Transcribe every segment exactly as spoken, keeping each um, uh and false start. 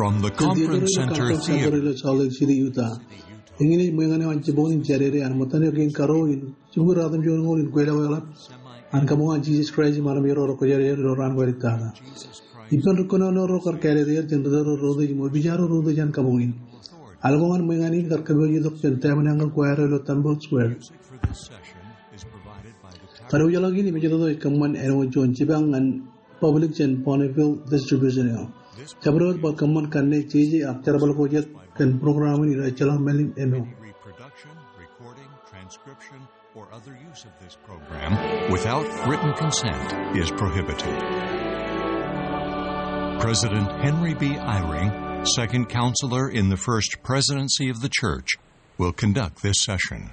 From the Conference Center Theater ilo Salt Lake City, Utah. Eñin ej ṃweeñān eo an jibboñ in jādede an ṃōttan eo kein karo in jibukwi ratimjuonñoul in kweilọk eḷap an kabuñ an Jisōs Kraist im armej ro rekwōjarjar ilo raan ko āliktata. Ippān ri kōnono ro kar kāālōt er jān ri tōl ro reutiej im opijaar ro reutiej an kabuñ in. Al ko ñan ṃweeñān in kar kōpooje tok jān Tabernacle Choir ilo Temple Square. Kadiwōjḷọk in im ejetoto ej kōṃṃan āinwōt juon jipañ ñan public jān Bonneville Distribution eo. Jabdewōt bar kōṃṃan kanne jeje ak jerbal ko jet kōn program in ilo ejjeḷọk mālim eo. Reproduction, recording, transcription, or other use of this program without written consent is prohibited. President Henry B. Eyring, Second Counselor in the First Presidency of the Church, will conduct this session.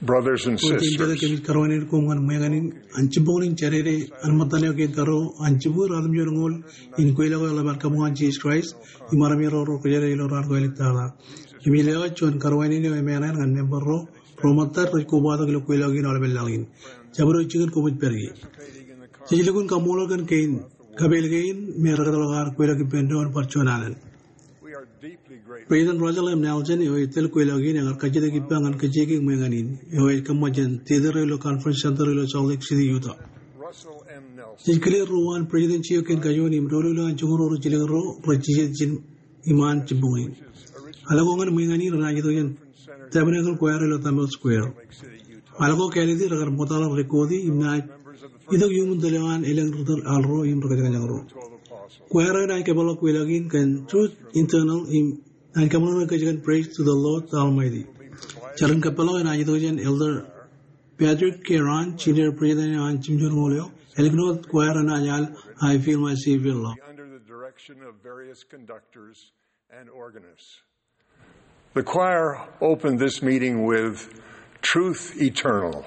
Brothers and sisters, kōmij kōrā wōt koṃ ñan ṃweeñān in an jibboñ in jādede an ṃōttan eo kein karo an jibukwi ratimjuonñoul in kweilọk eḷap an kabuñ an Jisōs Kraist im armej ro rekwōjarjar ilo raan ko āliktata. Im ilo juon kōrā wōt eo emāān ñan member ro, ro ṃōttad rej kobatok ilo kweilọk in aolepān laḷ in. Jabdewōt jikin koṃij pād ie. Jej lukkuun kaṃṃoolol kōn kein kapeel kein me rekōtḷọk ad kweilọk ippān doon bar juon alen. President Russell M. Nelson eo ej tōl kweilọk in ear kajjitōk ippa ñan kōjjikōj ṃweeñān in eo ej kōṃṃan jān theater eo ilo Conference Center ilo Salt Lake City, Utah. Jej kile ruo an presidency eo kein kajoor im doulul eo an joñoul ro rijjilōk ro rej jijet jān iṃaan jibboñ in. Al ko ñan ṃweeñān in renaaj itok jān Tabernacle Choir ilo Temple Square. Al ko kāālōt in rekar ṃōttaḷọk record e im naaj itok iuṃwin tōl eo an elōñ ri tōl al ro im ri kōjañjañ ro. Choir eo enaaj kōpeḷḷọk kweilọk in kōn Truth Eternal im naaj kōṃṃan kōj kōn Praise to the Lord Almighty. Jar in kōpeḷḷọk enaaj itok jān Elder Patrick Kearon, Senior President eo an jimjuonñoul eo. Ālikin wōt, choir enaaj al I Feel My Savior Love. Under the direction of various conductors and organists. The choir opened this meeting with Truth Eternal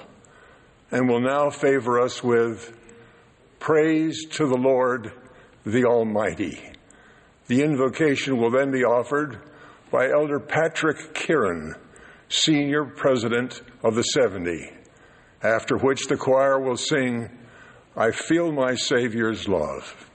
and will now favor us with Praise to the Lord, the Almighty. The invocation will then be offered by Elder Patrick Kearon, Senior President of the Seventy, after which the choir will sing, "I Feel My Savior's Love."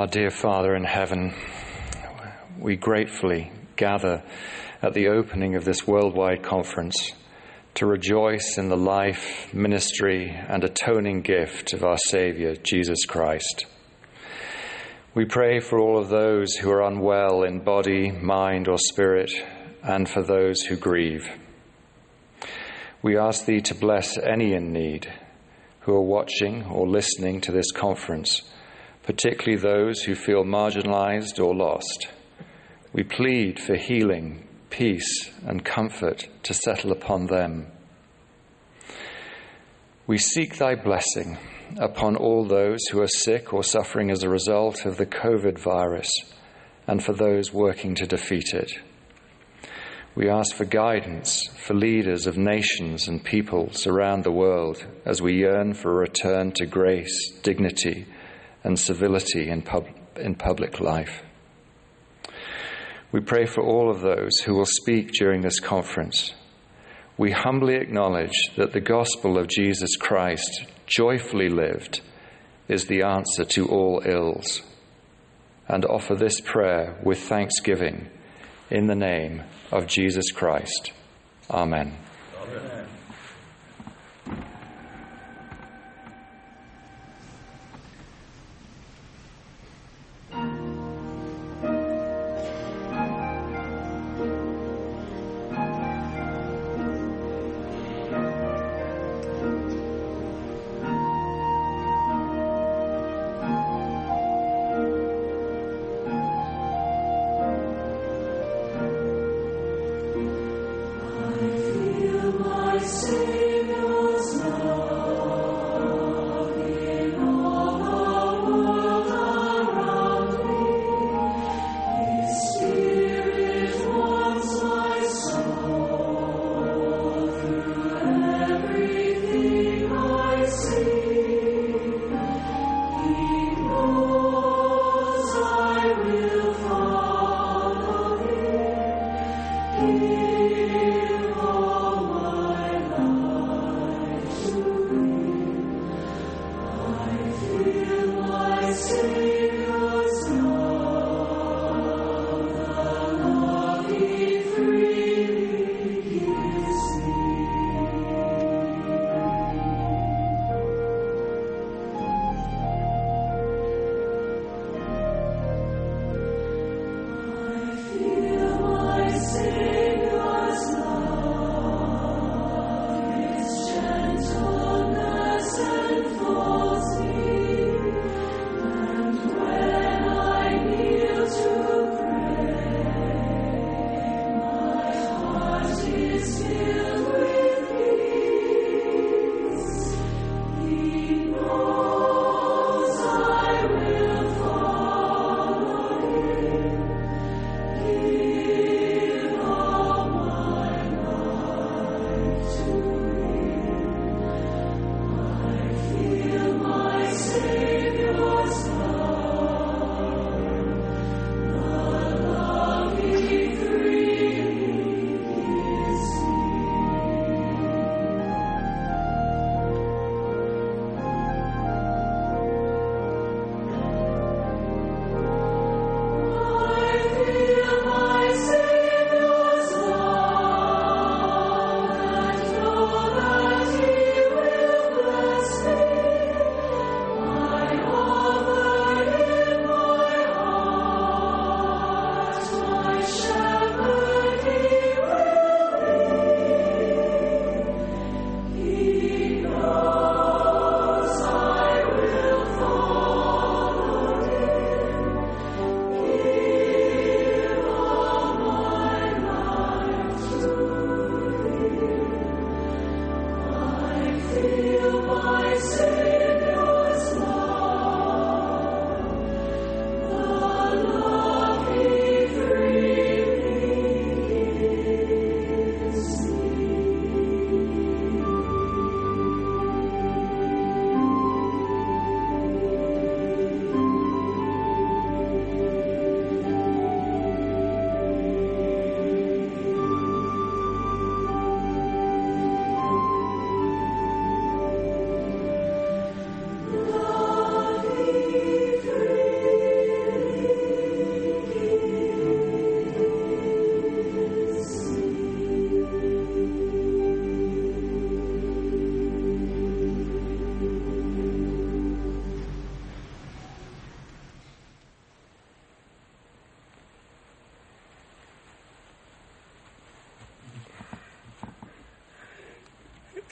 Our dear Father in heaven, we gratefully gather at the opening of this worldwide conference to rejoice in the life, ministry, and atoning gift of our Savior, Jesus Christ. We pray for all of those who are unwell in body, mind, or spirit, and for those who grieve. We ask thee to bless any in need who are watching or listening to this conference, particularly those who feel marginalized or lost. We plead for healing, peace, and comfort to settle upon them. We seek thy blessing upon all those who are sick or suffering as a result of the COVID virus, and for those working to defeat it. We ask for guidance for leaders of nations and peoples around the world as we yearn for a return to grace, dignity, and civility in pub-, in public life. We pray for all of those who will speak during this conference. We humbly acknowledge that the gospel of Jesus Christ, joyfully lived, is the answer to all ills. And offer this prayer with thanksgiving in the name of Jesus Christ. Amen.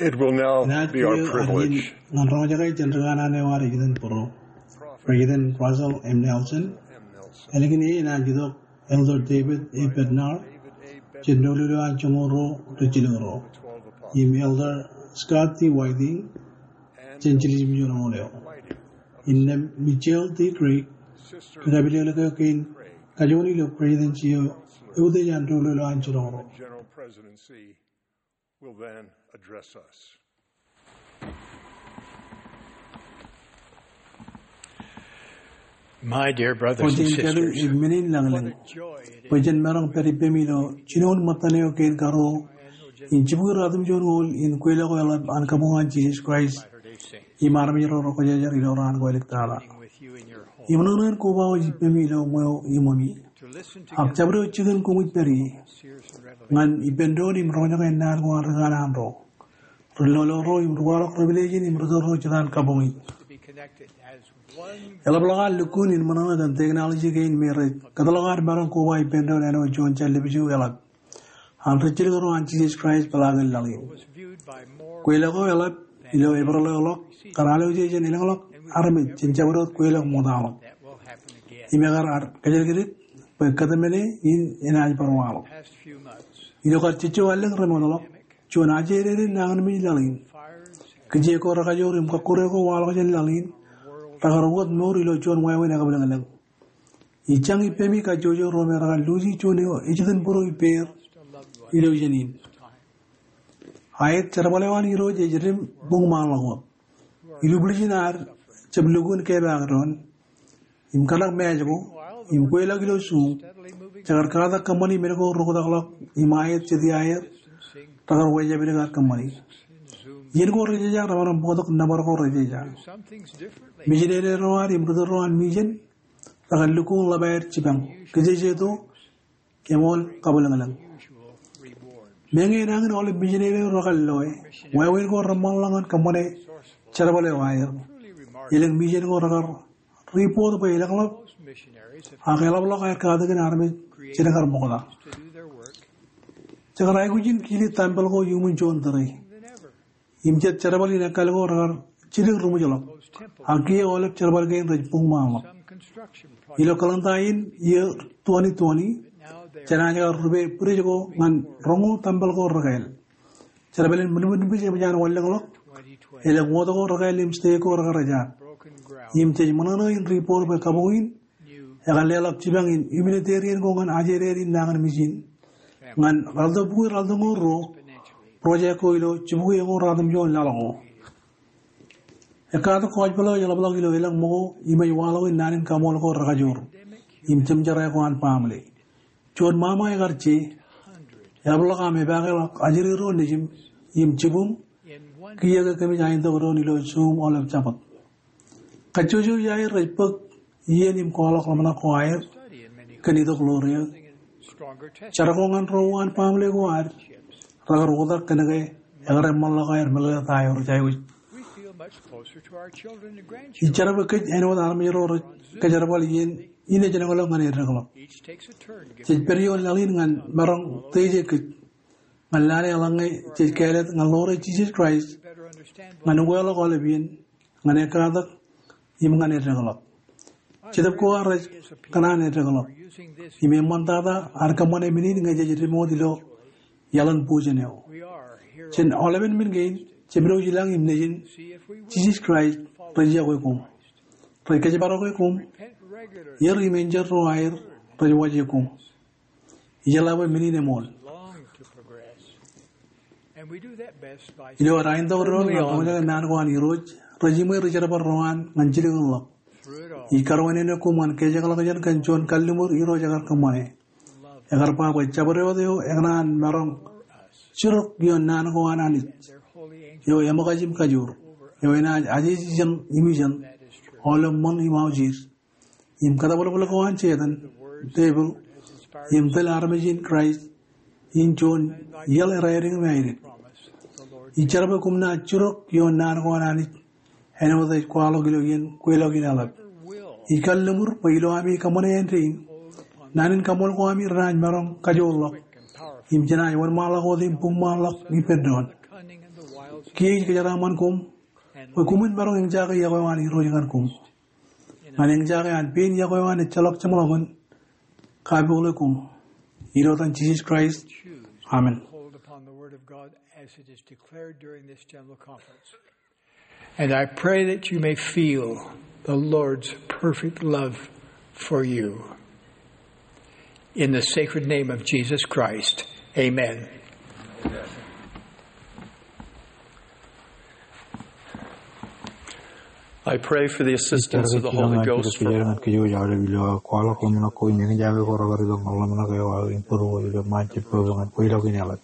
It will now Enaaj be our kiiō adein privilege ñan roñjake jān ri kanaan eo ad ej itōn bōro, President Russell M. Nelson. Ālikin e enaaj itok Elder David A. Bednar jān doulul eo an joñoul ruo rijjilōk ruo, im Elder Scott T. Whiting jān jiljino eo. Innām Michelle T. Craig ri kapileklek eok kein kajoor ilo Presidency eo eutiej an doulul eo an jiljino ruo. General Presidency will then address us. My dear brothers and sisters, bwe jen maroñ pād ippemi ilo jinoin ṃōttan eo kein karuo in jibukwi ratimjuon ñoul in kweilọk ko eḷap an kabuñ an Jisōs Kraist im armej ro rekwōjarjar ilo raan ko āliktata. Im ṃōṇōṇō in kobaoj ippemi ilo ṃweo iṃōmi. Ak jabdewōt jikin koṃij pād ie ñan ippān doon im roñjake naan ko an ri kanaan ro, ri lolo ro im ri kwaḷọk revelation im ri tōl ro jetan kabuñi. Eḷapḷọk ad lukkuun in ṃōṇōṇō kōn technology kein me rej kōtḷọk ad maroñ koba ippān doon āinwōt juon jān lōb eo eḷap an rijjilōk ro an Jisōs Kraist peḷaakin laḷ in. Kweilọk ko eḷap ilo Eprel eo ḷọk kōn alwōje jān elōñḷọk armej jān jabdewōt kweilọk ṃoktaḷọk. Im ekar ad kōjatdikdik bwe kōtmāne in enaaj bar waḷọk. Ilo kar jejjo allōñ remootḷọk, juon ajeririn nañinmej laḷ in, kijeek ko rekajoor im kọkkure ko waḷọk jān laḷ in rekar wōt mour ilo juon wāween ekabwilōñlōñ. Ij jañ ippemi kajjojo ro me rekar luuji juon eo ej itōn bōro ippāer ilo iien in. Aet jerbal eo an Irooj ej dim buñṃaanḷọk wōt. Ilubwiljin ad jab lukkuun kepaak doon im kōṇak māej ko im kweilọk ilo Zoom, jekar katak kōṃṃani men ko reoktakḷọk im aet jet iaer rekar wāween jabdewōt kōṃṃani. Iien ko rejeja remaroñ bōktok nōbar ko rejeja. Mijinere ro ad im ri tōl ro an mission rekar lukkuun ḷap aer jipañ, kijejeto, eṃool kabwilōñlōñ. Meñe enañin aolep mijinere eo rekar loe, wāween ko reṃṃanḷọk ñan kōṃṃane jerbal eo aer. Elōñ mission ko rekar report bwe elōñḷọk ak eḷapḷọk aer katakin armej jān kar ṃokta. Jekar aikuj in kili tempel ko iuṃwin juon tōre im jet jerbal in ekkal ko rekar jidik ri ṃōjḷọk, ak kiiō aolep jerbal kein rej buñṃaanḷọk. Ilo calendar in iiō twenty twenty, jenaaj kar rupe bwidej ko ñan roñoul tempel ko rekāāl. Jerbal in ṃōṇōṇō in bwidej eṃōj an wanlōñḷọk, elōñ wōt ko rekāāl im stake ko rekar ejjaak. Im jej ṃōṇōṇō in report bwe kabuñ in ekar leḷọk jipañ in humanitarian ko ñan ajeririn nañinmej in ñan ralitōk bukwi ralitōñoul ruo project ko ilo jibukwi eñoul ratimjuon laḷ ko. Ekkatak kōjpeḷ eo eḷapḷọk ilo elōñ ṃōko im ej waḷọk in naan in kaṃool ko rekajoor im jemjerā ko an baaṃle. Juon ṃaṃa ekar je, eḷapḷọk aṃ epaakḷọk ajri ro nejim im jibwim kiiō ke kōmij aitok doon ilo Zoom aolep Jabōt. Kajjojo iaer rej bōk iien im kwaḷọk ḷōmṇak ko aer kōn itok ḷoor eō. Jar ko ñan ro uwaan baaṃle ko ad rekar oktak kōnke ekar eṃṃanḷọk aer meḷeḷe ta eo rej aikuj. Ij jar bwe kōj āinwōt armej ro rej kōjerbal iien in ej lōñḷọk ñan eddekḷọk. Jej pād ioon laḷ in ñan maroñ teje kōj ñan lale eḷaññe jej kāālōt ñan ḷoor eo Jisōs Kraist ñan ukeḷọk aolep iien, ñan ekkatak im ñan eddekḷọk. Jetōb ko ad rej kōṇaan eddekḷọk im eṃṃantata ad kōṃṃane men in ñe jej dim wōt ilo iaḷ in bujen eo. Jān aolepen men kein, jemdouj ilañ im nejin, Jisōs Kraist rej iọkwe koṃ. Rej kōjparoke koṃ. Ier im enjeḷ ro aer rej waje koṃ. Ijeḷā bwe men in eṃool. Ilo ad aitok doon ñan roñjake naan ko an Irooj, rej iṃwe ri jerbal ro an ñan jilkinḷọk. Ij karuwainene koṃ ñan kōjekḷọkjeṇ kōn juon kalliṃur Irooj ekar kōṃṃane. Ekar ba bwe jabdewōt eo ekōṇaan maroñ jirok ioon naan ko an Anij, eo eṃōkaj im kajoor, eo enaaj ajeje ijeṇ im ijeṇ, aolep ṃōṇ im aujir, im kōtabwilbwil ko an Setan, devil, im tōl armej in Kraist in juon iaḷ eraidik im aidik. Ij jar bwe koṃ naaj jirok ioon naan ko an Anij āinwōt ej kwaḷọk ilo iien kweilọk in eḷap. Ij kalliṃur bwe ilo ami kōṃṃane āindein, naan in kaṃool ko ami renaaj maroñ kajoorḷọk im jenaaj wōnṃaanḷọk wōt im buñṃaanḷọk ippān doon. Kiiō ij kōjeraaṃṃan koṃ bwe koṃwin maroñ eñjake iọkwe eo an Irooj ñan koṃ. Ñan eñjake an pein iọkwe eo an ejjeḷọk jeṃḷọkin, kapookḷọk koṃ. Ilo etan Jisōs Kraist. Amen. Hold upon the word of God as it is declared during this general conference. And I pray that you may feel the Lord's perfect love for you. In the sacred name of Jesus Christ, amen. I pray for the assistance of the Holy Ghost for Elōñḷọk jān roñoul iiō koṃ ḷōmṇak eo aō im kūr ilo ṃaan jab pepe ñan kwe ḷọk in eḷap.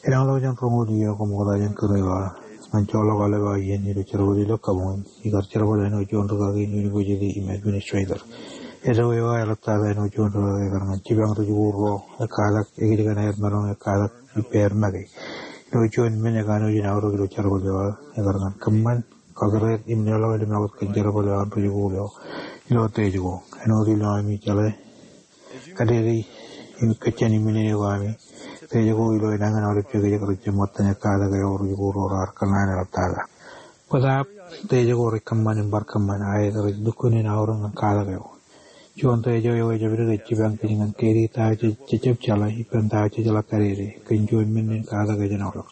Elōñḷọk jān roñoul iiō koṃ ṃokta jān kūr eo aō, ñan joḷọk aolep aō iien ilo jerbal ilo kabuñ in, ikar jerbal āinwōt juon rūkaki in university im administrator. Eddo eo aō eḷaptata āinwōt juon rūkaki ekar ñan jipañ rijikuuḷ ro, ekkatak, ekijjien aer maroñ ekkatak ippāer make. Ilo juon men ekanooj in aorōk ilo jerbal eo aō, ekar ñan kōṃṃan, kakūrāer im leḷọk limḷọk kōn jerbal eo an rijikuuḷ eo. Ilo Tejko, āinwōt ilo ami jeḷā, kadede im kōjjān im minene ko ami, Tejko ilo enañin aolep jekjek rej jab ṃōttan ekkatak eo rijikuuḷ ro raar kōṇaan eḷaptata. Bōtaab Tejko rej kōṃṃan im bar kōṃṃan, aet rej lukkuun in aorōk ñan katak eo. Juon Tejko eo ejabdewōt ej jipañ kōj ñan kedi ta eo jej jab jeḷā ippān ta eo jej jeḷā kadede, kōn juon men in katak eo jān aolep.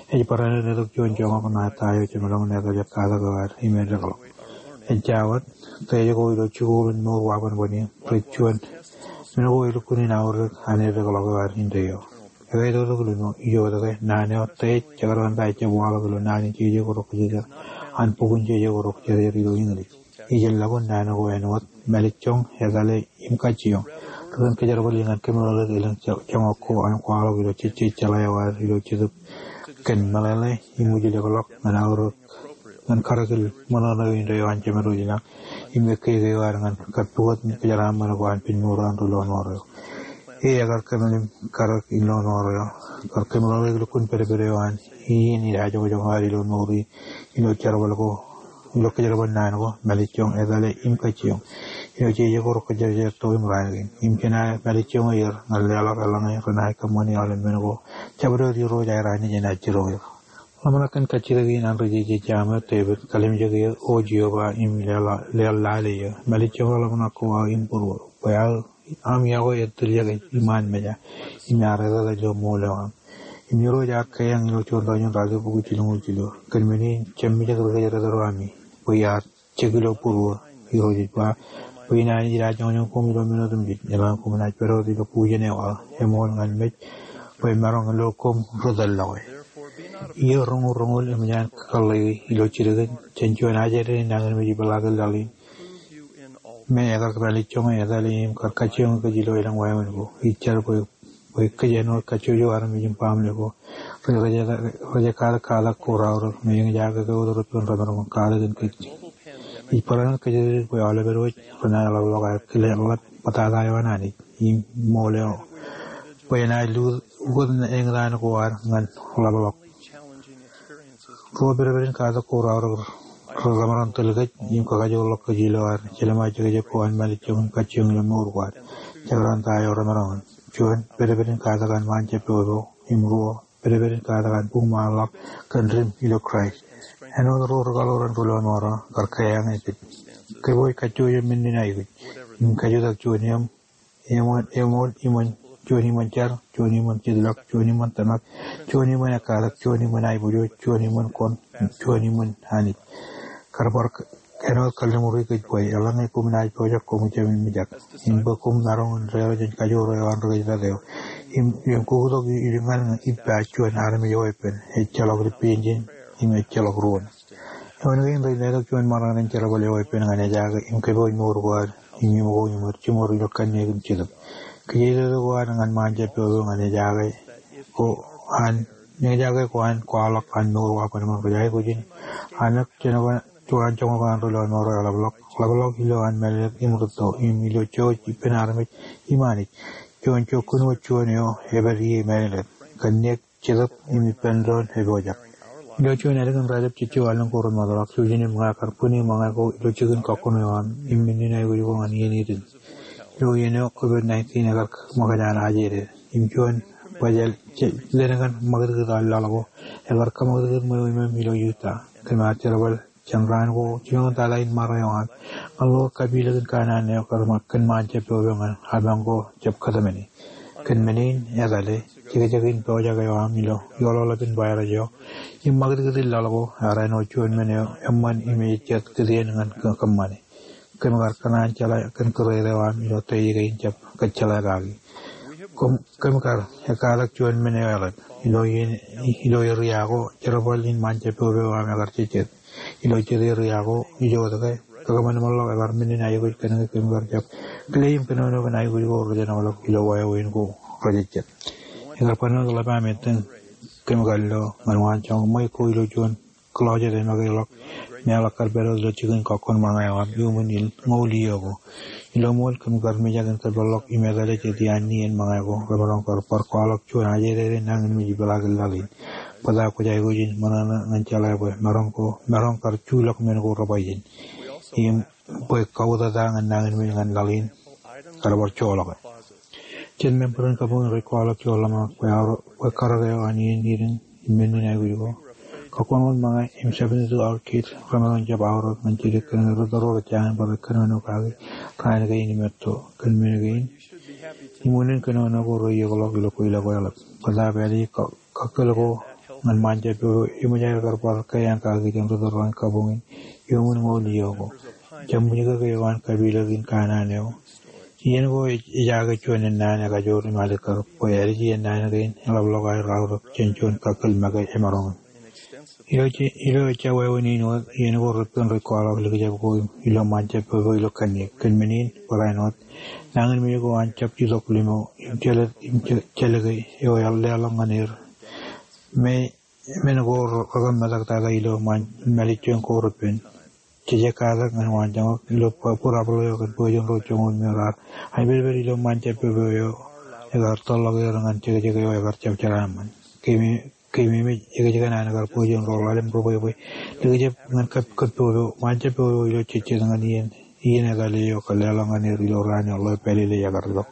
Ej barāinwōt letok juon joñak ṇae ta eo jemaroñ in etal eo katak eo ad im eddekḷọk. Ejja wōt, Tejko ilo jikuuḷ in mour wabanbōn in, rej juon men ko elukkuun in aorōk an eddekḷọk eo ad indeeo. Ekwe, ej toktok ilo ijo wōt ke naan eo, Tej, jekdọọn ta eo ejab waḷọk ilo naan in jeje ko rok kōjjeer, an bok in jeje ko rok kōjjeer ilo English. Ij lukkuun naan ko āinwōt mālejjoñ, etale im kajjioñ. Ri kōn kōjerbal in ñan kōmeḷeḷeik elōñ joñak ko an kwaḷọk ilo jejjet jeḷā eo ad ilo Jetōb kōn meḷeḷe im ujilekḷọk ñan aorōk ñan karōk in ṃōṇōṇō indeeo an Jemedwōj ilañ im ekkeke eo ad ñan kappukot im kōjeraaṃṃan ko an pen mour an ri lọmọọr eo. E, ekar kōmeḷeḷe im karōk in lọmọọr eo, kar kōmeḷeḷeik lukkuun pedped eo an iien in ajoñjoñ ad ilo mour in, ilo jerbal ko, ilo kōjerbal naan ko, mālejjoñ, etale im kajjioñ. Ilo jeje ko rok kōjjeer to im raan kein. Im jenaaj mālejjoñ er ñan leḷọk eḷaññe renaaj kōṃṃani aolep men ko jabdewōt Irooj aer Anij enaaj jiroñ er. Ḷōmṇak kōn kajjitōk in an ri jeje Sam eo Devid, kalimjek eō, O Jeova, im leḷ, leḷ lale eō. Mālejjoñ ḷōmṇak ko aō im būruō. Bwe aō aṃ iọkwe ej tiljek ej iṃaan meja, im ear etetal ilo ṃool eo aṃ. Im Irooj ear kaiñ ilo juon Tōñin ralitōk bukwi jilñuul jilu. Kōn men in jab mijak ri kōjdat ro ami, bwe iar jek ilo būruō. Irooj ej ba, bwe inaaj ajoñjoñ koṃ ilo men otemjej, eḷaññe koṃ naaj pād wōt ilo bujen eo aō eṃool ñan mej, bwe emaroñ lo koṃ ri tōllọke. Iiō roñoul roñoul eṃōj an kōḷḷeiki ilo jidik in jān juon ajri in nañinmej ipeḷaakin laḷ in, me ekar mālejjoñe, etale im kar kajjioñ kōj ilo elōñ wāween ko. Ij jar bwe, bwe kōj āinwōt kajjojo armej im baaṃle ko rej, rej, rej katak katak ko raorōk me eñjake ke wōt repen remaroñ katak in kōj. Ij barāinwōt kōjatdikdik bwe aolep edwōj renaaj ḷapḷọk aer kile ḷap bōtata eo an Anij im ṃool eo, bwe enaaj lukkuun ukōt eñtaan ko ad ñan ḷapḷọk. Ruo pedped in katak ko raorōk remaroñ tōl kōj im kakajoorḷọk kōj ilo ad jelṃae jekjek ko an mālejjoñ im kajjioñ ilo mour ko ad. Jekdọọn ta eo remaroñ in. Juon, pedped in katak an ṃaan jab pepe. Im ruo, pedped in katak an buñṃaanḷọk kōn dim ilo Kraist. Āinwōt ro ri kaḷoor an ri lọmọọr eo, kar kaiñ kōj. Kōpooj kajjojo men in aikuj im kajutak juon eṃ eṃool, eṃool iṃōn, juon iṃōn jar, juon iṃōn jitlọk, juon iṃōn tōmak, juon iṃōn ekkatak, juon iṃōn aiboojoj, juon iṃōn koṇ, juon iṃōn Anij. Kar bar āinwōt kalliṃur kōj bwe eḷaññe koṃ naaj pojak koṃ jab mijak. Im bwe koṃ maroñ in deḷọñ jān kajoor eo an ri kōjdat eo. Im, im kuktok ilo ñan ippa juon armej eweeppān, ejjeḷọk ri peiin im ejjeḷọk ruon. Eoon kein rej letok juon maroñ in jerbal eweeppān ñan ejaake im kōpooj mour ko ad im iṃōko im er jiṃor ilo kanniōk im jetōb. Kōjatdikdik ko ad ñan ṃaan jab pepe ñan ejaake ko an, ejaake ko an kwaḷọk an mour wabanbōn rej aikuj in anōk jān juon joñak an ri lọmọọr eo eḷapḷọk, ḷapḷọk ilo an mālōtlōt im rūtto im ilo jouj ippān armej im Anij. Juon jokkun wōt juon eo epād ie mālōtlōt. Kanniōk, jetōb im ippān doon epojak. Ilo juon ālikin raelep jejjo allōñ ko remootḷọk, jouj im ña kar bwini ṃōñā ko ilo jikin kọkkure eo aṃ im men in aikuj ko ñan iien Eden. Ilo iien eo COVID nineteen ekar ṃōkaj an ajede im juon Bwe ejjeḷọk kōn ṃakūtkūt aō laḷ ko ekar kōṃakūtkūt ṃweo iṃōṃ ilo Utah. Kōm ar jerbal jān raan ko jilkinḷọk tata in ṃare eo aṃ ñan lo kapilōk in kanaan eo kōn ṃaan jab pojak ñan apañ ko jab kōtmāne. Kōn men in etale jekjek in pojak eo aṃ ilo iioḷaḷap in virus eo im ṃakūtkūt in laḷ ko ear āinwōt juon men eo eṃṃan im ejejjet kūtien ñan kōṃṃane. Kōm kar kōṇaan jeḷā kōn kūrere eo aṃ ilo teiō kein jab kōjjeḷā kaki. Kōm kar ekkatak juon men eo eḷap ilo eria ko jerbal in ṃaan jab pojak eo aṃ ekar jejjet. Ilo jet eria ko ijo wōt ke kakōṃanṃanḷọk ekar men in aikuj kōn ke kōm kar jab kile im kōnono kōn aikuj ko rej enaoḷọk ilo wāween ko rejejjet. Ekar bar ṇe wōt ḷap aṃ ettōn kōm kar lo ñan waan joñak ṃweo ko ilo juon closet e make ḷọk meḷọk kar pād wōt ilo jikin kọkkọṇ ṃōñā eo aṃ iuṃwin in ñoul iiō ko. Ilo ṃool kōm kar mijak in kōpeḷḷọk im etale jet iaan nien ṃōñā ko. Kōm maroñ kar bar kwaḷọk juon ajere nañinmej ipeḷaakin laḷ in. Bōtab kwōj aikuj in ṃōṇōṇō ñan jeḷā bwe maroñ kar juḷọk men ko rej ba ijin im bwe kautata ñan nañinmej ñan laḷ in kar bar joḷọke. Jet member in kabuñ in rej kwaḷọk juon ḷōmṇak bwe karōk eo an iien idiñ im men in aikuj ko. Kọkkọṇ wōt ṃōñā im seventy-two hour kid remaroñ jab aorōk ñan jidik kōn ke ri tōl ro rej jañin bar kōnono kaki raan kein im etto kōn men kein im unin kōnono ko reiiōkḷọk ilo kweilọk ko eḷap. Bōtab ālikin kakkōl ko ñan ṃaan jab pojak eo eṃōj aer kar bar kōjeañ kaki jān ri tōl ro an kabuñ in iuṃwin ñoul iiō ko. Jab ṃwijkōk eo an kapilōk in kanaan eo. Iien ko ejake juon ennaan ekajoor im alikkar bwe ālij iien naan kein eḷapḷọk aer aorōk jān juon kakkōl make emaroñ in. Ilo ejja wāween in wōt iien ko reppen rej kwaḷọk likjab ko ilo ṃaan jab pojak eo ilo kanniōk kōn men in barāinwōt nañinmej ko an jab itok limo im jelōke eo ear leḷọk ñan er. Men ko rekōmetak tata ilo ṃaan mālejjoñ ko reppen. Jej ekkatak ñan waan joñak ilo būrabōḷ eo kōn bwebwenato joñoul me raar aipedped ilo ṃaan jab pojak eo ekar tōlḷọk er ñan jekjek eo ekar jab jeraaṃṃan. Keememej ekōjkan an kar bwebwenato ḷalem ri bwebwe likjab ñan kab pojak eo ṃaan jab pojak eo ilo jejjet ñan iien etale eo kar leḷọk ñan er ilo raan eo ḷeo pālele ekar itok.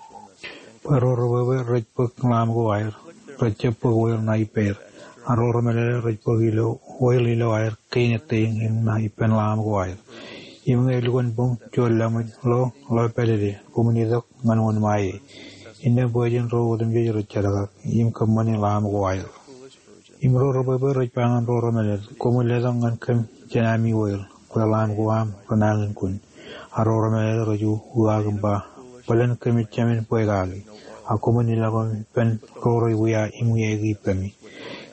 Bwe ro ri bwebwe rej bōk ḷaam ko aer, rej jab bōk oil ṇa ippāer. Ak ro ri mālōtlōt rej bōk ilo oil ilo aer kein etteiñ im ṇa ippān ḷaam ko aer. Im ñe elukkuun boñ juon laṃōj ḷeo ḷeo pālele, koṃwin itok ñan wōnṃae e. Innām bwe jen ro otemjej rej jetakak im kōṃṃane ḷaam ko aer. Im ro ri bwebwe rej ba ñan ro ri mālōtlōt, koṃwin letok ñan kōm jān ami oil bwe ḷaam ko aṃ renañin kōn. Ak ro ri mālōtlōt rej uwaak im ba, bōlen kōmij jāmin bwe kaki. Ak koṃwin ilọk im ippān ro rej wia im wiaiki ippemi.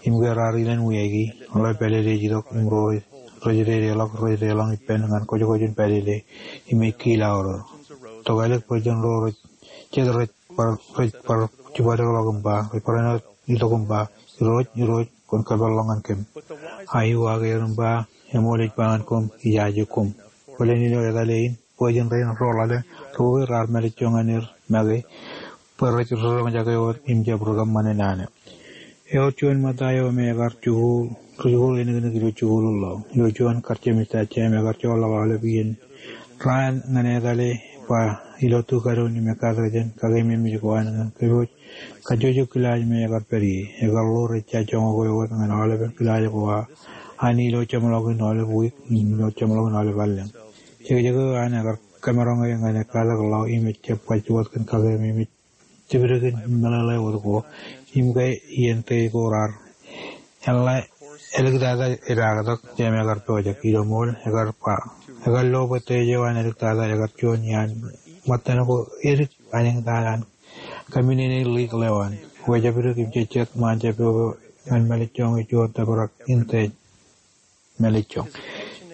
Im ke raar ilen wiaiki, ḷeo pālele ej itok im ro rej dedeḷọk rej deḷọñ ippān ñan kōjkōjin pālele im ej kiilaorōr. Tokālik bwe jān ro jet rej bar jibadekḷọk im ba, rej barāinwōt itok im ba, Irooj, Irooj, kwōn kōpeḷḷọk ñan kōm. A ej uwaak er im ba, eṃool ej ba ñan koṃ, ijaje koṃ. Bōlen ilo etale in, bwe jen rein ro ḷalem ri bwebwe raar mālejjoñ ñan er make bwe rej roñjake wōt im jab rikōṃṃane naan eo. Ewōr juon ṃōtta eo me ekar jikuuḷ, ri jikuuḷ eniknik ilo jikuuḷ in ḷọk. Ilo juon kar jemej ta jeiṃ ekar joḷọk aolep iien raan ñan etale ba ilo tu kadoon im ekkatak jān kakeememej ko an ñan kōpooj kajjojo kilaaj me ekar pād ie. Ekar ḷoor ejja joñak eo wōt ñan aolepen kilaaj ko aō an ilo jeṃḷọkin aolep wiik im ilo jeṃḷọkin aolep allōñ. Jekjek eo an ekar kōmaroñ e ñan ekkatak ḷọk im ejjab baj wōt kōn kakeememej jibdik in meḷeḷe wōt ko. Im ke iien teiṃ ko raar eḷḷā āliktata epaaktok jeiṃ ekar pojak ilo ṃool ekar ba, ekar lo bwe teiṃ eo an āliktata ekar juon iaan ṃōttan ko edik anōñtan an kōminene ḷeak ḷeo an wōjab itok im jejjet ṃaan jab pojak eo ñan mālejjoñ eo juon tōprak in teiṃ mālejjoñ.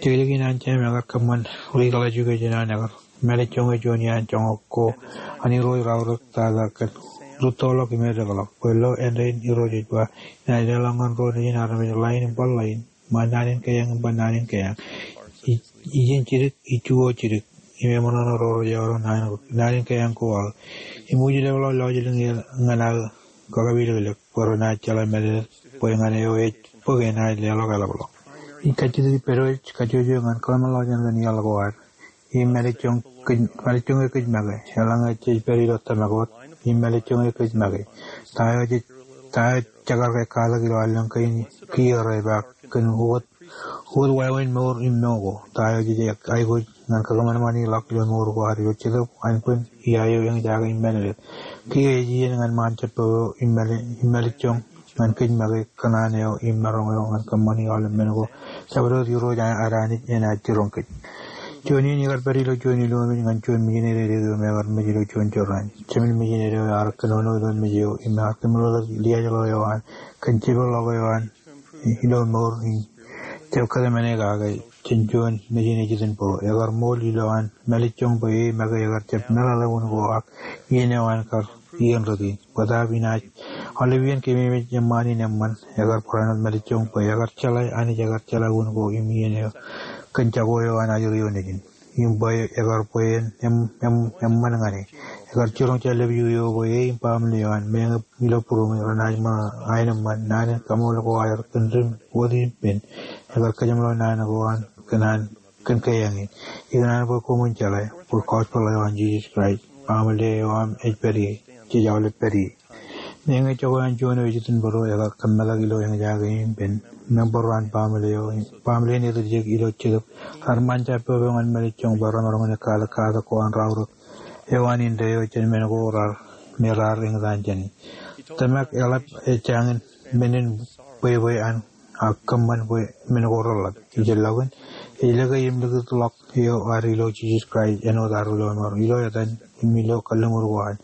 Jekjek in an jeiṃ ekar kōṃṃan ḷeak ḷeo juon iaan ekar mālejjoñ eo juon iaan joñak ko an Irooj raorōk tata kōn rūttoḷọk im edekḷọk bwe lo āindein Irooj ej ba, inaaj leḷọk ñan ro nejin armej ḷain im bar ḷain, ṃaan naan in keeañ im bar naan in keeañ, ijin jidik, iju eo jidik, im eṃōṇōṇō ro rej eọro naan in keeañ ko aō. Im ij leḷọk lọjilñier ñan aō kakapilōklōk bwe renaaj jeḷā mālōtlōt bwe ñan eo ej bōk enaaj leḷọk eḷapḷọk. Ij kajjitōk ippād wōj kajjojo ñan kōḷmānḷọkjeṇ kōn iaḷ ko ad. Im mālejjoñ eo kōj make, eḷaññe jej pād ilo tōmak wōt, im mālejjoñ eo kōj make, ta eo jej Ta eo jekar ke katak ilo allōñ kein kiiō repaak kōn wōt, wōt wāween mour im mour ko? Ta eo jej aikuj ñan kōṃanṃani ḷọk ilo mour ko ad ilo Jetōb Anbwin, ia eo eñjake im mālōtlōt? Kiiō ej iien ñan ṃaan jabdewōt eo im māli, im mālejjoñ ñan kōj make kōṇaan eo im maroñ eo ñan kōṃṃani aolep men ko jabdewōt Irooj ad Anij enaaj jiroñ kōj. Juon in ikar pād ilo juon ilowōj ñan juon mijinede eo me ekar mej ilo juon jorrāān. Jemān mijinede eo ear kōnono ilo mej eo im ear kōmeḷeḷeik liaajḷọk eo an kōn jepḷọk eo an ilo mour in jab kōtmāne kake jān juon nejin ejitōnbōro. Ekar ṃool ilowaan mālejjoñ bwe e make ekar jab meḷeḷe un ko ak iien eo an kar iien rot in. Bōtaab inaaj aolep iien keememej eṃṃaan in eṃṃan, ekar barāinwōt mālejjoñ bwe ekar jeḷā Anij ekar jeḷā un ko im iien eo kōn jako eo an ajri eo nejin. Im bwe ekar bwe en em, em, eṃṃan ñan e. Ekar jiroñ jān lōb eo bwe e im baaṃle eo an meñe ilo būruōmi renaaj ṃōṇōṇō aenōṃṃan naan in kaṃool ko aer kōn rim wōt ippān. Ekar kōjeṃḷọk naan ko an kōn an kōn keeañ in. Ikōṇaan bwe koṃwin jeḷā bwe gospel eo an Jisōs Kraist, baaṃle eo aṃ ej pād ie, jej aolep pād ie. Meñe jako an juon eo ejitōnbōro ekar kōmmeḷọk ilo eñjake ippān, member eo an baaṃle eo, baaṃle in etiljek ilo Jetōb, raar ṃaan jab eo ñan mālejjoñ bwe remaroñ in katak katak ko an raorōk eo an indeeo jān men ko raar, me raar eñtaan jāne. Tōmak eḷap ejjañin men in bwebwe an ak kōṃṃan bwe men ko reḷḷap. Ijellọkin, ej lōke im likūtḷọk eo ad ilo Jisōs Kraist āinwōt ad ri lọmọọr. Ilo etan im ilo kalliṃur ko ad,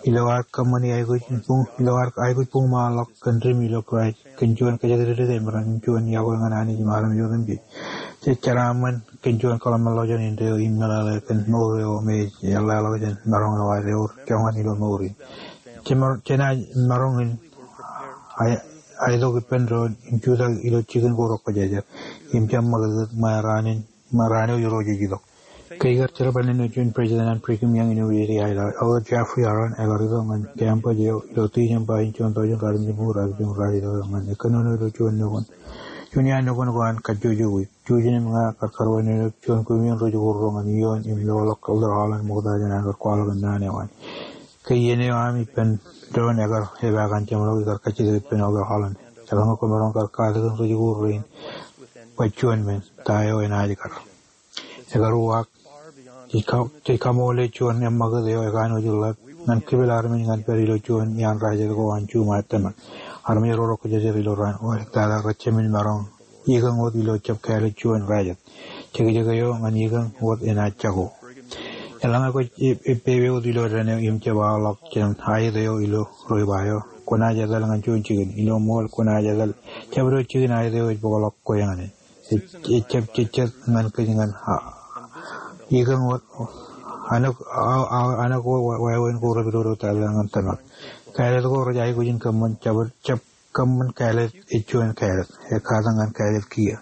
ilo ad kōṃṃani aikuj buñ, ilo ad aikuj buñṃaanḷọk kōn rim ilo Kraist kōn juon kōjatdikdik emaroñ im juon iọkwe ñan Anij im armej otemjej. Jej jeraaṃṃan kōn juon kōḷmānḷọkjeṇ indeeo im meḷeḷe kōn mour eo me ej eḷḷāḷọkjeṇ maroñ eo ad ewōr joñan ilo mour in. Jenaaj maroñ in aetok ippān doon im jutak ilo jikin ko rekwōjarjar im jab ṃakūtkūt ṃae raan in, ṃae raan eo Irooj ej itok. Ke ikar jerbal āinwōt juon president an Brigham Young University, Elder Jeffrey Holland, ekar itok ñan campus eo ilo December in juon thousand raar jimjuṃ raar itok ñan e kōnono ilo juon nukun, juon iaan nukun ko an kajjojo wiik. Jujen im ña kar karuwainene juon kumi in ri-jikuuḷ ro ñan ioon im loḷọk Elder Holland ṃokta jān an kar kwaḷọk naan eo an. Ke iien eo aṃ ippān doon ekar epaak an jeṃḷọk, ikar kajjitōk ippān Elder Holland. Eḷaññe kwōmaroñ kar katakin ri-jikuuḷ rein bwe juon men, ta eo enaaj kar. Ekar uwaak, jej ka, jej kaṃoole juon eṃṃakūt eo ekanooj ḷap ñan kipel armej ñan pād ilo juon iaan rajet ko an juṃae tōmak. Armej ro rekwōjarjar ilo raan wōt ektata rej jemān maroñ ikōñ wōt ilo jab kāālōt juon rajet. Jekjek eo ñan ikōñ wōt enaaj jako. Eḷaññe kwōj ep, eppepe wōt ilo dān eo im jab aorḷọk jān aet eo ilo ri-ba eo, kwōnaaj etal ñan juon jikin. Ilo ṃool kwōnaaj etal jabdewōt jikin aet eo ej bōkḷọk kwe ñan e. Ej, ej jab jejjet ñan kōj ñan, a, ikōñ wōt, anōk, a, a, anōk wāween ko repidodo tata ñan tōmak. Kāālōt ko rej aikuj in kōṃṃan jab, jab kōṃṃan kāālōt ej juon kāālōt, ekkatak ñan kāālōt kiiō.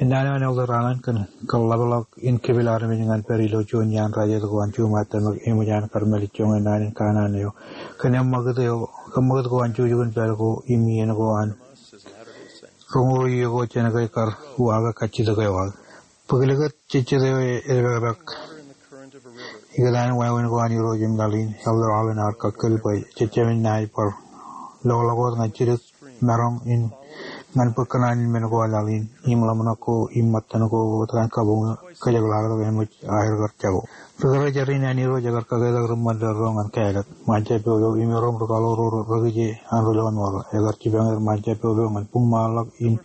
Innaan eo an Elder Holland kōn kōḷḷapḷọk in kipel armej ñan pād ilo juon iaan rajet ko an juṃae tōmak eṃōj an kar mālejjoñe naan in kanaan eo kōn eṃṃakūt eo, eṃṃakūt ko an jukjuk in pād ko im iien ko an roñoul iiō ko jān ke kar uwaake kajjitōk eo aō. Bōk likūt jejjet eo e, edepakpak ikōtaan wāween ko an Irooj im laḷ in. Elder Holland ear kakkōl bwe jejjab naaj bar loḷọk wōt ñan jidik maroñ in ñan bōk kōṇaan in men ko laḷ in im ḷōmṇak ko im ṃōttan ko wōt an kabuñ kōjepḷaaktok eṃōj aer kar jako. Ri-karijer in an Irooj ekar kaketak ri-ṃōttan ro ñan kāālōt. Ṃaan jab eo eo im erom ri-kaḷoor ro rekije an ri lọmọọr ro. Ekar jipañ er ṃaan jab eo eo ñan buñṃaanḷọk im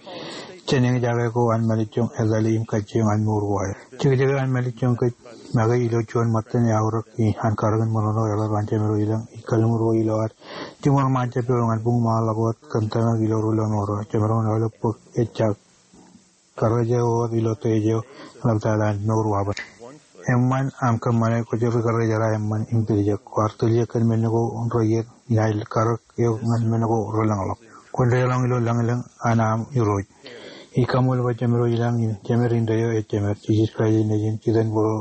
jān eñjake ko an mālejjoñ etale im kajjioñ an mour ko aer. Jekjek eo an mālejjoñ kōj make ilo juon ṃōttan eaorōk in an karōk in ṃōṇōṇō eḷap an jemed ro ilañ im kalliṃur ko ilo ad jiṃor ṃaan jab eo ñan buñṃaanḷọk wōt kōn tōmak ilo ri lọmọọr ro. Jemaroñ in aolep bōk ejja karrejeḷ wōt ilo tejeo ḷaptata an mour wabōd. Eṃṃan aṃ kōṃṃane kwōj ri-karrejeḷ eṃṃan im tiljek. Kwaar tiljek kōn men ko reiiet, inaaj karōk eok ñan men ko relōñḷọk. Kwōn deḷọñ ilo lañlōñ an aṃ Irooj. Ij kaṃool bwe jemed ro ilañ im jemed indeeo ej jemed. Jisōs Kraist ej Nejin, Jitōnbōro,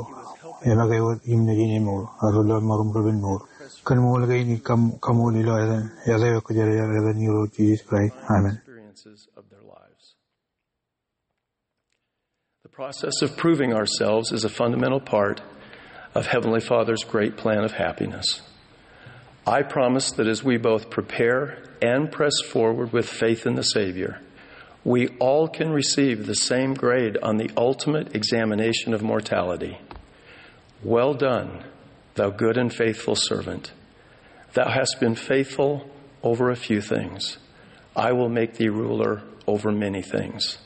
emake wōt im Nejin eṃool, ak ri lọmọọr im ri-penmour. Kōn ṃool kein ij kaṃ, kaṃool ilo etan, etan eo kwōjarjar, etan Irooj Jisōs Kraist. Amen. The process of proving ourselves is a fundamental part of Heavenly Father's great plan of happiness. I promise that as we both prepare and press forward with faith in the Savior, we all can receive the same grade on the ultimate examination of mortality. "Well done, thou good and faithful servant. Thou hast been faithful over a few things. I will make thee ruler over many things.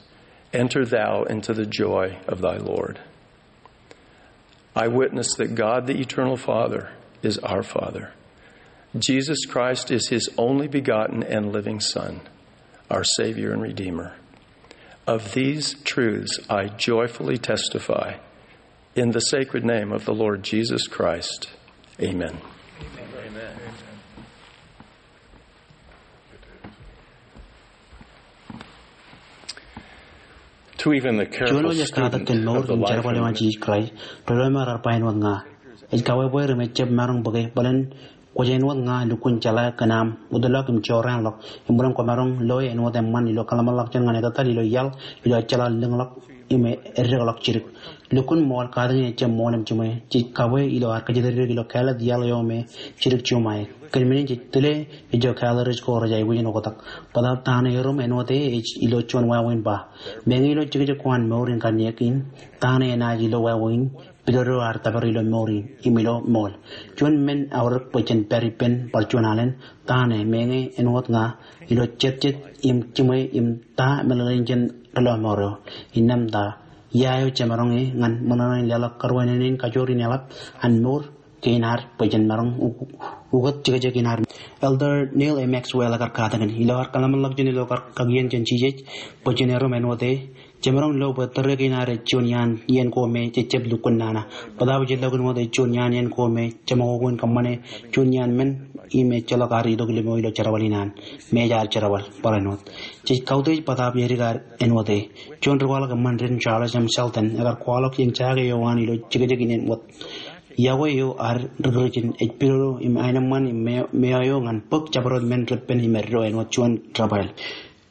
Enter thou into the joy of thy Lord." I witness that God, the eternal Father, is our Father. Jesus Christ is his only begotten and living Son, our Savior and Redeemer. Of these truths I joyfully testify in the sacred name of the Lord Jesus Christ. Amen. Juon wōj ej katak kōn mour im jerbal eo an Jisōs Kraist, ri lọmọọr raar ba āinwōt ña. Ej kaweeweer im ejjab maroñ bōke bōlen kwōj āinwōt ña lukkuun jeḷā kōn aṃ wōtlọk im jorrāānḷọk, im bōlen kwōmaroñ loe āinwōt eṃṃan ilo kōḷmānḷọkjeṇ ñan etetal ilo iaḷ, ilo ejjeḷọk lōñḷọk im eddekḷọk jidik. Lukkuun ṃool, katakin ejjab ṃool im jiṃwe. Jej kabwe ilo ad kōjatdikdik ilo kāālōt iaḷ eo me jidik juṃae. Kōn men in jej tile ijo kāālōt rej ko rej aikuj in oktak. Bōtaab ta ṇe erom āinwōt e ej ilo juon wāween ba, meñe ilo jekjek ko an mour in kanniōk in, ta ṇe enaaj ilo wāween pidodo ad tōpar ilo mour in im ilo ṃool. Juon men aorōk bwe jen pād ippān bar juon alen, ta ṇe meñe āinwōt ña ilo jetjet im jiṃwe im ta meḷeḷein jān ri lọmọọr eo. Innām ta ia eo jemaroñ e ñan ṃōṇōṇō in leḷọk karuwainene in kajoor in eḷap an mour kein ad bwe jen maroñ u-, ukōt jekjek in ad. Elder Neal A. Maxwell ekar katakin, ilo ad kōḷmānḷọkjeṇ ilo kar kakien jān Jisōs bwe jen erom āinwōt e, jemaroñ lo bwe tōre kein ad ej juon iaan iien ko me jejjab lukkuun nana. Bōtaab ej ilọk āinwōt ej juon iaan iien ko me jeṃakoko in kōṃṃane juon iaan men im ejjeḷọk ad itok ilo ṃweo ilo jerbal in an, me ej ad jerbal barāinwōt. Jej kautiej bōtaab edik ad āinwōt e. Juon ri kwaḷọk eṃṃan rin, Charles M. Sheldon, ekar kwaḷọk eñjake eo an ilo jekjek in āinwōt. Yokwe eo ad ri Kūrjin ej pidodo im aenōṃṃan im ṃweo, ṃweo eo ñan bōk jabdewōt men reppen im eddo āinwōt juon rafael.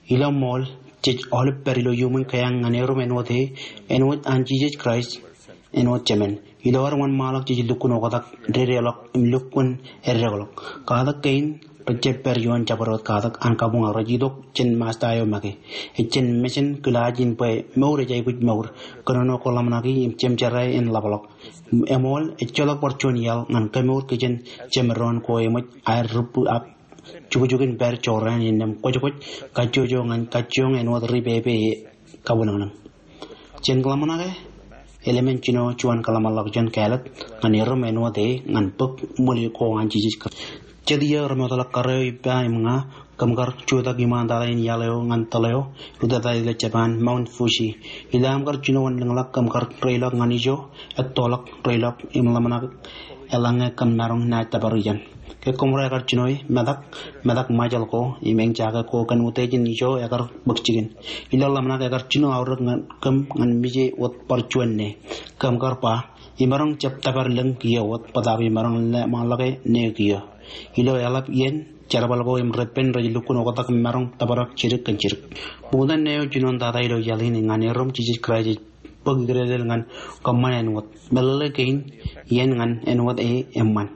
Ilo ṃool, jej aolep pād ilo iuṃwin kōjeañ ñan erom āinwōt e, āinwōt an Jisōs Kraist āinwōt Jemān. Ilo ad wōnṃaanḷọk jej lukkuun oktak, dedeḷọk, im lukkuun eddekḷọk. Katak kein rej jab pād ioon jabdewōt katak an kabuñ ak rej itok jān Masta eo make. Ej jān mejān kilaaj in bwe mour ej aikuj mour, kōnono ko ḷōmṇaki im jemjerā en ḷapḷọk. Eṃool, ejjeḷọk bar juon iaḷ ñan kemour kōjān jemdoon ko eṃōj aer rūbbu ak jukjukin pād jorrāān innām kwōjkwōj kajjojo ñan kajjioñ āinwōt ri pepe e kabwilōñlōñ. Jen kōḷmānḷọke, elōmen jino juon kōḷmānḷọkjeṇ kāālōt ñan erom āinwōt e ñan bōk ṃwil ko an Jisōs Kraist. Jet iiō remootḷọk kar eo ippa im ña, kōm kar jutak iṃaantata in iaḷ eo ñan tōl eo, rūtata ilo Japan, Mount Fuji. Ilo aṃ kar jino wōn lōñḷọk kōm kar reilọk ñan ijo, ettoḷọk, reilọk, im ḷōmṇak eḷaññe kōm maroñ naaj tōpar ijeṇ. Ke kōmro ekar jino e, metak, metak Ṃajeḷ ko, im eñjake ko kōn utiej in ijo ekar bōk jikin. Ilo ḷōmṇak ekar jino aorōk ñan kōm ñan mije wōt bar juon ṇe. Kōm kar ba, imaroñ jab tōpar lōñ kiiō wōt, bōtaab imaroñ ḷōmṇake ṇe kiiō. Ilo eḷap iien, jerbal ko im reppen rej lukkuun oktak im maroñ tōprak jidik kōn jidik. Ṃokta ṇe eo jinoin tata ilo iaḷ in ñan erom Jisōs Kraist ej bōk ikrelel ñan kōṃṃan āinwōt. Meḷeḷe kein iien ñan āinwōt e eṃṃan.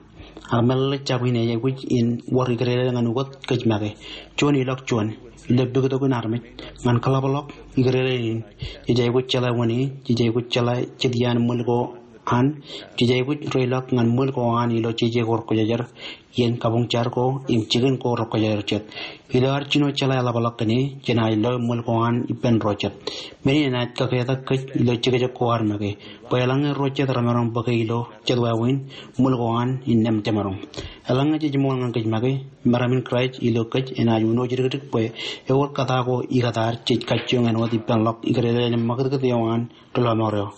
Ak meḷeḷe jab in ej aikuj in wōr ikrelel ñan ukōt kōj make. Juon ilọk juon. Ilo pukot in armej. Ñan kōḷapḷọk ikrelel in. Jej aikuj jeḷā wōn e, jej aikuj jeḷā jet iaan ṃwil ko an, jej aikuj reilọk ñan ṃwil ko an ilo jeje ko rej kwōjarjar. Iien kabuñ jar ko, im jikin ko rej kwōjarjar jet. Ilo ad jino jeḷā eḷapḷọk kōn e, jenaaj lo ṃwil ko an ippān ro jet. Men in enaaj kaketak kōj ilo jekjek ko ad make. Bwe eḷaññe ro jet remaroñ bōke ilo jet wāween, ṃwil ko an innām jemaroñ. Eḷaññe jej ṃool ñan kōj make, meram in Kraist ilo kōj enaaj uno jidikdik bwe ewōr kōta ko ikōtaad jej kajjioñ āinwōt ippānḷọk ikrelel im ṃakūtkūt eo an ri lọmọọr eo.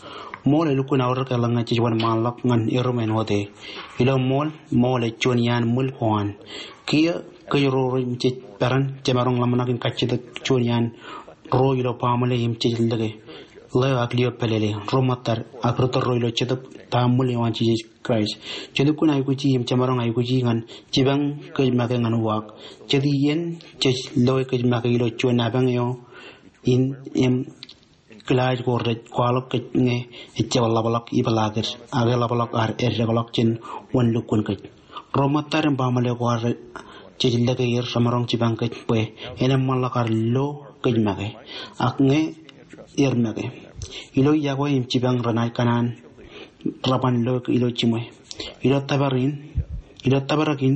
Ṃool elukkuun aorōk eḷaññe jej wōnṃaanḷọk ñan erom āinwōt e. Ilo ṃool, ṃool ej juon iaan ṃwil ko an. Kiiō kōj ro rej peran, jemaroñ ḷōmṇak in kajjitōk juon iaan ro ilo baaṃle im jej lōke. Ḷeo ak lio pālele, ro ṃōttad, ak ri tōl ro ilo Jetōb ta ṃwil eo an Jisōs Kraist. Jen lukkuun aikuji im jemaroñ aikuji ñan jipañ kōj make ñan uwaak. Jet iien jej loe kōj make ilo juon apañ eo in im kilaaj ko rej kwaḷọk kōj ñe ejjab ḷapḷọk ipeḷaakid, ak eḷapḷọk ad eddekḷọk jān wōn lukkuun kōj. Ro ṃōttad im baaṃle ko ad jej lōke er remaroñ jipañ kōj bwe en eṃṃanḷọk ad lo kōj make. Ak ñe er make, ilo yokwe im jipañ renaaj kōṇaan reban lo ilo jiṃwe. Ilo tōprak in, ilo tōprak in,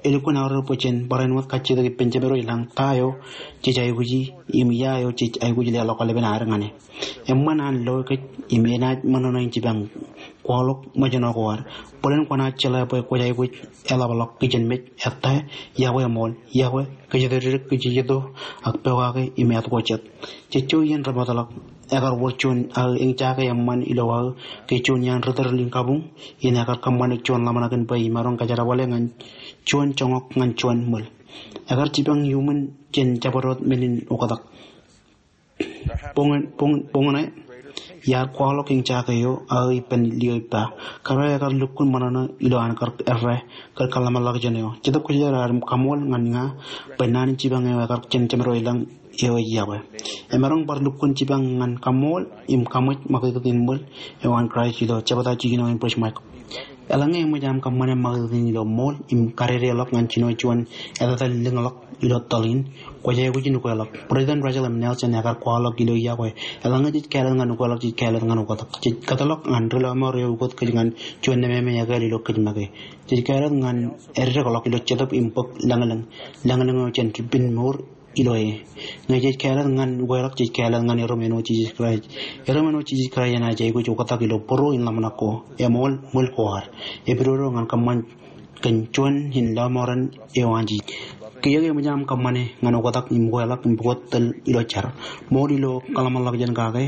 elukkuun aorōk bwe jen barāinwōt kajjitōk ippān Jemedwōj ilañ ta eo jej aikuji im ia eo jej aikuj leḷọk aolepen ad ñan e. Eṃṃan an lo kōj im enaaj ṃōṇōṇō in jipañ kwaḷọk ṃōjṇọ ko ad. Bōlen kwōnaaj jeḷā bwe kwōj aikuj eḷapḷọk kijenmej, ettā, yokwe eṃool, yokwe, kōjatdikdik, kōjejjeto, ak pokake im āt ko jet. Jejjo iien rej bōkḷọk, ekar wōr juon aō eñjake eṃṃan ilo aō ke juon iaan ri tōl in kabuñ in ekar kōṃṃane juon ḷōmṇak in bwe imaroñ kajerbale ñan juon joñak ñan juon ṃwil. Ekar jipañ iuṃwin jān jabdewōt men in oktak. Boñ, boñ, boñōn e, iar kwaḷọk eñjake eo aō ippān lio ippa. Kōrā ekar lukkuun ṃōṇōṇō ilo an kar errā kar kōḷmānḷọkjeṇ eo. Jetōb Kwōjarjar, kaṃool ñan ña bwe naan in jipañ eo ekar jān Jemedwōj ilañ eo ej yokwe. Emaroñ bar lukkuun jipañ ñan kaṃool im kaṃōj ṃakūtkūt in ṃwil eo an Kraist ilo jebta jikin eo in Bismarck. Eḷaññe eṃōj aṃ kōṃṃane ṃakūtkūt in ilo ṃool im kadedeḷọk ñan jino juon etetal lōñḷọk ilo tōl in, kwōj aikuj in ukeḷọk. President Russell M. Nelson ekar kwaḷọk ilo yokwe, eḷaññe jej kāālōt ñan ukeḷọk, jej kāālōt ñan oktak. Jej kōtḷọk ñan ri lọmọọr eo ukōt kōj ñan juon nemāmeañ ekāāl ilo kōj make. Jej kāālōt ñan eddekḷọk ilo jetōb im bōk lañlōñ, lañlōñ eo jen ri-, pen mour ilo e. Ñe jej kāālōt ñan ukeḷọk, jej kāālōt ñan erom āinwōt Jisōs Kraist. Erom āinwōt Jisōs Kraist enaaj aikuj oktak ilo būruo in ḷōmṇak ko, eṃool ṃwil ko ad. Epidodo ñan kōṃṃan kōn juon in lọmọọren eo an Jisōs. Kiiō ke eṃōj aṃ kōṃṃane ñan oktak im ukeḷọk im pukot tōl ilo jar, ṃool ilo kōḷmānḷọkjeṇ kake,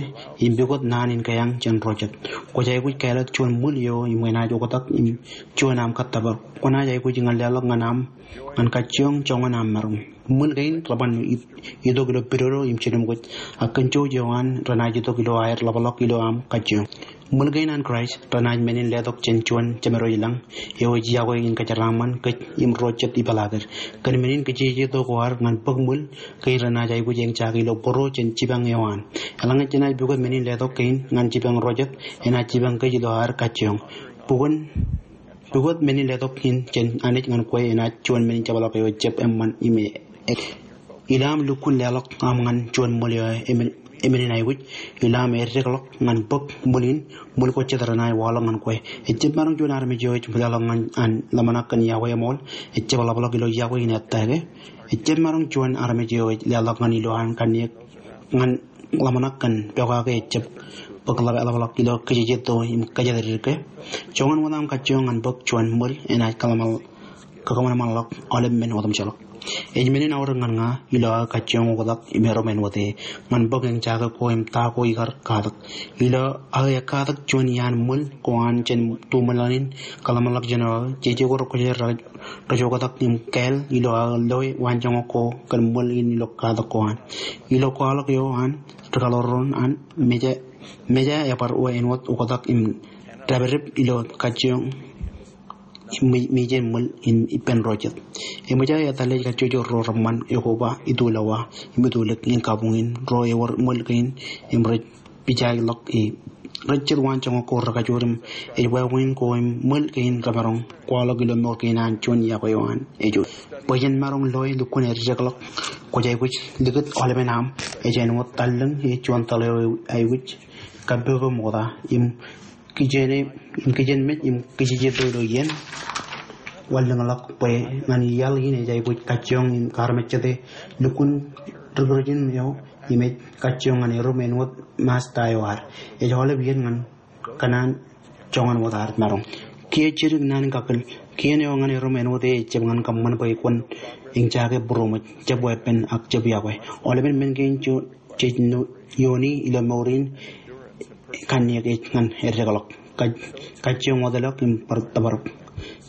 im pukot naan in kaiañ jān ro jet, kwōj aikuj kāālōt juon ṃwil eo im enaaj oktak im juon aṃ kōttōpar. Kwōnaaj aikuj in leḷọk ñan aṃ ñan kajjioñ joñan aṃ maroñ. Ṃwil kein reban i-, itok ilo pidodo im jiljilimjuon, ak kōn jouj eo an renaaj itok ilo aer ḷapḷọk ilo aṃ kajjioñ. Ṃwil kein an Kraist renaaj men in letok jān juon Jemedwōj ilañ eo ej yokwe in kōjeraaṃṃan kōj im ro jet ipeḷaakid. Kōn men in kōjejjeto ko ad ñan bōk ṃwil kein renaaj aikuj eñjake ilo būruo jān jipañ eo an. Eḷaññe jenaaj pukot men in letok kein ñan jipañ ro jet, enaaj jipañ kōj ilo ad kajjioñ. Pukot Pukot men in letok in jān Anij ñan kwe enaaj juon men in jepḷọk eo ejjab eṃṃan im e-, ilo aṃ lukkuun leḷọk aṃ ñan juon ṃwil eo emen, emen in aikuj, ilo aṃ eddekḷọk ñan bōk ṃwil in, ṃwil ko jet renaaj waḷọk ñan kwe. Ejjab maroñ juon armej eo ej leḷọk ñan an ḷōmṇak kōn yokwe eṃool, ejjab ḷapḷọk ilo yokwe in ettā ke. Ejjab maroñ juon armej eo ej leḷọk ñan ilo an kanniōk ñan ḷōmṇak kōn pokake ejjab bōk ḷap-, ḷapḷọk ilo kōjejjeto im kōjatdikdik ke. Joñan wōt aṃ kajjioñ ñan bōk juon ṃwil enaaj kōḷmān-, kōḷmānḷọk aolep men otemjeḷọk. Ej men in aorōk ñan ña ilo aō kajjioñ oktak im erom āinwōt e ñan bōk eñjake ko im ta ko ikar katak. Ilo aō ekkatak juon iaan ṃwil ko an jān tuṃōḷan in kōḷmānḷọkjeṇ eo aō, jeje ko rej kwōjarjar rej oktak im kāāl ilo aō loe waanjoñak ko kōn ṃwil in ilo katak ko an. Ilo kwaḷọk eo an, ri-kaḷoor ro an, meja, meja ebar wōr āinwōt oktak im dāpdep ilo kajjioñ im mi-, mije ṃwil in ippān ro jet. Eṃōj aō etal ej kajjojo ro reṃṃan ekoba, itulowa, im itulik in kabuñ in ro ewōr ṃwil kein im rej pijaikḷọk e. Rej jet waanjoñak ko rekajoor im ej wāween ko im ṃwil kein remaroñ kwaḷọk ilo mour kein an juon yokwe eo an ej juon. Bwe jen maroñ loe lukkuun eddekḷọk, kwōj aikuj likūt aolepen aṃ ej āinwōt tallōñ e juon tōl eo aikuj kappoko ṃokta im kijenmej, im kijenmej im kōjejjeto ilo iien. Wanlōñḷọk bwe ñan iaḷ in ej aikuj kajjioñ im kaarmejjete lukkuun ri-Kūrjin eo im ej kajjioñ ñan erom āinwōt masta eo ad. Ej aolep iien ñan kōṇaan joñan wōt ad maroñ. Kiiō jidik naan in kakōl. Kien eo ñan erom āinwōt e ejjab ñan kōṃṃan bwe kwōn eñjake būruōṃōj, jab weeppān ak jab yokwe. Aolepen men kein jej, jej nu-, iiooni ilo mour in kanniōk ej ñan eddekḷọk, kaj-, kajjioñ wōtlọk im bar tōprak.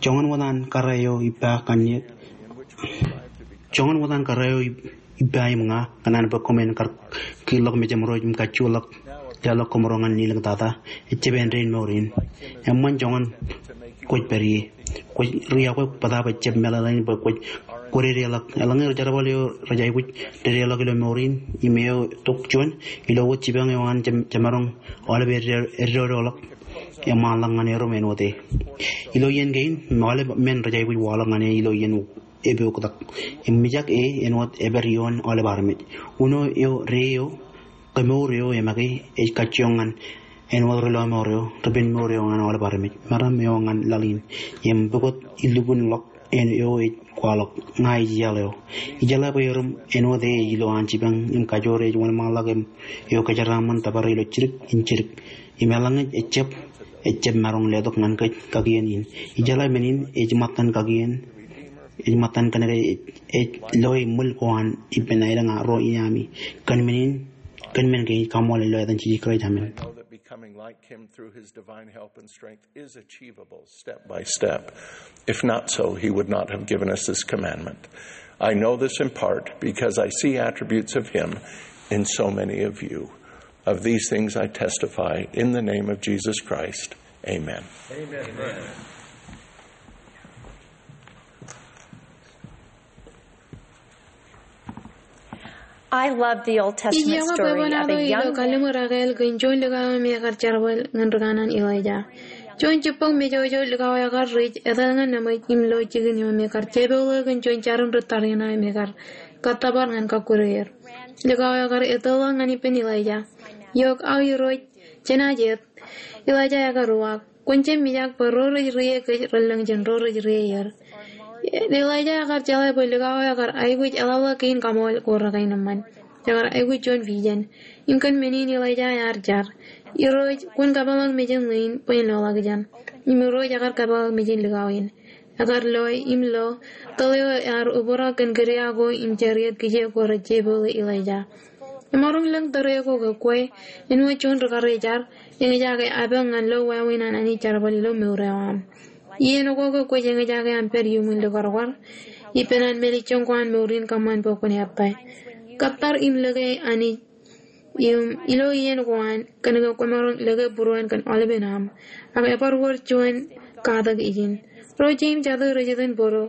Joñan wōt an kōrā eo ippa kanniōk. Joñan wōt an kōrā eo ip-, ippa im ña, kōṇaan bwe koṃ en kar kiiḷọk mejaṃro im kajjuḷọk leḷọk koṃro ñan nilōñ tata. Ejjab āindein mour in. Eṃṃan joñan kwōj pād ie. Kwōj ri-yokwe bōtaab ejjab meḷeḷein bwe kwōj, kwō dedeḷọk. Eḷaññe ri-jerbal eo rej aikuj dedeḷọk ilo mour in im eo tok juon, ilo wōt jipañ eo an je, jemaroñ aolep eddo, eddoḷọk. eṃṃanḷọk ñan erom āinwōt e. Ilo iien kein, aolep men rej aikuj waḷọk ñan e ilo iien epooktak. Im mijak e āinwōt epād ioon aolep armej. Uno eo, ri eo, kemour eo e make ej kajjioñ ñan āinwōt ri lọmọọr eo, ri penmour eo ñan aolep armej. Meram eo ñan laḷ in. Im pukot ilukkuunḷọk āinwōt eo ej kwaḷọk, ña ij iaḷ eo. Ijeḷā bwe erom āinwōt e ej ilo an jipañ im kajoor ej wōnṃaanḷọk im eo kōjeraaṃṃan tōpar ilo jidik in jidik. Im eḷaññe ejjab, ejjab maroñ letok ñan kōj kakien in. Ijeḷā men in ej ṃōttan kakien, ej ṃōttan kōnke ej, ej loe ṃwil ko an ippān aelōñ ro in ami. Kōn men in, kōn men kein kaṃṃoolol ilo etan Jisōs Kraist, amen. Becoming like him through his divine help and strength is achievable step by step. If not so, he would not have given us this commandment. I know this in part because I see attributes of him in so many of you. Of these things I testify in the name of Jesus Christ. Amen. Amen. I love the Old Testament story of a young man. Ij iọkwe bwebwenato ilo kalliṃur ekāāl kōn juon likao eo me ekar jerbal ñan ri kanaan Elaija. Juon jibboñ mejoojo likao ekar rej etal ñan neṃōj im lo jikin eo me ekar jepooḷe kōn juon jarin ri tariṇae me ekar kōttōpar ñan kọkkure er. Likao ekar etōḷọk ñan ippān Elaija. Eok, aō Irooj, jenaaj et. Elaija ekar uwaak. Kwōn jab mijak bwe ro rej rie kōj relōñ jān ro rej rie er. Elaija ekar jeḷā bwe likao ekar aikuj eḷapḷọk kein kaṃool ko rekainōṃṃan. Ekar aikuj juon vision. Im kōn men in Elaija ear jar. Irooj, kwōn kapeḷḷọk mejān ḷein bwe en loḷọkjeṇ. Im Irooj ekar kapeḷḷọk mejān likao in. Ekar loe im lo tōl eo ear obrak kōn kūdia ko im chariot kijeek ko rej jepooḷe Elaija. Emaroñ lōñ tōre ko ke kwe, āinwōt juon ri karijer, eñjake apañ ñan lo wāween an Anij jerbal ilo mour eo aṃ. Iien ko ke kwōj eñjake aṃ pād iuṃwin likwarkwar, ippān an mālejjoñ ko an mour in kōṃṃan bwe kwōn ettā. Kōttar im lōke Anij im ilo iien ko an, kōnke kwōmaroñ lōke būruon kōn aolepen aṃ. Ak ebar wōr juon katak ijin. Ro jeim jatū rej iten bōro.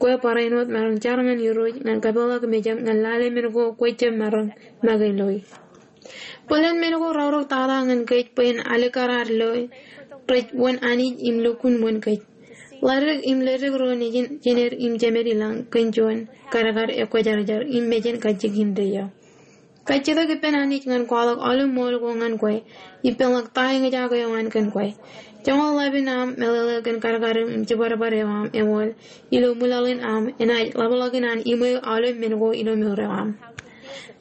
Kwe barāinwōt maroñ jar ñan Irooj ñan kapeḷḷọk mejaṃ ñan lale men ko kwe jab maroñ make loe. Bōlen men ko raorōk tata ñan kōj bwe en alikkar ad loe rej wōn Anij im lukkuun wōn kōj. Ḷadik im ledik ro nejin jener im jemed ilañ kōn juon kadkad ekwōjarjar im mejān kajjitōk in eo. Kajjitōk ippān Anij ñan kwaḷọk aolep ṃool ko ñan kwe, ippānḷọk ta eñjake eo an kōn kwe. Joñoul ḷap in aṃ meḷeḷe kōn kadkadūṃ im jibadbad eo aṃ eṃool ilo ṃwilaḷ in aṃ enaaj ḷapḷọk in an iṃweo aolep men ko ilo mour eo aṃ.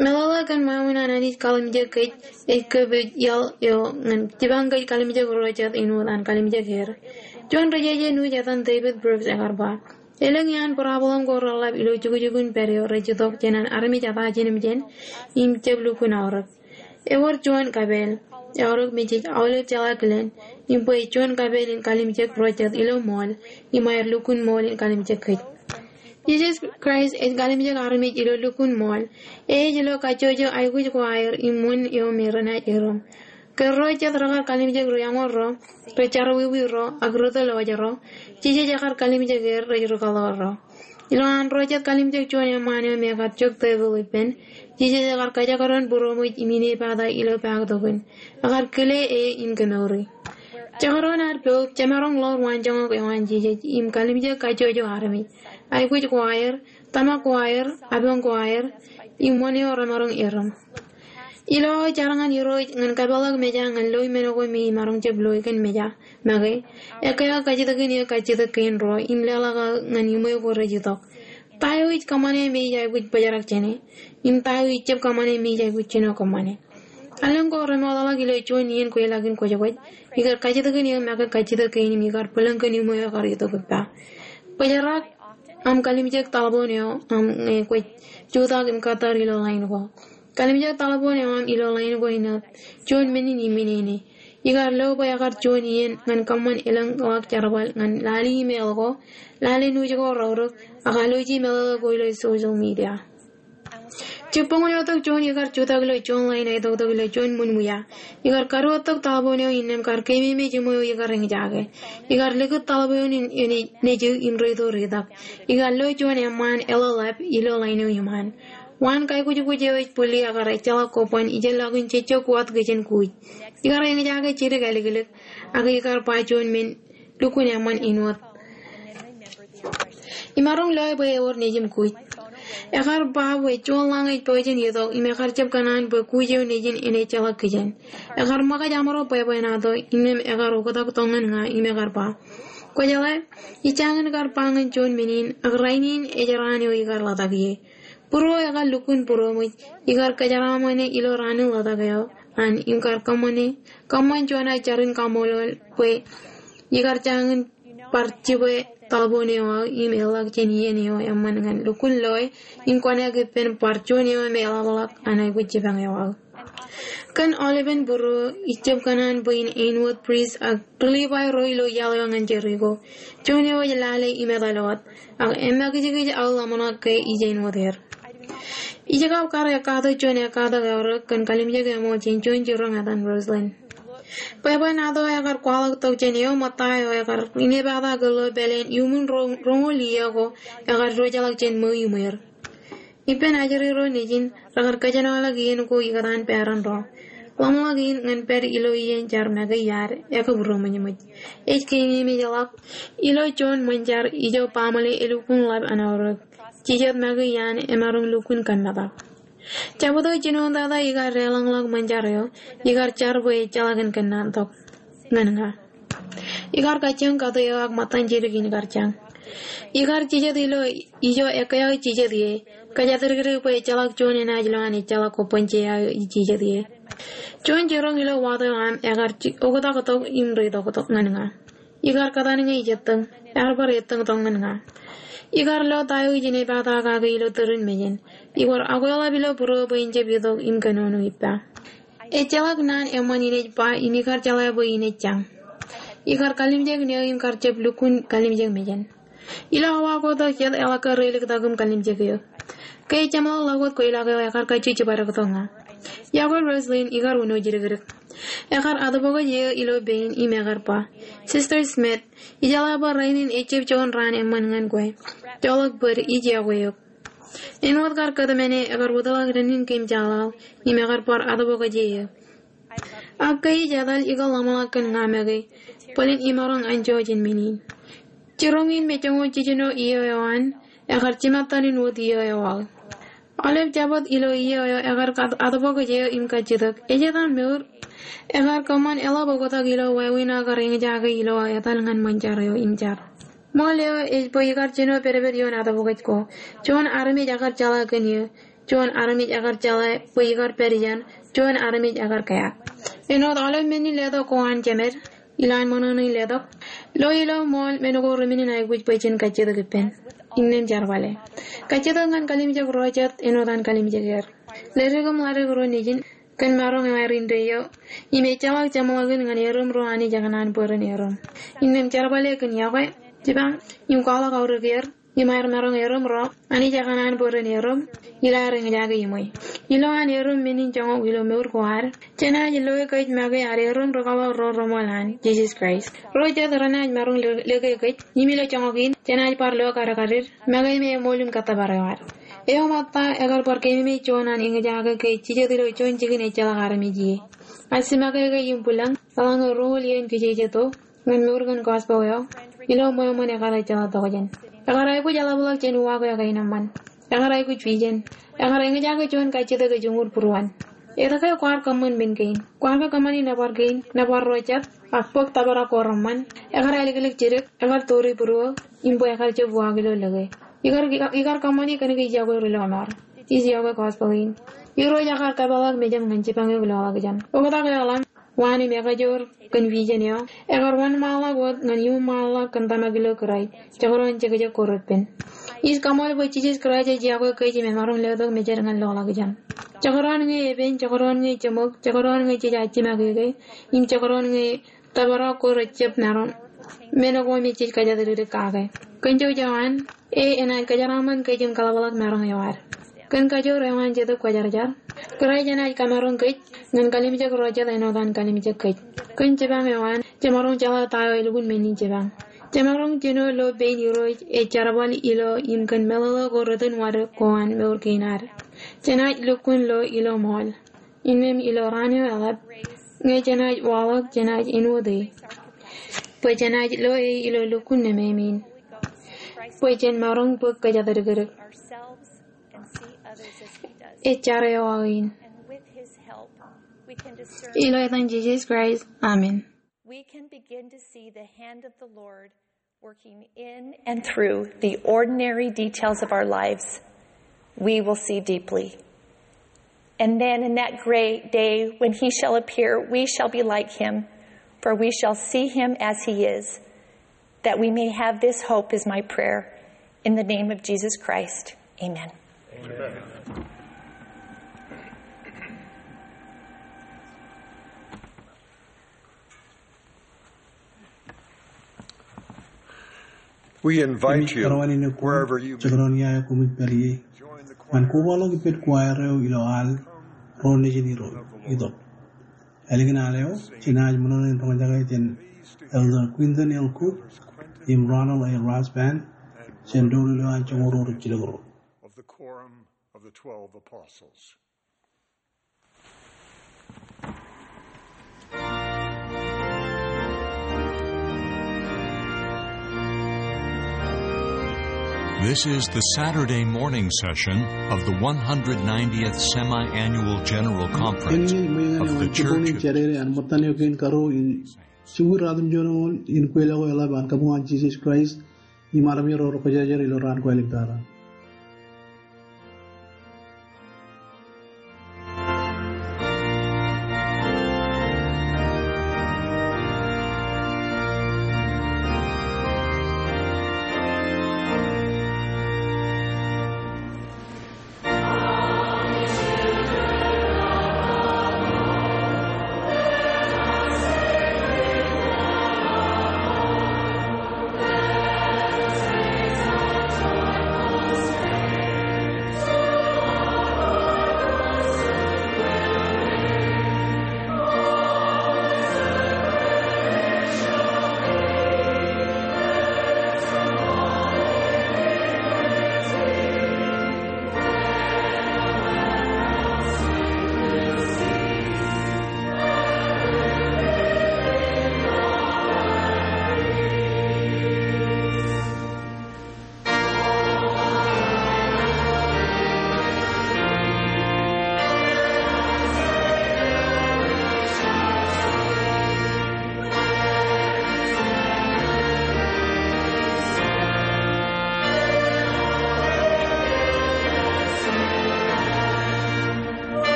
Meḷeḷe kōn ṃweo in an Anij kalimjek kōj ej kōpij iaḷ eo ñan jipañ kōj kalimjek ro jet āinwōt an kalimjek er. Juon ri jeje nuuj etan David Brooks ekar ba, elōñ iaan problem ko reḷḷap ilo jukjukun pād eo rej itok jān an armej eta jinōmjān im jab lukkuun aorōk. Ewōr juon kapeel, eaorōk me jej aolep jeḷā kilen, im bwe juon kapeel in kalimjek ro jet ilo ṃool, im aer lukkuun ṃool in kalimjek kōj. Jisōs Kraist ej kalimjek armej ilo lukkuun ṃool, e ej lo kajjojo aikuj ko aer im wōn eo me renaaj erom. Ke ro jet rekar kalimjek ri-eñoul ro, ri-jerọwiwi ro, ak ri-tōl wōjro, Jisōs ekar kalimjek er rej ri-kōḷḷā ro. Ilo an ro jet kalimjek juon eṃṃaan eo me ekar jok tepil ippān, Jisōs ekar kajekdọọn būroṃōj im inepata ilo paktokin. Ekar kile e im kemouri. Jekdọọn ad poub jemaroñ ḷoor waanjoñak eo an Jisōs im kalimjek kajjojo armej. Aikuj ko aer, tōmak ko aer, apañ ko aer, im wōn eo remaroñ erom. Ilo aō jar ñan Irooj ñan kapeḷḷọk meja ñan loe men ko me imaroñ jab loe kōn meja make, ekkā kajjitōkin eō kajjitōk kein ro im leḷọk aō ñan iṃweo ko rej itok. Ta eo ij kōṃṃane me ij aikuj bōjrak jāne? Im ta eo ij jab kōṃṃane me ij aikuj jino kōṃṃane? Elōñ ko remootḷọk ilo juon iien kweilọk in kwōjkwōj, ikar kajjitōkin eō make kajjitōk kein im ikar bōlen kōn iṃweo ekar itok ippa. Bōjrak aṃ kalimjek taḷboon eo aṃ ñe kwōj jutak im kōttar ilo ḷain ko. Kalimjek taḷboon eo aṃ ilo ḷain ko inaaj juon men in iminene. Ikar lo bwe ekar juon iien ñan kōṃṃan elōñḷọk jerbal ñan lale email ko, lale nuuj ko raorōk, ak alwōji meḷeḷe ko ilo social media. Jibboñōn eo tok juon ikar jutak ilo juon ḷain eo tok tok ilo juon ṃōn wia. Ikar karuo tok taḷboon eo innām kar keememej iṃweo ikar eñjake. Ikar likūt taḷboon in eo nejū im reito ritak. Ikar lo juon eṃṃaan eḷap ilo ḷain eo iṃaan. Waan kaikujukuj eo ej bwilli ekar ejjeḷọk kobban ijellọkin jejjo kuwat kijen kuuj. Ikar eñjake jidik āliklik, ak ikar ba juon men lukkuun eṃṃan āinwōt. Imaroñ loe bwe ewōr nejin kuuj. Ekar ba bwe juon ḷañ ej pojak in itok im ekar jab kōṇaan bwe kuuj eo nejin en ejjeḷọk kijen. Ekar ṃōkaj aṃro bwebwenato, innām ekar oktak tok ñan ña im ekar ba, kwōjeḷā, ij jañin kar ba ñan juon men in, ak rainin ej raan eo ikar ḷotak ie. Būruō ekar lukkuun būroṃōj, ikar kōjeraṃōne ilo raan in ḷotak eo an im kar kōṃṃane, kōṃṃan juon jar in kaṃṃoolol bwe ikar jañin bar jibwe taḷboon eo aō im eḷḷọk jān iien eo eṃṃan ñan lukkuun loe im kōṇaan ippān bar juon eo me eḷapḷọk an aikuj jipañ eo aō. Kōn aolepen būruō, ij jab kōṇaan bwe in āinwōt prist ak ri-Livai ro ilo iaḷ eo ñan Jeriko, juon eo ej lale im etal wōt, ak emakijkij aō ḷōmṇak ke ij āinwōt er. Ij kab kar ekkato juon ekkatak eorōk kōn kalimjek eṃool jān juon jiroñ etan Rosalyn. Bwebwenato ekar kwaḷọk tok jān eo ṃōtta eo ekar inepata kōl ilo pāleen iuṃwin ro-, roñoul iiō ko ekar diwōjḷọk jān ṃweo iṃweer. Ippān ajri ro nejin, rekar kōjenolọk iien ko ikōtaan peran ro. Ḷōmṇak in ñan pād ilo iien jar make iar ekabūroṃōjṃōj. Ej keememejḷọk ilo juon ṃōn jar ijo baaṃle elukkuun ḷap an aorōk. Jijet make iaan emaroñ lukkuun kōmmetak. Jabdewōt jinoin tata ikar deḷọñḷọk ṃōn jar eo, ikar jar bwe ejjeḷọk in kōnnaan tok ñan ña. Ikar kajjioñ kato eo ak ṃōttan jidik in kar jañ. Ikar jijet ilo ijo ekkā eo ij jijet ie. Kōjatdikdik bwe ejjeḷọk juon enaaj lo an ejjeḷọk kobban je aō ij jijet ie. Juon jiroñ ilo wato eo aṃ ekar ji-, oktak tok im reitok tok ñan ña. Ikar kōtaan ñe ij ettōñ, ear bar ettōñ tok ñan ña. Ikar lo ta eo ij inepata kake ilo tūrin mejān. Ikwōr akweḷap ilo būruō bwe in jab itok im kōnono ippa. Ejjeḷọk naan eṃṃan in ej ba im ikar jeḷā bwe in ej jañ. Ikar kalimjek ṇe eo im kar jab lukkuun kalimjek mejān. Ilo awa ko tok jet eḷak ke reiliktok im kalimjek eō. Ke ej jeṃḷọk ḷọk wōt kweilọk eo ekar kajju jibadek tok ña. Iọkwe Rosalyn, ikar uno jidikdik. Ekar atbōkōj eō ilo pein im ekar ba, Sister Smith, ijeḷā bwe rainin ejab juon raan eṃṃan ñan kwe. Joḷọk bōd, ij iọkwe eok. Āinwōt kar kōtmāne, ekar wōtlọk dānnin keemjaḷaḷ im ekar bar atbōkōj eō. Ak ke ij etal, ikar ḷōmṇak kōn ña make bōlen imaroñ anjọ jān men in. Jiroñ in me joñoul jiljino iiō eo an, ekar jimattan in wōt iiō eo aō. Aolep jabōt ilo iiō eo ekar at-, atbōkōj eō im kajjitōk. Ej etan mour. Ekar kōṃṃan eḷap oktak ilo wāween aō kar eñjake ilo aō etal ñan ṃōn jar eo im jar. Ṃool eo ej bwe ikar jino pedped ioon atbōkōj ko. Juon armej ekar jeḷā kōn eō. Juon armej ekar jeḷā bwe ikar pād ijeṇ. Juon armej ekar kea. Āinwōt aolep men in letok ko an jemed, ilowaan ṃōṇōṇō in letok, lo ilo ṃool men ko ri-men in aikuj bwe jen kajjitōk ippān. Innām jerbale. Kajjitōk ñan kalimjek ro jet āinwōt an kalimjek er. Ledik im ḷadik ro nejin kōn maroñ eo aer indeeo. Im ejjeḷọk jeṃḷọkin ñan erom ro Anij ekōṇaan bwe ren erom. Innām jerbale kōn iọkwe, jipañ, im kwaḷọk aorōk er. Im aer maroñ erom ro Anij ekōṇaan bwe ren erom, ilo aer eñjake iṃwe. Ilowaan erom men in joñak ilo mour ko ad, jenaaj loe kōj make ad erom rikaḷọk ro reṃool an Jisōs Kraist. Ro jet renaaj maroñ le-, lōke kōj, im ilo joñak in, jenaaj bar lo kadkadit make me eṃool im kōttōpar eo ad. Eo ṃōtta ekar bar keememej juon an eñjake kōj jijet ilo juon jikin ejjeḷọk armej ie. Ak jimake kōj im bwilōñ, eḷaññe roñoul iien kijeje to, ñan mour kōn gospel eo, ilo ṃweo ṃōn ekar ejjeḷọk tokjān. Ekar aikuj eḷapḷọk jān uwaak eo kain eṃṃan. Ekar aikuj vision. Ekar eñjake juon kajjitōk ej uñūr būruon. Etke kwaar kōṃṃan men kein? Kwaar ke kōṃṃani nōbar kein, nōbar ro jet, ak bōk tōprak ko reṃṃan? Ekar āliklik jidik, ekar turi būruō, im bwe ekar jab uwaak ilo lōke. Ikar, ikar, ikar kōṃṃani kōnke ij iọkwe ri-lọmọọr. Ij iọkwe gospel in. Irooj ekar kōpeḷḷọk mejaṃ ñan jipañ eok ilo ḷọkjeṇ. Oktak eo ḷaṃ, waan im ekajoor kōn vision eo, ekar wōnṃaanḷọk wōt ñan iuṃaanḷọk kōn tōmak ilo Kraist, jekdọọn jekjek ko reppen. Ij kaṃool bwe Jisōs Kraist ej iọkwe kōj im emaroñ letok mejed ñan ḷọkjeṇ. Jekdọọn ñe epen, jekdọọn ñe jeṃōk, jekdọọn ñe jej jimake ke, im jekdọọn ñe tōprak ko rejjab maroñ, men ko me jej kōjatdikdik kake. Kōn jouj eo an, E enaaj kōjeraṃṃan kōj im kaḷapḷọk maroñ eo ad. Kōn kajoor eo an Jetōb Kwōjarjar, Kraist enaaj kamaroñ kōj ñan kalimjek ro jet āinwōt an kalimjek kōj. Kōn jipañ eo an, jemaroñ jeḷā ta eo elukkuun men in jipañ. Jemaroñ jino lo pein Irooj ej jerbal ilo im kōn meḷeḷe ko ri-tōn wōt ko an mour kein ad. Jenaaj lukkuun lo ilo ṃool innām ilo raan eo eḷap, ñe jenaaj waḷọk jenaaj āinwōt e, bwe jenaaj lo e ilo lukkuun nemāmein, bwe jen maroñ bōk kōjatdikdik. Ej jar eo aō in. Ilo etan Jisōs Kraist, amen. We can begin to see the hand of the Lord working in and through the ordinary details of our lives. We will see deeply. And then in that great day when he shall appear, we shall be like him, for we shall see him as he is. That we may have this hope is my prayer. In the name of Jesus Christ, amen. We invite you, wherever you may, to join the choir. Ñan kobaḷọk ippān choir eo ilo al Ro Nejin Itok. Ālikin al eo, jenaaj ṃōṇōṇō in roñjake jān Elder Quinton L. Cook im Ronald A. Rasband jān doulul eo an joñoul ruo rijjilōk ruo. Of the Quorum of the Twelve Apostles. This is the Saturday morning session of the one hundred ninetieth Semi-Annual General Conference of the Church of Jādede an ṃōttan eo kein karuo in jibwid ruatimjuon in kweilọk eo eḷap an Kabuñ an Jisōs Kraist im armej ro rekwōjarjar ilo raan ko āliktata.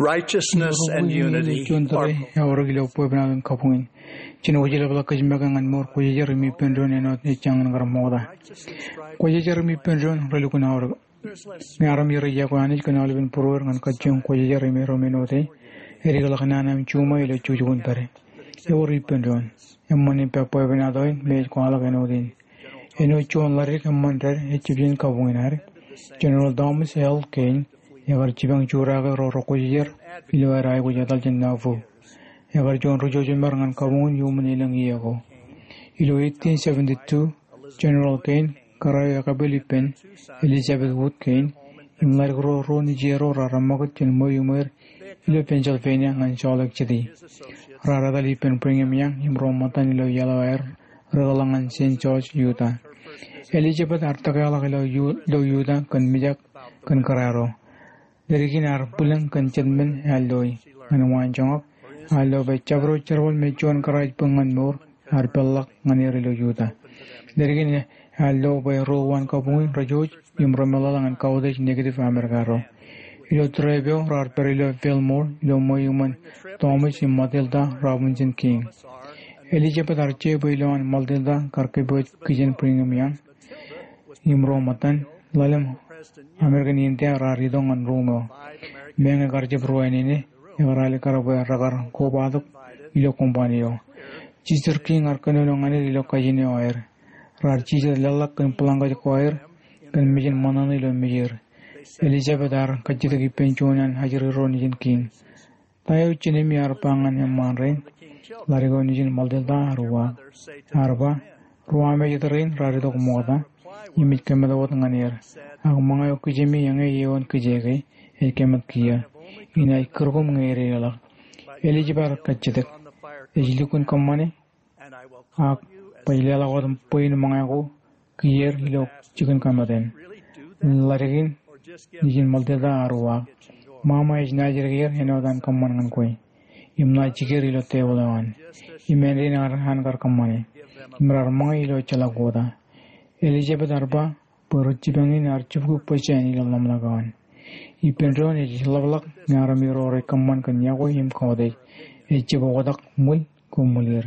Righteousness and unity are juon tōre eaorōk ilo bwebwenato in kabuñ in. Jen wōjlepḷọk kōjmāke ñan mour kwōjarjar im ippān doon āinwōt ej jañin kar ṃokta. Kwōjarjar im ippān doon relukkuun aorōk. Ñe armej rej iọkwe Anij kōn aolepen būrueir ñan kajjioñ kwōjarjar im erom āinwōt e, edik ḷọk nana im juṃae ilo jukjuk in pād. Ewōr ippān doon. Eṃṃan ippān bwebwenato in me ej kwaḷọk āinwōt in. Āinwōt juon ḷadik eṃṃan dād ejjab jān kabuñ in ad, General Thomas L. Kane, ekar jipañ jutak ro rekwōjarjar ilo aer aikuj etal jān Nauvoo. Ekar juon ri-jojemar ñan kabuñ in iuṃwin elōñ iiō ko. Ilo eighteen seventy-two, General Kane kōrā eo ekapel ippān Elizabeth Wood kein im ḷaddik ro ruo nejier ro raar ṃakūt jān ṃweo iṃweer ilo Pennsylvania ñan Salt Lake City. Raar etal ippān Brigham Young im ro ṃōttan ilo iaḷ eo aer ri-kōḷḷā ñan Saint George, Utah. Elizabeth ear tōkeḷọk ilo Yu-, ilo Utah kōn mijak kōn kōrā ro. Leddik in ear bwilōñ kōn jet men ear loi. Ñan waanjoñak, ear lo bwe jabdewōt jerbal me juon kōrā ej bōk ñan mour ear peḷḷọk ñan er ilo Utah. Leddik in ear lo bwe ro uwaan kabuñ in rej jouj im remeḷeḷe ñan kautiej negative Amerika ro. Ilo trip eo raar pād ilo Fillmore ilo ṃweo iṃōn Thomas im Matilda Robinson King. Elizabeth ear jeiū bwe ilowaan Matilda kar kōpooj kijen Brigham Young im ro ṃōttan. Ḷalem American India raar itok ñan ruum eo. Meñe kar jab ruwainene, ekar alikkar bwe rekar kobatok ilo kōṃṃani eo. Sister King ear kōnono ñan er ilo kajin eo aer. Raar jijet leḷḷọk kōn blanket ko aer kōn mejān ṃōṇōṇō ilo mejeir. Elizabeth ear kajjitōk ippān juon an ajri ro nejin King. Ta eo jinemi ear ba ñan eṃṃaan rein? Ḷadik eo nejin Matilda ear uwaak. Ear ba, ruwamāejet rein raar itok ṃokta im ej kōmeḷeḷe wōt ñan er. Ak ṃōñā eo kijemi eñe eoon kōj ke ej kōmat kiiō. Inaaj kūr koṃ ñe ededeḷọk. Elizabeth ear kajjitōk, ej lukkuun kōṃṃane, ak baj leḷọk wōt bwein ṃōñā ko kiiō er ilo jikin kōmāten. Ḷadik in nejin Matilda ear uwaak. Ṃaṃa ej naaj dedeer āinwōt an kōṃṃan ñan kwe im naaj jikier ilo tebōḷ eo an. Im āindein an kar kōṃṃane. Im raar ṃōñā ilo ejjeḷọk okta. Elizabeth ear ba bwe ri jipañ in ear jibukwi bōjjāān ilo ḷōmṇak eo an. Ippān doon ej ḷapḷọk ñe armej ro rej kōṃṃan kōn iọkwe im kautiej. Ej jab oktak ṃwil ko ṃwil er.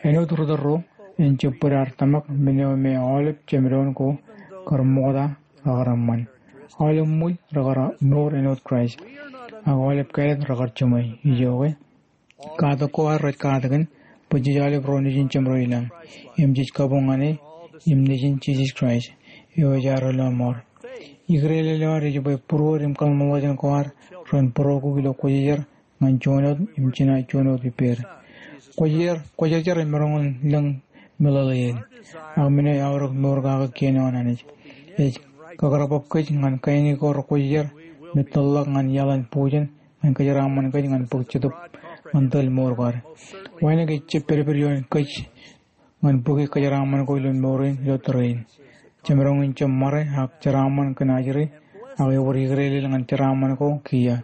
Āinwōt ri tōl ro, en jab bōd ad tōmak men eo me aolep jemdoon ko kar ṃokta rekar eṃṃan. Aolep ṃwil rekar mour āinwōt Kraist. Ak aolep kāālōt rekar jiṃwe. Ijoke, katak ko ad rej katakin bwe jej aolep ro nejin Jemdoon ilañ im jej kabuñ ñan e im nejin Jisōs Kraist eo ej ad Relōṃour. Ikdeḷọñ eo ad ej bwe būruod im kōḷmānḷọkjeṇ ko ad ren būroku ilo Kwōjarjar ñan juon wōt im jinaaj juon wōt ippāer. Kwōjarjar, Kwōjarjar emaroñ in lōñ meḷeḷein. Ak men eo eaorōk mour kake kien eo an Anij. Ej kakōrabab kōj ñan kain ko rekwōjarjar me tōlḷọk ñan iaḷ in bujen ñan kōjeraaṃṃan kōj ñan bōk Jetōb ñan tōl mour ko ad. Wānōk ejjab pedped ioon kōj ñan bōki kōjeraaṃṃan ko ilo mour in ilo tōre in. Jemaroñ in jab ṃare ak jeraaṃṃan kōn ajri, ak ewōr ikdeḷeḷ ñan jeraaṃṃan ko kiiō.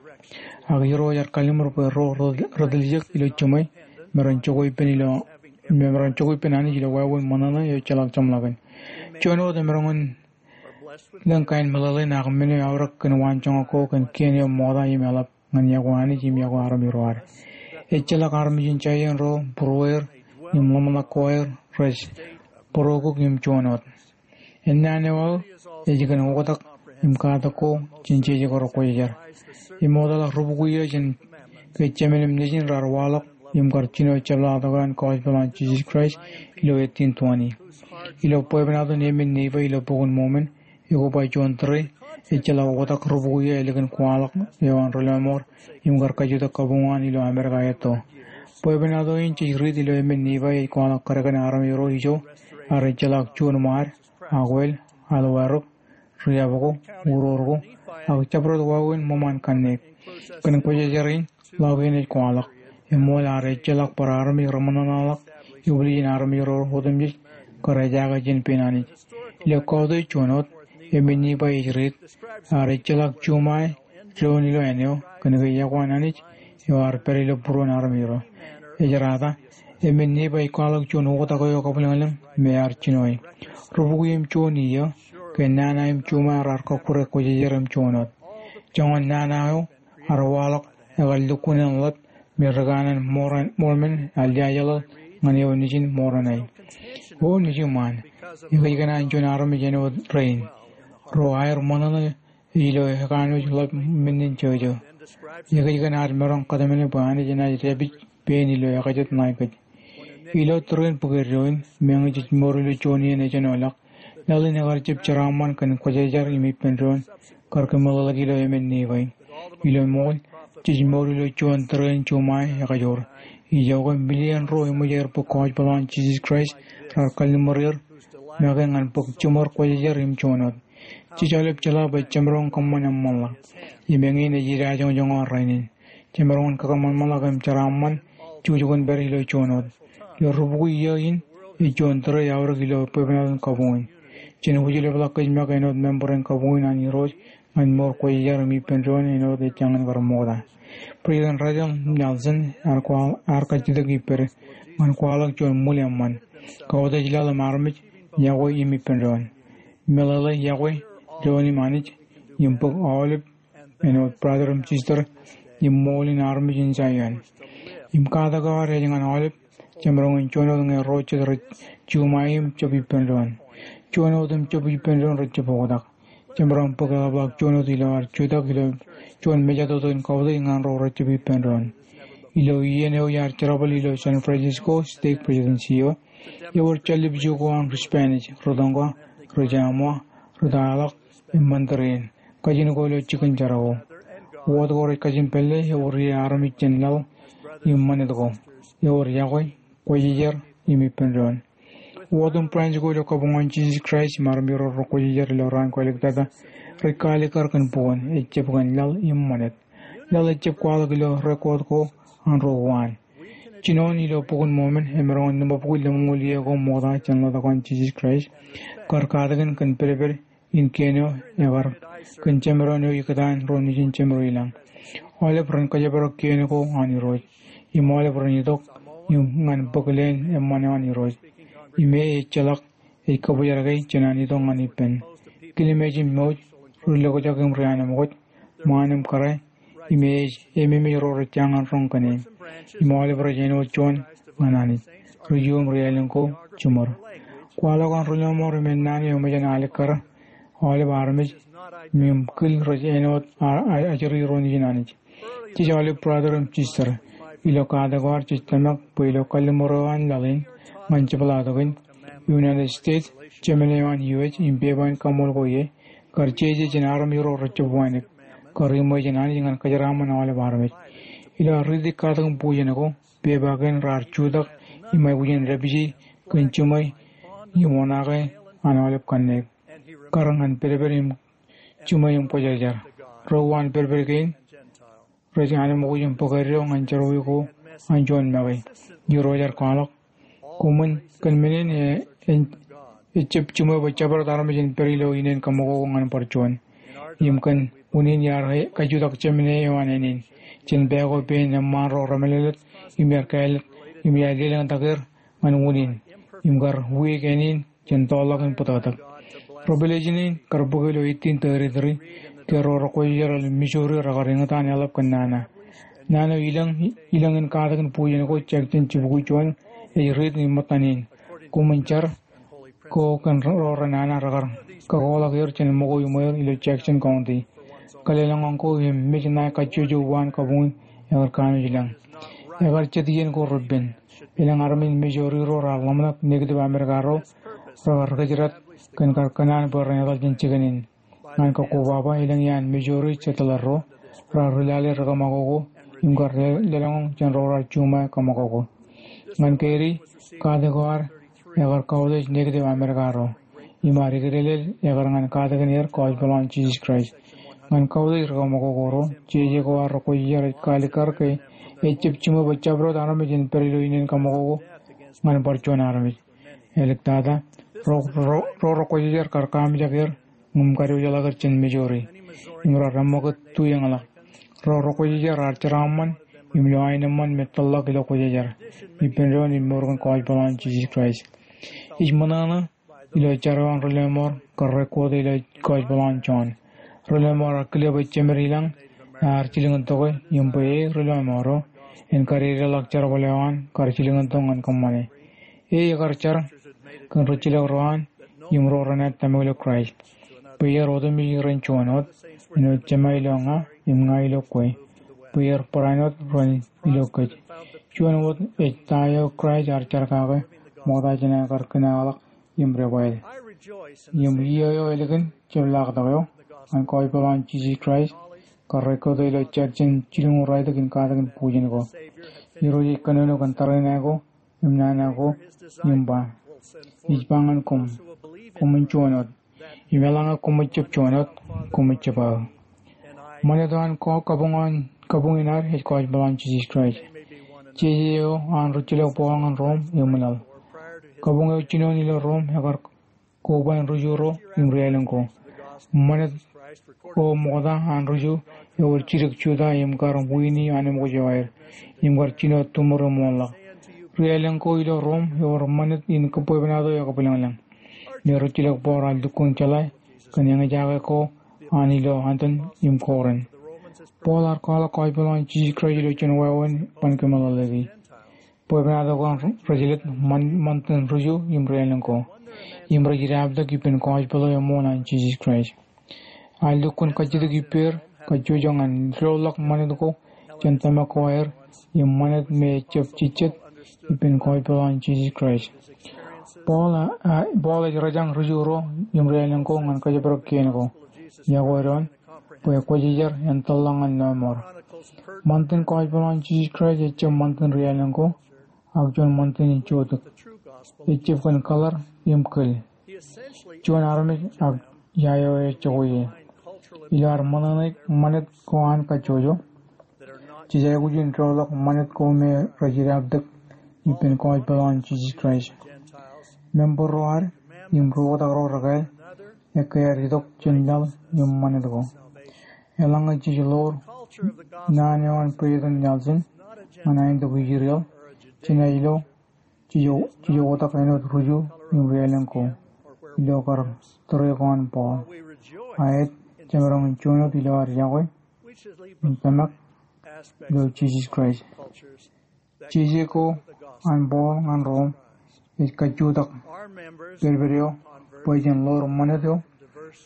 Ak Irooj ear kalliṃur bwe ro ri-, ri-tiljek ilo jiṃwe me ren jokwe ippān ilo, me ren jokwe ippān Anij ilo wāween ṃōṇōṇō eo ejjeḷọk jeṃḷọkin. Juon wōt emaroñ in lōñ kain meḷeḷein ak men eo eaorōk kōn waanjoñak ko kōn kien eo ṃokta im eḷap ñan iọkwe Anij im iọkwe armej ro ad. Ejjeḷọk armej in Jaion ro, būrueir im ḷōmṇak ko aer rej būrokuk im juon wōt. Ennaan eo aō ej kōn oktak im katak ko jān jeje ko rekwōjarjar. Im oktak ri-bukwi eo jān ke jemān im nejin raar waḷọk im kar jino jepḷaaktok eo an gospel eo an Jisōs Kraist ilo eighteen twenty. Ilo bwebwenato in emān Nifai ilo Bok in Mormon, ekoba juon tōre ejjeḷọk oktak ri-bukwi eo ālikin kwaḷọk eo an Relōṃour im kar kajjitōk kabuñ eo an ilo Amerika etto. Bwebwenato in jej riit ilo emān Nifai ej kwaḷọk kōdkōn armej ro ijo ear ejjeḷọk juon ṃaad, akwāāl, alwātok, riab ko, uror ko, ak jabdewōt wāween ṃōṃaan kanniōk. Kōn Kwōjarjar in, ḷọk in ej kwaḷọk, eṃool ear ejjeḷọk bar armej reṃōṇōṇōḷọk, eobijin armej ro otemjej kar ejaake jān pein Anij. Ilo kautiej juon wōt, emān Nifai ej riit, ear ejjeḷọk juṃae doon ilo āne eo, kōnke iọkwe an Anij eo ear pād ilo būruon armej ro. Ej rata, emān Nifai ej kwaḷọk juon oktak eo kabwilōñlōñ me ear jinoe. Ri-bukwi im juon iiō, ke nana im juṃae raar kọkkure kwōjarjar im juon wōt. Joñan nana eo ear waḷọk ekar lukkuun en ḷap me ri kanaan Mormon, Mormon ear liaajḷọk ñan eo nejin Moroni. O nejiṃaan, ekōjkan an juon armej āinwōt rein. Ro aer ṃōṇōṇō ilo ekanooj ḷap men in jojō. Ekōjkan ad maroñ kōtmāne bwe Anij enaaj dāpij pein ilo ekajet ṇae kōj. Ilo tōre in bōk eddo in, meñe jej mour ilo juon iien ejenoḷọk, laḷ in ekar jab jeraaṃṃan kōn kwōjarjar im ippān doon kar kōmeḷeḷeik ilo emān Nifai. Ilo ṃool, jej mour ilo juon tōre in juṃae ekajoor. Ijoke, million ro eṃōj aer bōk gospel eo an Jisōs Kraist raar kalliṃur er make ñan bōk jiṃor kwōjarjar im juon wōt. Jej aolep jeḷā bwe jemaroñ kōṃṃan eṃṃanḷọk. Im eñin ej idajoñjoñ eo rainin. Jemaroñ in kakōṃanṃanḷọk im jeraaṃṃan jukjukinpād ilo juon wōt. Ilo rubukwi iiō in, ej juon tōre eaorōk ilo bwebwenato in kabuñ in. Jen wūjlepḷọk kōj make āinwōt member in kabuñ in an Irooj ñan mour kwōjarjar im ippān doon āinwōt ejjañin kar ṃokta. President Russell M. Nelson ear kwaḷ, ear kajjitōk ippād ñan kwaḷọk juon ṃwil eṃṃan. Kautiej laḷ im armej iọkwe im ippān doon. Meḷeḷe, iọkwe doon im Anij im bōk aolep āinwōt brother im sister im ṃool in armej in Zion. Im katak eo ad ej ñan aolep jemaroñ in juon wōt ñe ro jet rej juṃae im jab ippān doon. Juon wōt im jab ippān doon rej jab oktak. Jemaroñ bōk eḷapḷọk juon wōt ilo ad jutak ilo juon mejatoto in kautiej ñan ro rej jab ippān doon. Ilo iien eo iar jerbal ilo San Francisco Stake Presidency eo, ewōr jāllippejū ko an ri Spanish, rūtōñka, ri Chamois, ri Taḷọk, im Mandarin, kajin ko ilo jikin jar ko. Wōt ko rej kajin pālle ewōr ie armej jān laḷ im ṃanit ko. Ewōr iọkwe, kwōjarjar, im ippān doon. Wōt im branch ko ilo kabuñ an Jisōs Kraist im armej ro rekwōjarjar ilo raan ko āliktata rej kaalikkar kōn bukwōn, ejjab kōn laḷ im ṃanit. Laḷ ejjab kwaḷọk ilo record ko an ro uwaan. Jinoin ilo Bok in Mormon, emaroñ in limabukwi lemñoul iiō ko ṃokta jān ḷotak eo an Jisōs Kraist, kar katakin kōn pedped in kien eo ekar kōn jemdoon eo ikōtaan ro nejin jemdoon ilañ. Aolep ren kōjparok kien ko an Irooj, im aolep ren itok im ñan bōk leen eṃṃan eo an Irooj. Im e ejjeḷọk ej kōbōjrak e jān an itok ñan ippān. Kilmeej im mouj, ri lokjak im ri anemkwōj, ṃaan im kōrā, im e ej ememej ro rej jañin roñ kōn e. Im aolep rej āinwōt juon ñan Anij. Ri-juu im ri-ālōñ ko jiṃor. Kwaḷọk an ri-lọmọọr im ennaan eo eṃōj an alikkar aolep armej im kil rej āinwōt a, a, ajri ro nejin Anij. Jej aolep brother im sister. Ilo katak eo ad jej tōmak bwe ilo kalliṃur eo an laḷ in ñan jepḷaaktok in, United States, Jemān eo an U S im pepa in kaṃool ko ie, kar jeje jān armej ro rej jab wānōk, kar iṃwe jān Anij ñan kōjeraaṃṃan aolep armej. Ilo ad riiti katakin bujen ko, pepa kein raar jutak im aikuj in dāpije kōn jiṃwe im oṇaake an aolep kanniōk, kar ñan pedped im jiṃwe im kwōjarjar. Ro uwaan pedped kein rej anemkwōj im bōk eddo ñan jerọwiwi ko an juon make. Irooj ear kwaḷọk, koṃwin kōn men in e, en, ejjab jiṃwe bwe jabdewōt armej en pād ilo inen kaṃakoko ñan bar juon. Im kōn unin iar kajutak Jemān eo an ānin jān pā ko pein eṃṃaan ro remālōtlōt im iar kāālōt im iar lelōñtak er ñan unin im kar wiik ānin jān toḷḷọk in bōtōktōk. Revelation in kar bōk ilo eighteen thirty-three ke ro rekwōjarjar ilo Missouri rekar eñtaan eḷap kōn nana. Nana eo ilōñ, ilōñ in katakin bujen ko, Jackson jibukwi juon, ej riit im ṃōttan in. Koṃwin jar ko kōn ro renana rekar kakoḷọk er jān ṃōko iṃweer ilo Jackson County. Kalōlōñḷọk ko im mej ṇae kajjojo uwaan kabuñ in ekar kanooj lañ. Ekar jet iien ko repen. Elōñ armej in Missouri ro raar ḷōmṇak negative America ro rekar rikōjdat kōn kar kōṇaan bwe ren etal jān jikin in. Ñan kakkobaba, elōñ iaan Missouri settler ro raar ri lale ri kaṃakoko im kar lelōñḷọk jān ro raar juṃae kaṃakoko. Ñan Katie, katak eo ad ekar kautiej negative America ro. Im ad eklelel ekar ñan katakin er gospel eo an Jisōs Kraist. Ñan kautiej ri kaṃakoko ro, jeje ko an rekwōjarjar ej kaalikkar ke ejjab jiṃwe bwe jabdewōt armej en pād ilo inen kaṃakoko ñan bar juon armej. Āliktata, ro, ro, ro rekwōjarjar kar kaamijak er im kadiwōjḷọk er jān Missouri im raar eṃṃakūt tuiōñḷọk. Ro rekwōjarjar raar jeraaṃṃan im lo aenōṃṃan me tōlḷọk ilo kwōjarjar, ippān doon im mour kōn gospel eo an Jisōs Kraist. Ij ṃōṇōṇō ilo jar eo an ri-lọmọọr kar record ilo gospel eo an John. Ri-lọmọọr ear kile bwe jemed ilañ ear jilkintok e im bwe e ri-lọmọọr eo en kadedeḷọk jerbal eo an kar jilkintok ñan kōṃṃane. E ekar jar kōn rijjilōk ro an im ro renaaj tōmak ilo Kraist, bwe er otemjej ren juon wōt, āinwōt Jema ilo ña im ña ilo kwe, bwe er barāinwōt ren ilo kōj. Juon wōt ej ta eo Kraist ear jar kake ṃokta jān aō kar kōnnañḷọk im debwāāl. Im iiō eo ālikin jepḷaaktok eo ñan gospel eo an Jisōs Kraist kar record ilo Jackson jilñuul raelōñ in katakin bujen ko. Irooj ej kōnono kōn tariṇae ko im nana ko im ba, ij ba ñan koṃ, koṃwin juon wōt. Im eḷaññe koṃij jab juon wōt, koṃij jab aō. Ṃanit eo an ko-, kabuñ eo an, kabuñ in ad ej kọjpeḷaañ Jisōs Kraist. Jeje eo an rijjilōk Paul ñan Rom eṃwilaḷ. Kabuñ eo jinoin ilo Rom ekar koban ri-Ju ro im ri-aelōñ ko. Ṃanit eo ṃokta an ri-Ju ewōr jidik Juda im kar wiini anemkwōj eo aer im kar jino tūmur im wōnḷọk. Ri-aelōñ ko ilo Rom ewōr ṃanit in kōbwebwenato ekabwilōñlōñ. Im rijjilōk Paul ear lukkuun jeḷā kōn eñjake ko an ilo Antiōk im Korint. Paul ear kwaḷọk kọjpeḷaañ Jisōs Kraist ilo juon wāween ban kōmeḷeḷeiki. Bwebwenato ko an rej jelōt ṃan-, ṃantin ri-Ju im ri-aelōñ ko. Im rej jablōk ippān gospel eo eṃool an Jisōs Kraist. Ear lukkuun kajjitōk ippāer, kajjojo ñan doḷọk ṃanit ko jān tōmak ko aer, im ṃanit me ejjab jejjet ippān gospel eo an Jisōs Kraist. Paul, a, a, Paul ej rōjañ ri-Ju ro im ri-aelōñ ko ñan kōjparok kien ko. Iọkwe doon, bwe kwōjarjar en tōllọk ñan lọmọọr. Ṃantin gospel eo an Jisōs Kraist ejjab ṃantin ri-aelōñ ko, ak juon ṃantin in jotōk. Ejjab kōn color im kōl. Juon armej ak ia eo ejako ie. Ilo ad ṃōṇōṇōik ṃanit ko an kajjojo, jej aikuj in doḷọk ṃanit ko me rej jablōk ippān gospel eo an Jisōs Kraist. Member ro ad im ri-oktak ro rekāāl ekkā ad itok jān laḷ im ṃanit ko. Eḷaññe jej ḷoor naan eo an President Nelson ñan aentok Israel, jenaaj lo jej, jej oktak āinwōt ri-Ju im ri-aelōñ ko ilo kar tūrei ko an Paul. Aet, jemaroñ in juon wōt ilo ad iọkwe im tōmak ilo Jisōs Kraist. Jeje ko an Paul ñan Rom ej kajutak pedped eo bwe jen ḷoor ṃanit eo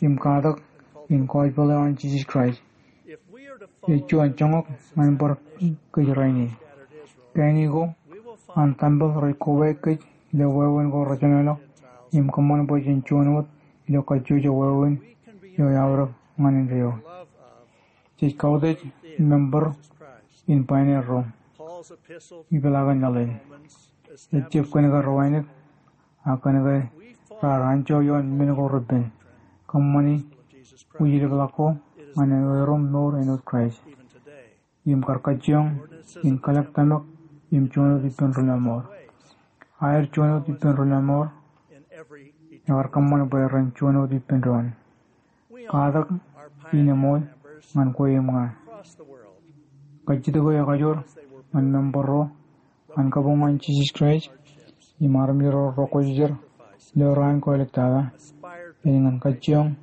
im katak in gospel eo an Jisōs Kraist. Ej juon joñak ñan bar kōj rainin. Kain ko an tempel rej kobaik kōj ilo wāween ko rejenolọk im kōṃṃan bwe jen juon wōt ilo kajjojo wāween eo eaorōk ñan indeeo. Jej kautiej member in pāneet ro. Ipeḷaakin laḷ in. Ejjab kōn ke ro wānōk, ak kōn ke raar anjọ ioon men ko repen. Kōṃṃani wijdeblọk ko ñan erom mour āinwōt Kraist. Im kar kajjioñ in kalōk tōmak im juon wōt ippān ri lọmọọr. Aer juon wōt ippān ri lọmọọr, ekar kōṃṃan bwe ren juon wōt ippān doon. Katak in eṃool ñan kwe im ña. Kajjitōk eo ekajoor ñan member ro an kabuñ an Jisōs Kraist im armej ro rekwōjarjar ilo raan ko āliktata ej ñan kajjioñ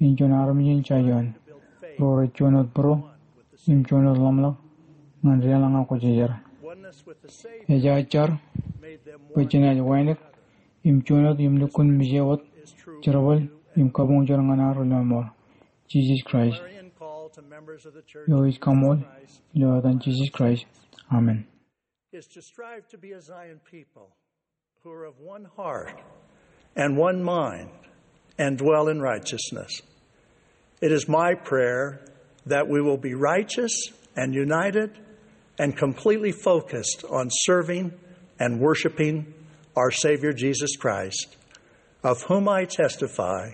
in juon armej in jaje eo an, ro rej juon wōt būruo im juon wōt ḷōmṇak ñan deḷọñ ak kwōjarjar. Ej aō jar bwe jenaaj wānōk im juon wōt im lukkuun mije wōt jerbal im kabuñjeḷ ñan ad ri lọmọọr, Jisōs Kraist. Eo ij kaṃool ilo etan Jisōs Kraist. Amen. Is to strive to be a Zion people who are of one heart and one mind and dwell in righteousness. It is my prayer that we will be righteous and united and completely focused on serving and worshiping our Savior Jesus Christ, of whom I testify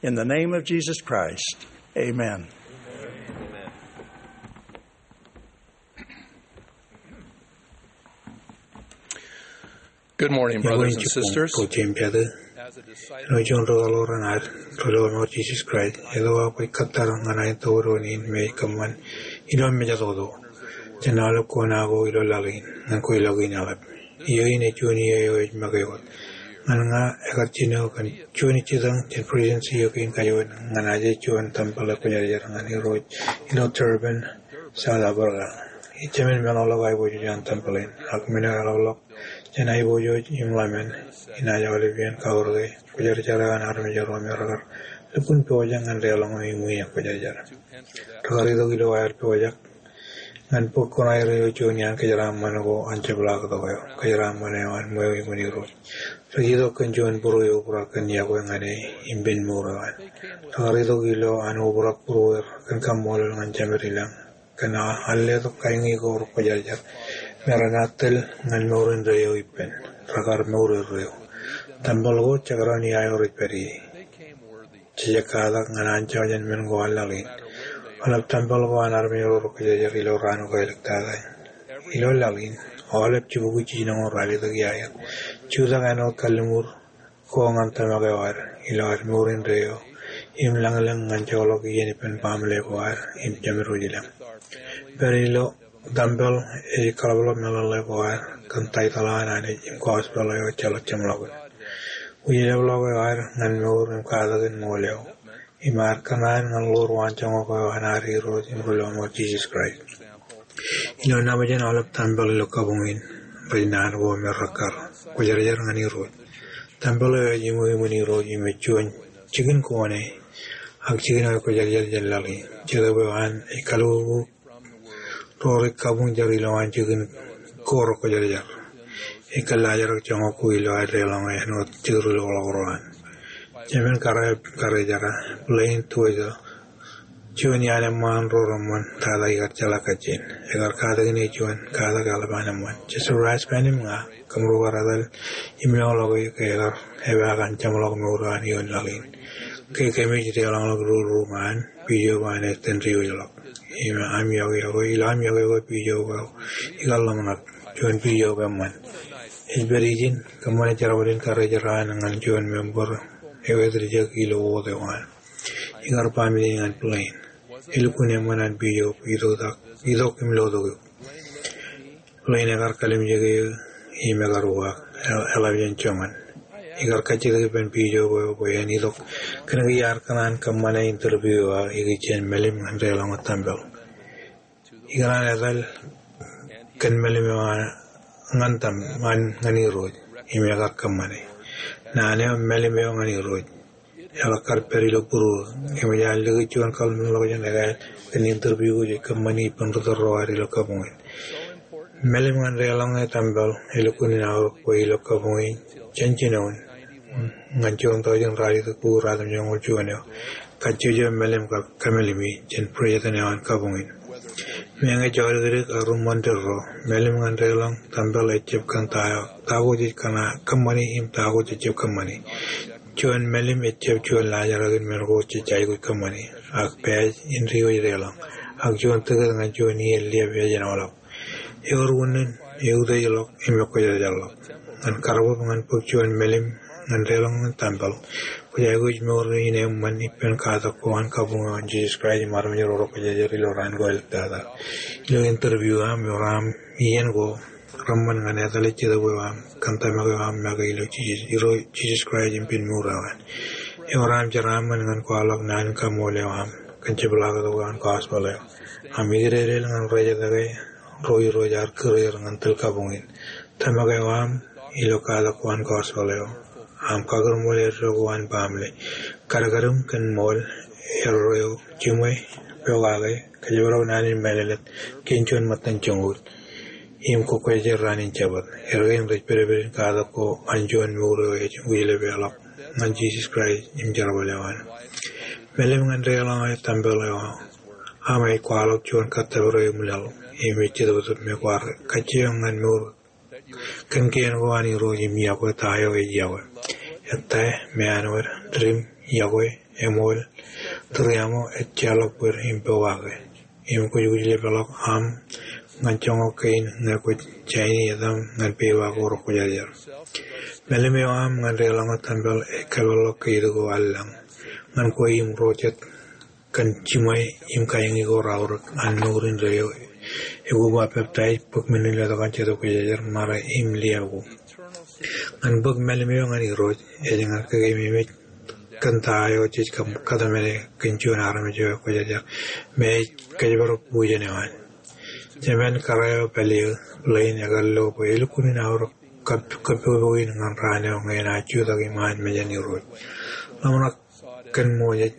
in the name of Jesus Christ. Amen. Good morning, brothers and sisters. As a disciple of Jesus Christ, ilo aō kōttar ñan aō tōre in me ej kōṃṃan ilo mejatoto jān aolep kōṇaan ko ilo laḷ in, ñan kweilọk in aḷap. Iiō in ej juon iiō eo ej make wōt. Ñan ña ekar jino kōn juon jitōñ jān Presidency eo kein kajuon ñan aje juon tempel ekwōjarjar ñan Irooj ilo Durban, South Africa. Ij jemān meḷọkḷọk aiboojoj an tempel in, ak men eo eḷapḷọk jān aiboojoj im ḷōmān, inaaj aolep iien kaurōke kwōjarjar eo an armej ro me rekar lukkuun pojak ñan deḷọñ im wiin ekwōjarjar. Rekar itok ilo aer pojak ñan bōk kuṇaer eo juon iaan kōjeraaṃṃan ko an jepḷaaktok eo, kōjeraaṃṃan eo an ṃweo iṃōn Irooj. Rej itok kōn juon būruo eobrak kōn iọkwe ñan e im pen mour eo an. Rekar itok ilo an obrak būrueir kōn kaṃṃoolol ñan Jemedilōñ kōn an letok kaiñi ko rekwōjarjar me renaaj tōl ñan mour indeeo ippān. Rekar mour erreo. Tempel ko jekdọọn iaio rej pād ie. Jejjab katak ñan anjọ jān men ko an laḷ in. Aolep tempel ko an armej ro rej kwōjarjar ilo raan ko āliktata. Ilo laḷ in, aolep jibukwi jiljino rej ralitōk iaer. Jutak āinwōt kalliṃur ko ñan tōmak eo ad ilo ad mour indeeo im lañlōñ ñan joḷọk iien ippān baaṃle ko ad im jemedwōj ilōñ. Pād ilo tempel ej kaḷapḷọk meḷeḷe ko ad kōn taitōḷ an Anij im gospel eo ejjeḷọk jeṃḷọkin. Wūjlepḷọk eo ad ñan mour im katakin ṃool eo im ad kōṇaan ñan ḷoor waanjoñak eo an ad Irooj im Ri-lọmọọr Jisōs Kraist. Ilo nabōjin aolep tempel ilo kabuñ in, rej naan ko me rekkar kwōjarjar ñan Irooj. Tempel eo ej iṃwiṃwin Irooj im ej juon jikin ko ṇe, ak jikin eo ej kwōjarjar jān laḷ in. Jetōb eo an ej kalukkuuk ro rej kabuñ jar ilowaan jikin ko rekwōjarjar. Ej kōllaajrak joñak ko ilo ad deḷọñ āinwōt jekdilokḷọk ro an. Jemān kōrā, kōrā jar, plane, tuwōjḷọk. Juon iaan eṃṃaan ro reṃṃan tata ikar jeḷā kajjien. Ekar katakin e juon katak eḷap an eṃṃan. Joseph Rasband im ña, kōmro kar etal im loḷọk e ke ekar epaak an jeṃḷọk mour eo an ioon laḷ in. Ke kōmij deḷọñḷọk rūruuṃ an, pijo eo an ej tōn diwōjḷọk. Im aṃ iọkwe ko, ilo aṃ iọkwe ko pijo eo ikar ḷōmṇak, juon pijo eo eṃṃan. Ej pād ijin, kōṃṃane jerbal in kōrā jar an ñan juon member eo etiljek ilo wōt eo an. Ikar ba menin ñan plane. Elukkuun eṃṃan an pijo eo itok, itok im lotok eok. Plane ekar kallimjeke eō im ekar uwaak, eḷap jān joñan. Ikar kajjitōk ippān pijo eo bwe en itok. Kōnke iar kōṇaan kōṃṃane interview eo aō ikijjien melim ñan deḷọñ wōt tempel. Ikōṇaan etal kōn melim eo an ñan tem, ñan, ñan Irooj, im ekar kōṃṃane. Naan eo melim eo ñan Irooj. Eḷak kar pād ilo būruō, kōmij ar likūt juon kallim̧ur ḷọkjeṇ ekāāl kōn interview ko jej kōṃṃani ippān ri tōl ro ad ilo kabuñ in. Melim ñan deḷọñ e tempel, elukkuun in aorōk bwe ilo kabuñ in, jān jinoin, ñan juon tọujin ralitōk bukwi ruatimjuonñoul juon eo, kajjojo melim kar kōmelimi jān president eo an kabuñ in. Meñe jodikdik ak ruṃṃan tōl ro, melim ñan deḷọñ tempel ejjab kōn ta eo, ta ko jej kōṇaan kōṃṃani im ta ko jejjab kōṃṃani. Juon melim ejjab juon laajrak in men ko jej aikuj kōṃṃani, ak pād in diwōj deḷọñ, ak juon tikōt ñan juon iien liab ej āinwōt ḷọk. Ewōr unin, eutiejḷọk, im ekwōjarjarḷọk. Ñan kar bōk, ñan bōk juon melim ñan deḷọñ tempel, kwōj aikuj mour in eṃṃan ippān katak ko an kabuñ eo an Jisōs Kraist im armej ro rekwōjarjar ilo raan ko āliktata. Ilo interview eo aṃ, ewōr aṃ iien ko reṃṃan ñan etal ej jetōb eo aṃ kōn tōmak eo aṃ make ilo Jisōs, Irooj Jisōs Kraist im pen mour eo an. Ewōr aṃ jeraaṃṃan ñan kwaḷọk naan in kaṃool eo aṃ kōn jepḷaaktok eo an gospel eo. Aṃ ikdedeḷ ñan rej etke ro Irooj ear kūr er ñan tōl kabuñ in. Tōmak eo aṃ ilo katak ko an gospel eo. Aṃ kakūrṃool eddo ko an baaṃle. Kadkadūṃ kōn ṃool eddo eo, jiṃwe, pokake, kōjparok naan in mālōtlōt kōn juon ṃōttan joñoul. Im kwō kwōjarjar raan in Jabōt. Eddo kein rej pedped in katak ko an juon mour eo ej wūjlepḷọk ñan Jisōs Kraist im jerbal eo an. Melim ñan deḷọñ e tempel eo aṃ ej kwaḷọk juon kōttōpar eo eṃwilaḷ im ej jetōbtōb me kwaar kajjioñ ñan mour kōn kien ko an Irooj im iọkwe ta eo ej iọkwe. Ettā, meanwōd, didim, iọkwe, eṃool, tūriaṃo, ejjeḷọk bōd im pokake. Im kwōj wūjlepḷọk aṃ ñan joñak kein ñe kwōj jaini etaṃ ñan pewa ko rekwōjarjar. Melim eo aṃ ñan deḷọñ e tempel ej kōpeḷḷọk ke itok eo allañ ñan kwe im ro jet kōn jiṃwe im kaiñi ko raorōk an mour indeeo. Ekwōj ba peptaij, bōk men in letok an Jetōb Kwōjarjar, mare im liabu. Ñan bōk melim eo ñan Irooj ej ñan kōkeememej kōn ta eo jej kōm-, kōtmāne kōn juon armej eo ekwōjarjar me ej kōjparok bujen eo an. Jemān kōrā eo pālle eo, plane, ekar lo bwe elukkuun in aorōk kab-, kabbokbok in ñan raan eo ñe enaaj jutak iṃaan mejān Irooj. Ḷōmṇak kōn ṃool ej,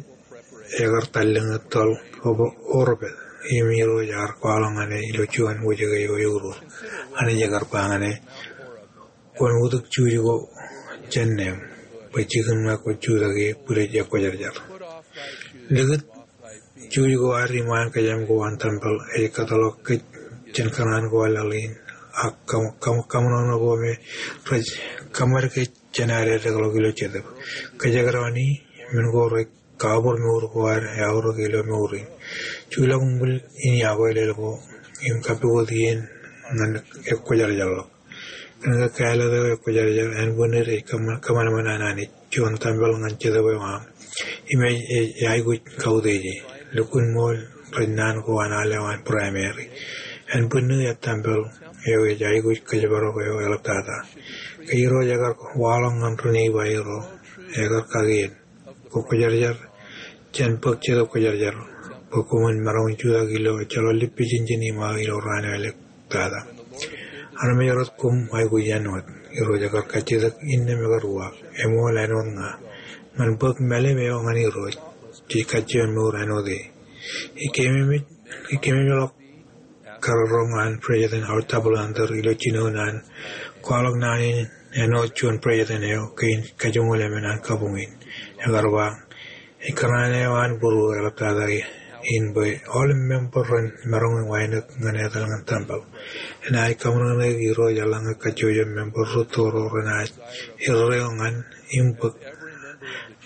ekar tallōñ e tōl opo-, oropet im Irooj ear kwaḷọk ñan e ilo juon wōjke eo eurur. Anij ekar ba ñan e, kwōn utōk juuj ko jān neeṃ, bwe jikin ṇe kwōj jutak ie bwidej ekwōjarjar. Likūt juuj ko ad iṃaan kōjām ko an tempel ej kōtḷọk kōj jān kōṇaan ko an laḷ in, ak kaṃ-, kaṃ-, kaṃōṇōṇō ko me rej kōṃad kōj jān ad eddekḷọk ilo jetōb. Kōjekdọọn e, men ko rej kabōd mour ko ad eaorōk ilo mour in. Juḷọk uṃwil in iọkwe lel ko im kappukot iien ñan ekwōjarjarḷọk. Kōn ke kāālōt eo ekwōjarjar, ānbwinnid ej kōṃanṃan an Anij juon tempel ñan jetōb eo aṃ im ej, ej aikuj kautiej e. Lukkuun ṃool rej naan ko an al eo an primary. Ānbwinnid ettempel eo ej aikuj kōjparok eo eḷaptata. Ke Irooj ekar waḷọk ñan ri-neighbor ro, ekar kakien bwe kwōjarjar jān bōk Jetōb Kwōjarjar bwe koṃwin maroñ in jutak ilo ejjeḷọk lippijenjen iṃaō ilo raan eo elōk tata. Armej rot koṃ aikuj āinwōt. Irooj ekar kajjitōk innām ekar uwaak. Eṃool āinwōt ña. Ñan bōk mālim eo ñan Irooj, jej kajjioñ mour āinwōt e. Ij keememej, ij keememej ḷọk karōk an President Howard W. Hunter ilo jinoin an kwaḷọk naan in āinwōt juon president eo kein kajoñoul emān an kabuñ in. Ekar ba, ej kōṇaan eo an būruō eḷaptata in bwe aolep member ren maroñ in wānōk ñan etal ñan tempel. Enaaj kaṃōṇōṇōik Irooj eḷaññe kajjojo member rūtto ro renaaj erreo ñan im bōk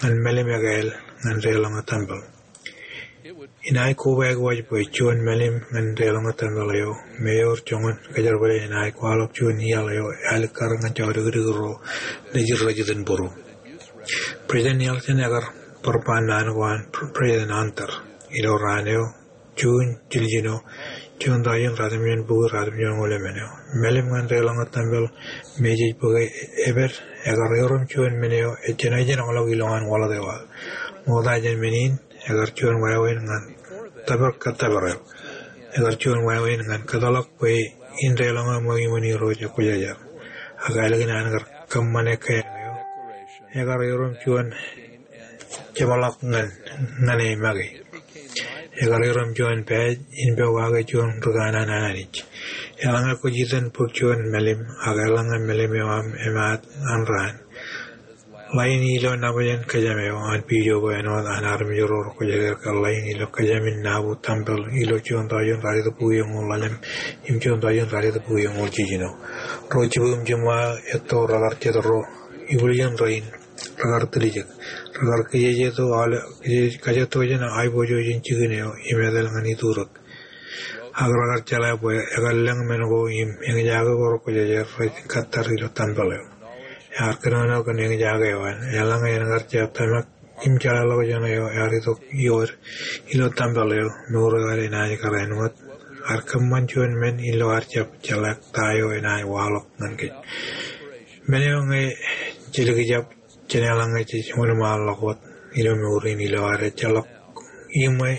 ñan mālim ekāāl ñan deḷọñe tempel. Inaaj kobaik waj bwe juon mālim ñan deḷọñe tempel eo me ewōr joñan kōjerbale enaaj kwaḷọk juon iaḷ eo alikkar ñan jodikdik ro nejid rejitōnbōro. President Nelson ekar bar ba naan ko an President Hunter ilo raan eo June jiljino, juon tọujin ratimjuon bukwi ratimjuon ñoul emān eo. Mālim ñan deḷọñe tempel me jej bōke epād ekar erom juon men eo ejjeṇe ejjeṇ ḷọk ilowaan waḷọk eo aō. Ṃokta jān men in, ekar juon wāween ñan tōpar kōttōpar eo. Ekar juon wāween ñan kōtḷọk bwe in deḷọñe ṃweo iṃōn Irooj ekwōjarjar. Ak ālikin an kar kōṃṃan ekkā eo, ekar erom juon jeṃḷọk ñan, ñan e make. Ekar erom juon pāj in pokake juon ri kanaan an Anij. Eḷaññe kwōj itōn bōk juon mālim, ak eḷaññe mālim eo aṃ emaat an raan, ḷain ilo nabōjān kōjām eo an pijo ko āinwōt an armej ro rekwōjarjar ke ḷain ilo kōjām in nabō tempel ilo juon tọujin ralitōk bukwi eñoul ḷalem im juon tọujin ralitōk bukwi eñoul jiljino. Ro jibwimjima etto rekar jet ro ibwiljin rein, rekar tiljek. Rekar kijejeto aolep, kije-, kajetto jān aiboojoj in jikin eo im etal ñan iturōk. Ak rekar jeḷā bwe ekar lōñ men ko im eñjake ko rekwōjarjar rej kōttar ilo tempel eo. Ear kōnono kōn eñjake eo an, eḷaññe en kar jab tōmak im jeḷāḷọkjeṇ eo ear itok ioer ilo tempel eo, mour eo ad enaaj kar āinwōt ear kōṃṃan juon men ilo ear jab jeḷā ta eo enaaj waḷọk ñan kōj. Men eo ñe jej likjab jān eḷaññe jej wōnṃaanḷọk wōt ilo mour in ilo ad ejjeḷọk iṃwe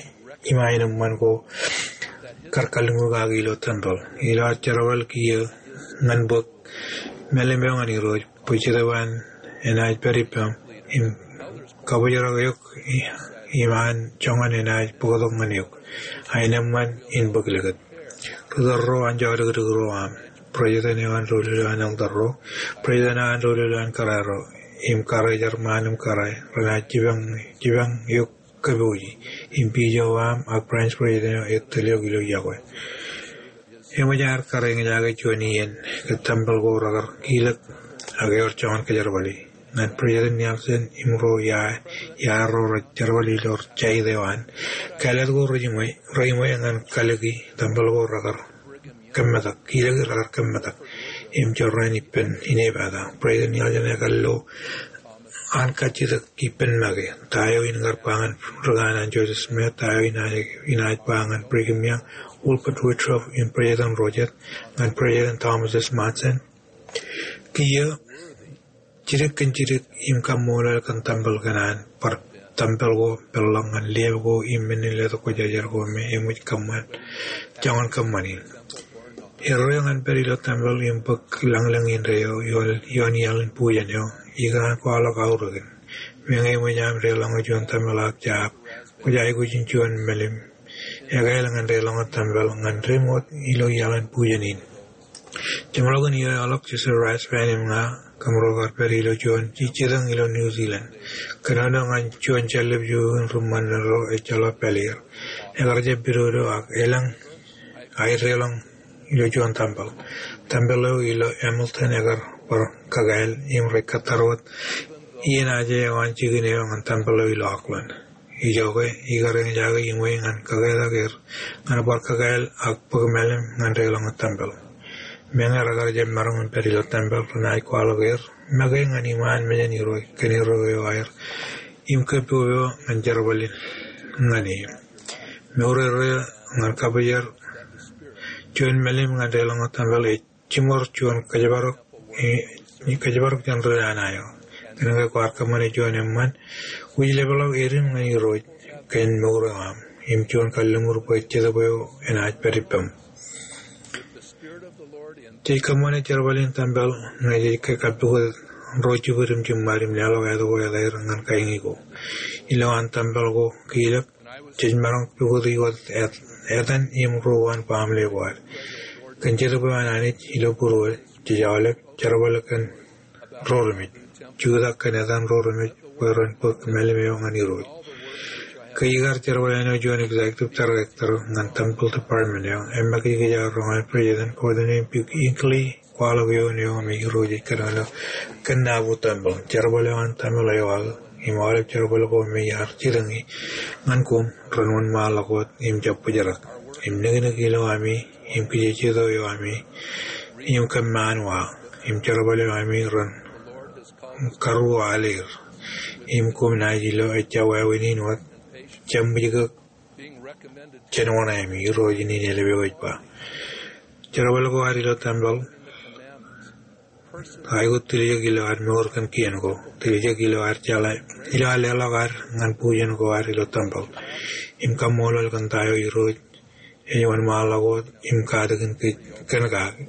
im aenōṃṃan ko kar kalliṃur kaki ilo tempel. Ilo ad jerbal kiiō ñan bōk mālim eo ñan Irooj bwe Jetōb eo an enaaj pād ippaṃ im kabōjrak eok i-, im an joñan enaaj bōktok ñan eok. Aenōṃṃan in bōk likūt. Ri-tōl ro an jodikdik ro aṃ. President eo an doulul eo an elder ro. President eo an doulul eo an kōrā ro. Im karijer ṃaan im kōrā. Renaaj jipañ, jipañ eok kōpooji. Im pijo eo aṃ ak branch president eo ettōl eok ilo yokwe. Eṃōj ad kar eñjake juon iien ke tempel ko rekar kilōk ak ewōr joñan kōjerbale. Ñan President Nelson im ro ia, ia ro rej jerbal ilo jait eo an. Kāālōt ko rejiṃwe, reiṃwe ñan kalōki tempel ko rekar kōmmetak, kilōki rekar kōmmetak. Im jorrāān ippān inepata. President Nelson ekar lo an kajjitōk ippān make. Ta eo in kar ba ñan ri kanaan Joseph Smith, ta eo in, inaaj ba ñan Brigham Young, Wilford Woodruff, im President Rojet, ñan President Thomas S. Monson. Kiiō jidik kōn jidik im kaṃṃoolol kōn tempel kōn an bar tempel ko peḷḷọk ñan liab ko im men in letok kwōjarjar ko me eṃōj kōṃṃan joñan kōṃṃani. Erreo ñan pād ilo tempel im bōk lañlōñ indeeo ioon, ioon iaḷ in bujen eo, ikōṇaan kwaḷọk aorōkin. Meñe eṃōj aṃ deḷọñe juon tempel ak jab, kwōj aikuj in juon mālim ekāāl ñan deḷọñe tempel ñan ri-moot ilo iaḷ in bujen in. Jeṃḷọkin iiō eo ḷọk Joseph Rasband im ña kōmro kar pād ilo juon jejjetōñ ilo New Zealand. Kōnono ñan juon jāllib juon ri-ṃanit ro ejjeḷọk pāleer. Ekar jab pidodo ak elōñ aer deḷọñ ilo juon tempel. Tempel eo ilo Hamilton ekar bar kakāāl im rej kōttar wōt iien aje eo an jikin eo ñan tempel eo ilo Oakland. Ijoke, ikar eñjake iṃwe ñan kaketak er ñan bar kakāāl ak bōk mālim ñan deḷọñ wōt tempel. Meñe rekar jab maroñ in pād ilo tempel, renaaj kwaḷọk er make ñan iṃaan mejān Irooj kōn erreo eo aer im kōpopo ñan jerbal in ñan e. Mour erreo ñan kappijor juon mālim ñan deḷọñ wōt tempel ej jiṃor juon kōjparok, e, kōjparok jān ri-lana eo. Kōnke kwaar kōṃṃane juon eṃṃan wūjlepḷọk edim ñan Irooj kōn mour eo aṃ im juon kalliṃur bwe Jetōb eo enaaj pād ippaṃ. Jej kōṃṃane jerbal in tempel ñe jej kappukot ro jibwid im jiṃṃad im leḷọk āt ko etaer ñan kaiñi ko. Ilowaan tempel ko kiilōk, jej maroñ pukoti wōt etan im ro uwaan baaṃle ko ad. Kōn Jetōb eo an Anij ilo būruod, jej aolep jerbal kōn ro remej, jutak kōn etan ro remej bwe ren bōk mālim eo ñan Irooj. Ke ikar jerbal āinwōt juon executive director ñan temple department eo, eṃṃakūt kōj aō roñ an President Gordon M. Hinckley kwaḷọk eoon eo me Irooj ej kōnono kōn nabōjrak tempel. Jerbal eo an tempel eo aō im aolep jerbal ko me iar jitōñi ñan koṃ ren wōnṃaanḷọk wōt im jab bōjrak. Im niknik ilo ami im kijejeto eo ami im kōmṃaan wa im jerbal eo ami ren karuo aleer. Im koṃ naaj ilo ejja wāween in wōt jab ijjek jān wōṇāāmi, Irooj in elepeo ej ba. Jerbal ko ad ilo tempel, aikuj tiljek ilo ad mour kōn kien ko, tiljek ilo ad jeḷā, ilo ad leḷọk ad ñan bujen ko ad ilo tempel. Im kaṃṃoolol kōn ta eo Irooj ej wōnṃaanḷọk wōt im katakin kōj kōn kaki.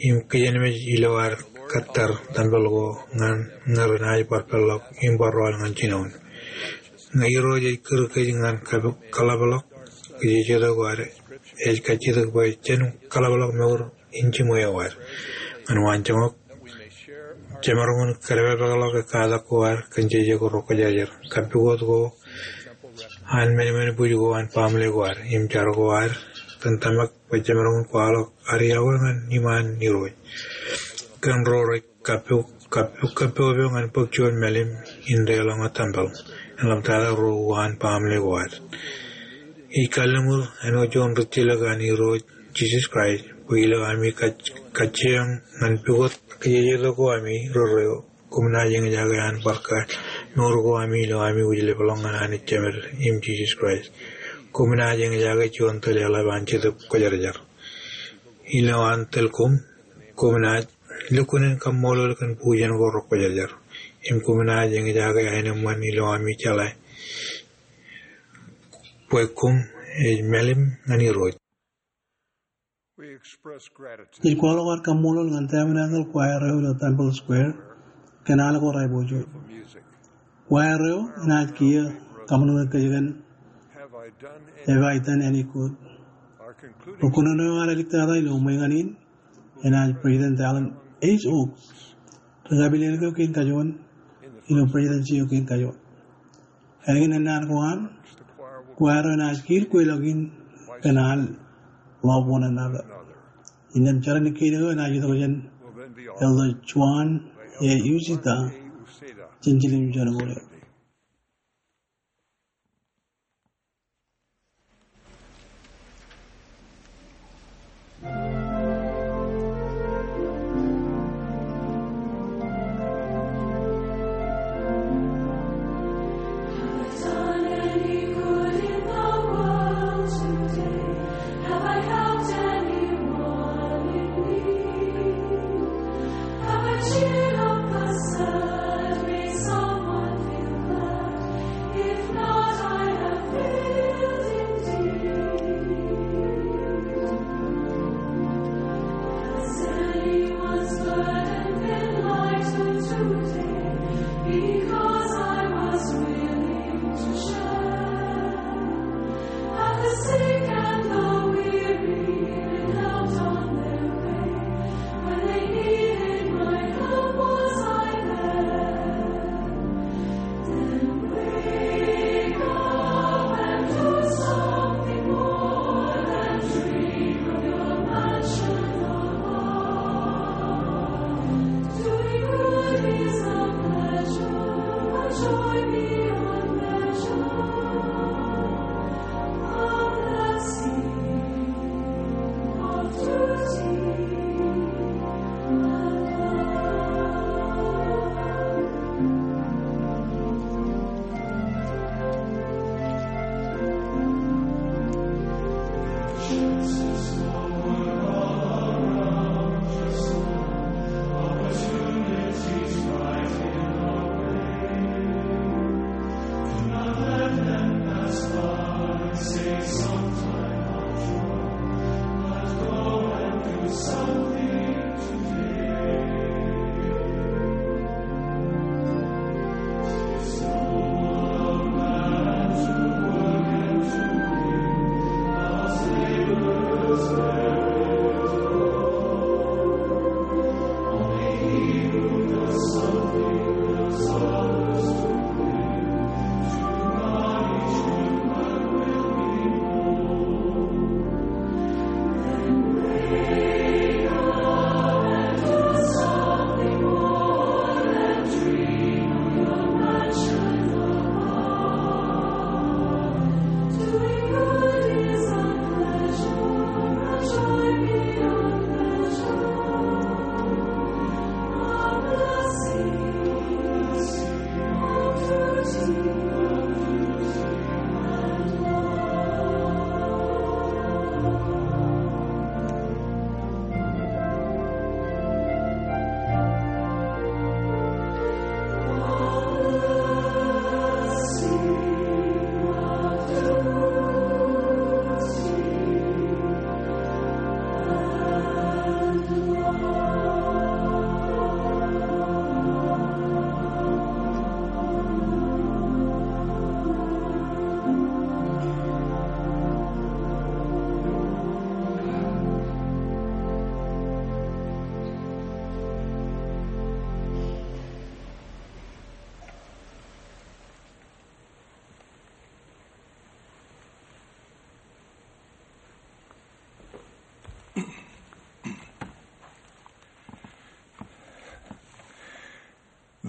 Im kijenmej ilo ad kōttar tempel ko ñan ñe renaaj bar peḷḷọk im bar rọọl ñan jinoin. Ñe Irooj ej kūr kōj ñan kab-, kaḷapḷọk, kijejeto ko ad ej kajjitōk bwe jen kaḷapḷọk mour in jiṃwe eo ad. Ñan waanjoñak, jemaroñ in kōdepakḷọk katak ko ad kōn jeje ko ro kwōjarjar, kappukot ko an men, men buj ko an baaṃle ko ad, im jar ko ad kōn tōmak bwe jemaroñ in kwaḷọk ad iọkwe ñan iṃaan Irooj kōn ro rej kappok, kappok, kappok ñan bōk juon mālim in deḷọñ wōt tempel. Im ḷaptata ro uwaan baaṃle ko ad. Ij kalliṃur āinwōt juon rijjilōk an Irooj Jisōs Kraist bwe ilo ami kaj-, kajjioñ ñan pukot kijejeto ko ami rerreo, koṃ naaj eñjake an bar kōn mour ko ami ilo ami wūjlepḷọk ñan Anij Jemed im Jisōs Kraist. Koṃ naaj eñjake juon tōl eḷap an Jetōb Kwōjarjar. Ilo an tōl koṃ, koṃ naaj lukkuun in kaṃṃoolol kōn bujen ko ro kwōjarjar. Im koṃ naaj eñjake aenōṃṃan ilo ami jeḷā bwe koṃ ej mālim ñan Irooj. Ij kwaḷọk ad kaṃṃoolol ñan tabernakle choir eo ilo Temple Square kōn al ko rej pojak. Choir eo enaaj kiiō kaṃōṇōṇō kōj kōn Have I done any good? Ri kōnono eo ad eliktata ilo ṃweeñān in enaaj President Dallin H. Oaks. Ri kapilōk eo kein kajoor ilo presidency eo kein kajoor. Ālikin ennaan ko an, choir eo enaaj kiil kweilọk in kōn al Love One Another. Innām jar in kein eo enaaj itok jān Elder Juan A. Uceta jān jiljilimjuon ko eo.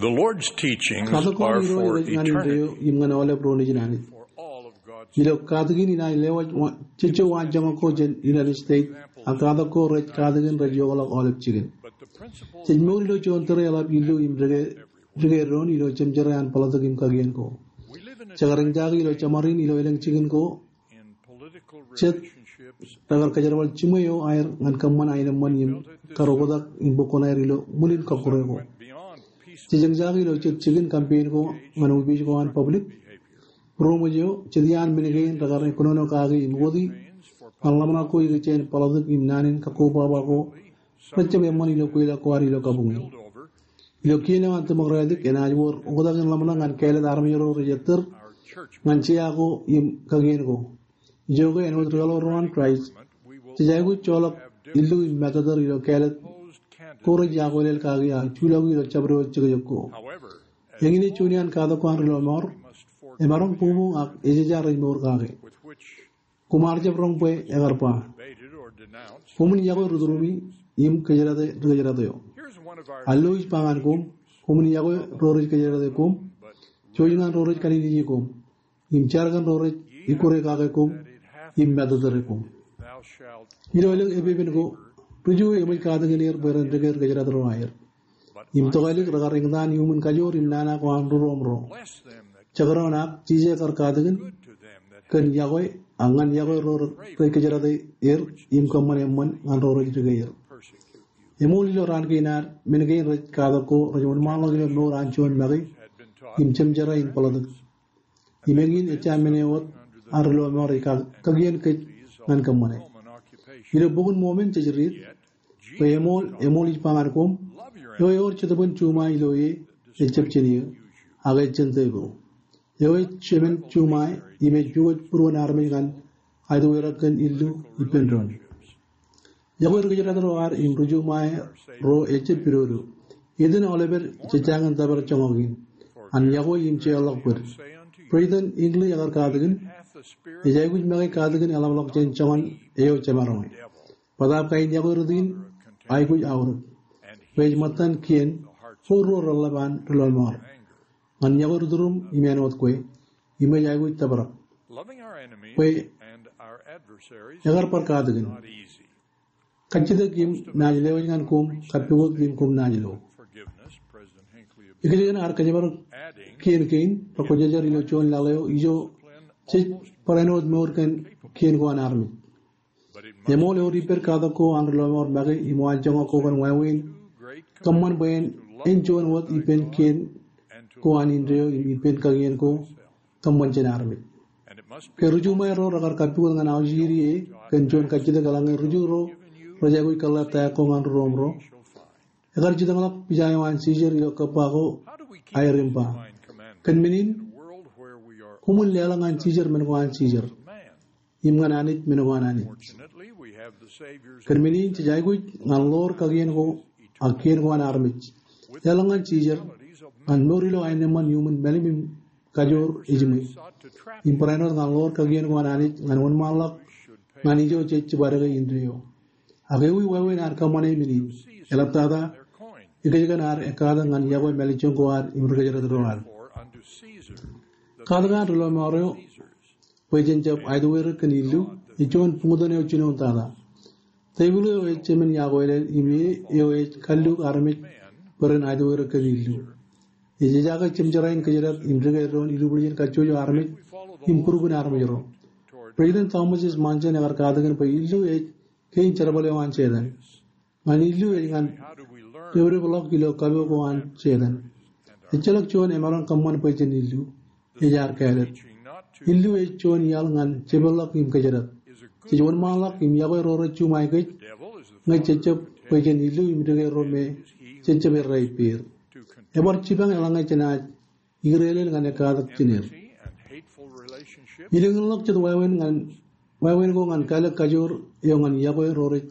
The Lord's teachings Katak ko an are Irooj for rej ñan eternity indeeo im ñan aolep ro nejin Anij. For all of God's Ilo katakin in an lewōj wa-, jejjo waanjoñak ko jān United States, ak katak ko rej katakin rej iokḷọk aolep jikin. But the principles Jej mour ilo juon tōre eḷap illu im dike, dike doon ilo jemjerā an ḷapḷap im kakien ko. We live in a Jekar eñjake ilo jeṃarin ilo elōñ jikin ko, in political jet relationships rekar kōjerbal jiṃwe eo aer ñan kōṃṃan aenōṃṃan im karokotak im bōk kuṇaer ilo ṃwilin kọkkure ko. Beyond peace Jej eñjake ilo jet jikin campaign ko ñan opiij ko an public. Būroṃōj eo, jet iaan men kein rekar kōnono kaki im wōti ñan ḷōmṇak ko ikijjien politics im naan in kakkobaba ko rej jab eṃṃan ilo kweilọk ko ad ilo kabuñe. Ilo kien eo an Democratic, enaaj wōr oktak in ḷōmṇak ñan kāālōt armej ro rej ettōr ñan jea ko im kakien ko. Ijoke āinwōt ri-aolep ro an Christ, jej aikuj joḷọk illu im mātōtōr ilo kāālōt ko rej iakweilel kaki aō juḷọki ilo jabdewōt jekjek ko. Eñin ej juon iaan katak ko an ri-lọmọọr, emaroñ buñbuñ ak ejeja rej mour kake. Koṃ ar jab roñ bwe ekar ba, koṃwin yokwe ri-tūrumi im kōjdate ri-kōjdate eo. Alwōj ba ñan koṃ, koṃwin yokwe ro rej kōjdate koṃ, jouj ñan ro rej kanejnej koṃ, im jar kōn ro rej ikkure kake koṃ im mātōtōre koṃ. Ilo elōñ epepen ko, ri-Ju eo eṃōj katakin er bwe ren dike ri-kōjdate ro aer. Im tokālik rekar eñtaan iuṃwin kajoor im nana ko an ri-tūrumi ro. Jekdọọn ak jijet kar katakin kōn yokwe, ak ñan yokwe ro rej kōjdate er im kōṃṃan eṃṃan ñan ro rej dike er. Eṃool ilo raan kein ad, men kein rej katak ko rej wōnṃaanḷọk ilo mour an juon make im jemjerā in politics. Im eñin ejja men eo wōt an ri-lọmọọr ej ka-, kakien kōj ñan kōṃṃane. Ilo Bok in Mormon jej riit, bwe eṃool, eṃool ij ba ñan koṃ, eo ewōr jetōb in juṃae ilo e, ejjab jān eō, ak ejjab jān devil. Eo ej jemān juṃae, im ej pukot būruon armej ñan aetwerak kōn illu ippān doon. Yokwe ri-kōjdate ro ad im ri-juṃae ro ejjab pidodo. Etan aolepād jejjañin tōpar joñak in an yokwe im jeorḷọk bōd. President Hinckley ekar katakin, ej aikuj make katakin eḷapḷọk jān joñan eo jemaroñ. Bōtaab kain yokwe rot in aikuj aorōk. Bwe ej ṃōttan kien ko ruo reḷḷap an ri-lọmọọr ñan yokwe ri-tūrum im āinwōt kwe, im ej aikuj tōprak. Bwe ekar bar katakin. Kajjitōk im naaj lewōj ñan koṃ, kappukot im koṃ naaj lo. Ikijjien ad kōjparok kien kein, rekwōjarjar ilo juon laḷ eo ijo jej bar āinwōt mour kōn kien ko an armej. Eṃool ewōr ippād katak ko an ri-lọmọọr make im waanjoñak ko kōn wāween kōṃṃan bwe en, en juon wōt ippān kien ko an indeeo im ippān kakien ko kōṃṃan jān armej. Ke ri-juṃae ro rekar kappukot ñan aujiri e kōn juon kajjitōk eḷaññe ri-Ju ro rej aikuj kōḷḷap ta ko ñan ri-tūrum ro. Ekar jitōñḷọk pija eo an Sisar ilo kōbba ko aer im ba, kōn men in, koṃwin leḷọk ñan Sisar men ko an Sisar, im ñan Anij men ko an Anij. Kōn men in jej aikuj ñan ḷoor kakien ko ak kien ko an armej. Leḷọk ñan Sisar, ñan mour ilo aenōṃṃan iuṃwin mālim im kajoor ejiṃwe. Im barāinwōt ñan ḷoor kakien ko an Anij ñan wōnṃaanḷọk ñan ijo jej jibadeke indeeo. Ak ewi wāween ad kōṃṃane men in? Eḷaptata, ikōjkan ad ekkatak ñan yokwe mālejjoñ ko ad im ri-kōjdate ro ad. Katak an ri-lọmọọr eo bwe jen jab aetwerak kōn illu, ej juon buñtōn eo jinoin tata. Tepil eo ej jemān iakweilel im e eo ej kalluk armej bwe ren aetwerak kōn illu. Ej ejaake jemjerā in kōjdate im dike doon ilubwiljin kajjojo armej im būrbukin armej ro. President Thomas S. Monson ekar katakin bwe illu ej kein jerbal eo an Setan. Ñan illu ej ñan depdepḷọk ilo kapo ko an Setan. Ejjeḷọk juon emaroñ kōṃṃan bwe jen illu, ej ad kāālōt. Illu ej juon iaḷ ñan jepeḷḷọk im kōjdate. Jej wōnṃaanḷọk im yokwe ro rej juṃae kōj, ñe jejjab bwe jen illu im dike ro me jejjab errā ippāer. Ebar jipañ eḷaññe jenaaj ikdeelel ñan ekkatak jineer. Ilōñḷọk jet wāween ñan, wāween ko ñan kālōk kajoor eo ñan yokwe ro rej,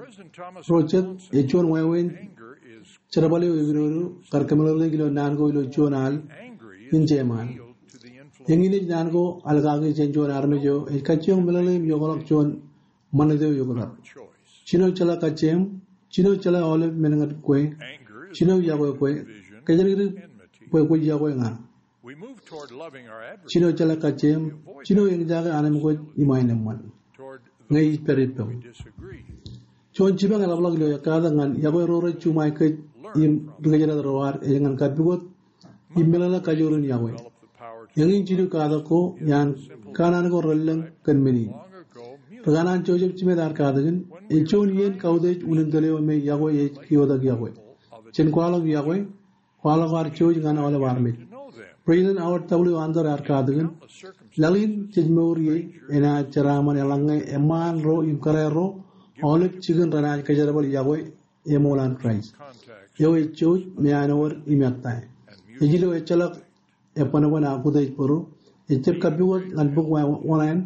ro jet, ej juon wāween jerbal eo epidodo kar kōmeḷeḷeik ilo naan ko ilo juon al in jeṃaan. Eñin ej naan ko al kaki jān juon armej eo ej kajjioñ meḷeḷe im iokḷọk juon ṃanit eo eoktak. Jino jeḷā kajjieṃ, jino jeḷā aolep men ñan kwe, jino yokwe kwe, kōjatdikdik bwe kwōj yokwe ña. Jino jeḷā kajjieṃ, jino eñjake anemkwōj im aenōṃṃan. Ñe ij pād ippaṃ. Juon jipañ eḷapḷọk ilo ekkatak ñan yokwe ro rej juṃae kōj im ri kōjdat ro ad ej ñan kappukot im meḷeḷe kajoor in yokwe. Eñin jilu katak ko iaan kanaan ko relōñ kōn men in. Ri kanaan Joseph Smith ear katakin, ej juon iien kautiej unin tōl eo me yokwe ej keotak yokwe. Jen kwaḷọk yokwe, kwaḷọk ad jouj ñan aolep armej. President Howard W. Hunter ear katakin, laḷ in jej mour ie enaaj jeraaṃṃan eḷaññe eṃṃaan ro im kōrā ro aolep jikin renaaj kōjerbal yokwe eṃool an Kraist. Eo ej jouj me an wōr im ettā. Ej ilo ejjeḷọk ebbanban ak utiej bōro, ejjab kappukot ñan bok wōṇāān,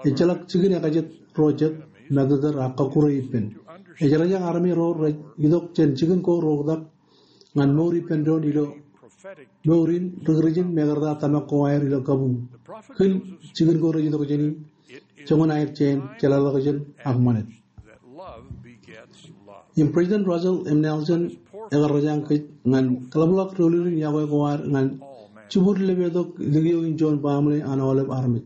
ejjeḷọk jikin ekajet ro jet, matōtōr ak kọkkure ippān. Ej rōjañ armej ro rej itok jān jikin ko reoktak ñan mour ippān doon ilo mour in ri Kūrjin me ekarta tōmak ko aer ilo kabuñ. Kil jikin ko rej itok jāni, joñan aer jān jeḷāḷọkjeṇ ak ṃanit. Im President Russell M. Nelson ekar rōjañ kōj ñan kaḷapḷọk doulul in yokwe ko ad ñan jibwid lepetok likio in juon baaṃle an aolep armej.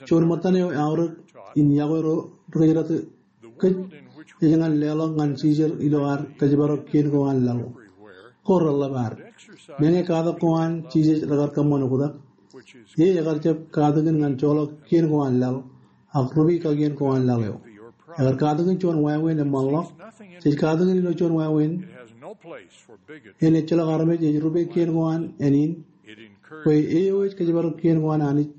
Juon ṃōttan eo eaorōk in yokwe ro ri kōjdat kōj ej ñan leḷọk ñan jijer ilo ad kōjparok kien ko an laḷ. Ko reḷḷap ad. Meñe katak ko an Jisōs rekar kōṃṃan oktak, e ekar jab katakin ñan joḷọk kien ko an laḷ, ak rupe kakien ko an laḷ eo. Ekar katakin juon wāween eṃṃanḷọk. Jej katakin ilo juon wāween. En ejjeḷọk armej ej rupe kien ko an āne in, bwe e eo ej kōjparok kien ko an Anij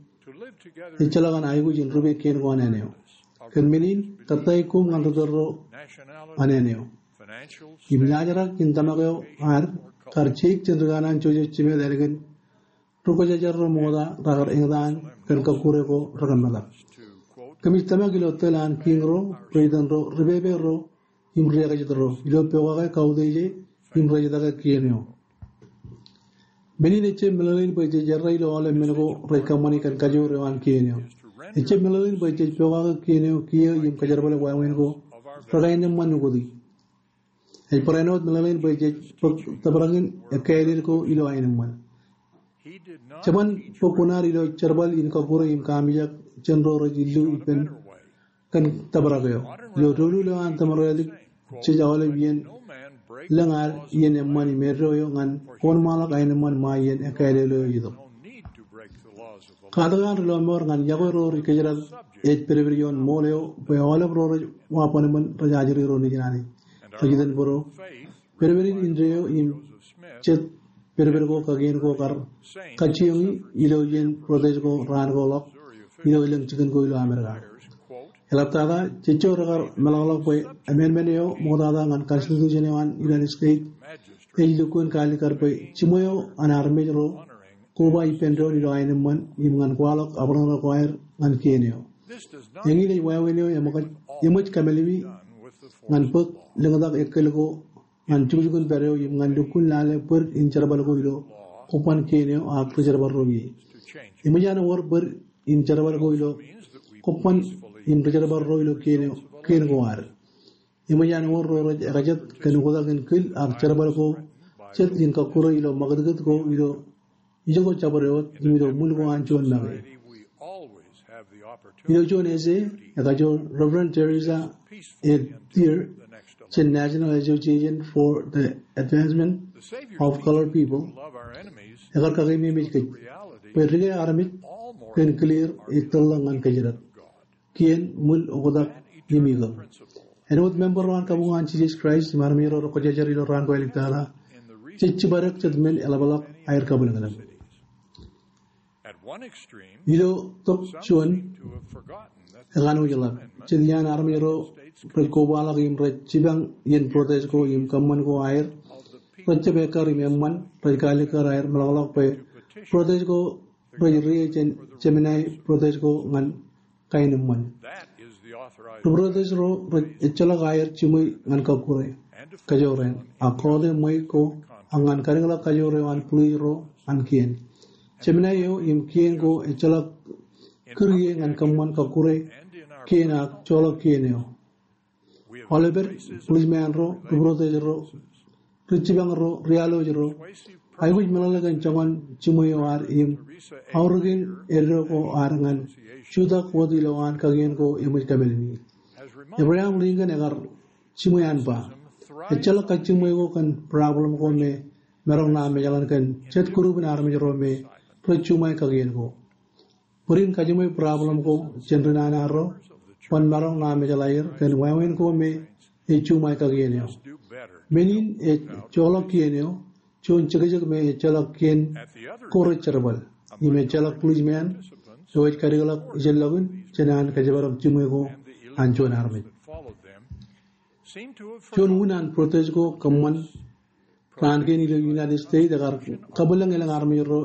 ejjeḷọk an aikuj in rupe kien ko an āne eo. Kōn men in, kōttāik koṃ ñan ri tōl ro an āne eo. Im laajrak in tōmak eo ad kar jeik jān ri kanaan Joseph Smith ālikin ri kwōjarjar ro ṃokta rekar eñtaan kōn kọkkure ko rekōmetak. Kōmij tōmak ilo tōl an kiiñ ro, president ro, ri pepe ro, im ri ekajet ro, ilo pokake kautiej e im rej etake kien eo. Men in ejjab meḷeḷein bwe jej errā ilo aolep men ko rej kōṃṃani kōn kajoor eo an kien eo. Ejjab meḷeḷein bwe jej pokake kien eo kiiō im kōjerbale wāween ko rekaenōṃṃan nukōti. Ej barāinwōt meḷeḷein bwe jej bōk tōprak in ekkāālel ko ilo aenōṃṃan. Jeban bōk kuṇaad ilo jerbal in kọkkure im kaamijak jān ro rej illu ippān kōn tōprak eo. Ilo doulul eo an tōmāraelik jej aolep iien lōñ ad iien eṃṃan im eddo eo ñan kōnṃaanḷọk aenōṃṃan ṃae iien ekkāālel eo ej itok. Katak an ri lọmọọr ñan yokwe ro ri kōjdat ej pedped ioon ṃool eo bwe aolep ro rej wa bōnbōn rej ajri ro nejin Anij. Rej itōn bōro pedped in indeeo im jet pedped ko kakien ko kar kajjioñi ilo iien protest ko raan ko ḷọk ilo elōñ jikin ko ilo Amerika. Eḷaptata, jejjo rekar meḷọkḷọk bwe amendment eo ṃoktata ñan constitution eo an United States ej lukkuun kaalikkar bwe jiṃwe eo an armej ro koba ippān doon ilo aenōṃṃan im ñan kwaḷọk abṇōṇō ko aer ñan kien eo. Eñin ej wāween eo eṃōj, eṃōj kamālemi ñan bōk lōñtak ekōl ko ñan jukjukun pād eo im ñan lukkuun lale bōd in jerbal ko ilo kobban kien eo ak ri jerbal ro ie. Eṃōj an wōr bōd in jerbal ko ilo kobban im ri jerbal ro ilo kien eo, kien ko ad. Eṃōj an wōr ro rej ekajet kōn oktak in kil ak jerbal ko jet in kọkkure ilo ṃakūtkūt ko ilo ijoko jabdewōt im ilo ṃwil ko an juon make. Ilo juon essay ekajoor Reverend Teresa A. Thiers jān National Association for the Advancement of Colored People, ekar kakeememej kōj bwe dike armej kōn kilier ej tōl ḷọk ñan kōjdat, kien, ṃwil, oktak im ikōṇ. Āinwōt member ro an kabuñ an Jisōs Kraist im armej ro rekwōjarjar ilo raan ko āliktata, jej jibadek jet men eḷapḷọk aer kabwilōñlōñ. Ilo tok juon, ekanooj ḷọk jet iaan armej ro rej kobaḷọk im rej jipañ iien protest ko im kōṃṃan ko aer, rej jab ekkar im eṃṃan, rej kaalikkar aer meḷọkḷọk bwe protest ko rej rie jān Jemedān protest ko ñan kaenōṃṃan. Ri protest ro rej ejjeḷọk aer jiṃwe ñan kọkkure, kajoor eṇ, ak kọọte ṃweiuk ko, ak ñan kadikḷọk kajoor eo an police ro an kien. Jemedān eo im kien ko ejjeḷọk kūr ie ñan kōṃṃan kọkkure kien ak joḷọk kien eo. Aolepād, policeman ro, ri protest ro, ri jipañ ro, ri alwōj ro, Aikuj meḷeḷe kōn joñan jiṃwe eo ad im aorōkin eddo ko ad ñan jutak wōt ilowaan kakien ko eṃōj kōmālmi. Abraham Lincoln ekar jiṃwe an ba, ejjeḷọk kajjiṃwe ko kōn problem ko me maroñ naaj mejaḷ kōn jet group in armej ro me rej juṃae kakien ko. Bōd in kajiṃwe problem ko jān ri nana ro, ban maroñ naaj mejaḷ aer kōn wāween ko me ej juṃae kakien eo. Men in ej joḷọk kien eo, juon jekjek me ejjeḷọk kien ko rej jerbal. Im ejjeḷọk policeman eo ej kadikḷọk ijellọkin jān an kōjparok jiṃwe ko an juon armej. Juon wūn an protest ko kōṃṃan raan kein ilo United States ekar kabwilōñ elōñ armej ro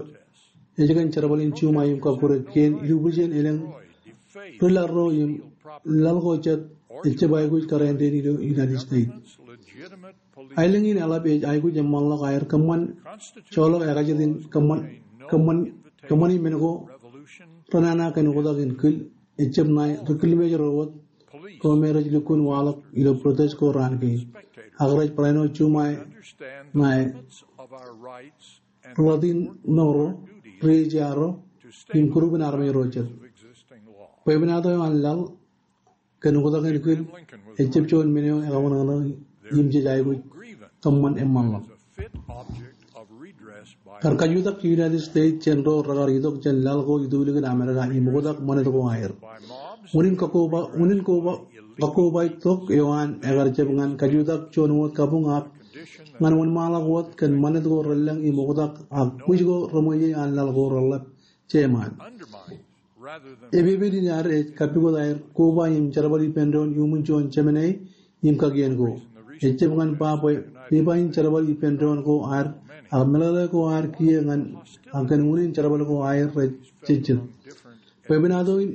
ej kōn jerbal in juṃae im kọkkure kien ilubwiljin elōñ ri laḷ ro im laḷ ko jet ejjab aikuj kōrā āindein ilo United States. Aelōñ in eḷap ej aikuj eṃṃanḷọk aer kōṃṃan joḷọk ekajet in kōṃṃan, kōṃṃan, kōṃṃani men ko renana kōn oktak in kil, ejjab ṇae ri kilmej ro wōt ko me rej lukkuun waḷọk ilo protest ko raan kein. Ak rej barāinwōt juṃae ṇae ri ḷotin ṇo ro, ri ejja ro, im group in armej ro jet. Bwebwenato eo an laḷ kōn oktak in kil ejjab juon men eo ekaṃōṇōṇō im jej aikuj kōṃṃan eṃṃanḷọk. Kar kajutak United States jān ro rekar itok jān laḷ ko itulōñ in Amerika im oktak ṃanit ko aer. Unin kakkobā, unin koba, kakkobaik tok eo an ekar jab ñan kajutak juon wōt kabuñ ak ñan wōnṃaanḷọk wōt kōn ṃanit ko relōñ im oktak ak kwōj ko reṃōje an laḷ ko reḷap jeṃaan. Epepet in ad ej kappukot aer koba im jerbal ippān doon iuṃwin juon jemān im kakien ko. Ejjab ñan ba bwe pepa in jerbal ippān doon ko ad ak meḷeḷe ko ad kiiō ñan ak kōn unin jerbal ko aer rej jejjet. Bwebwenato in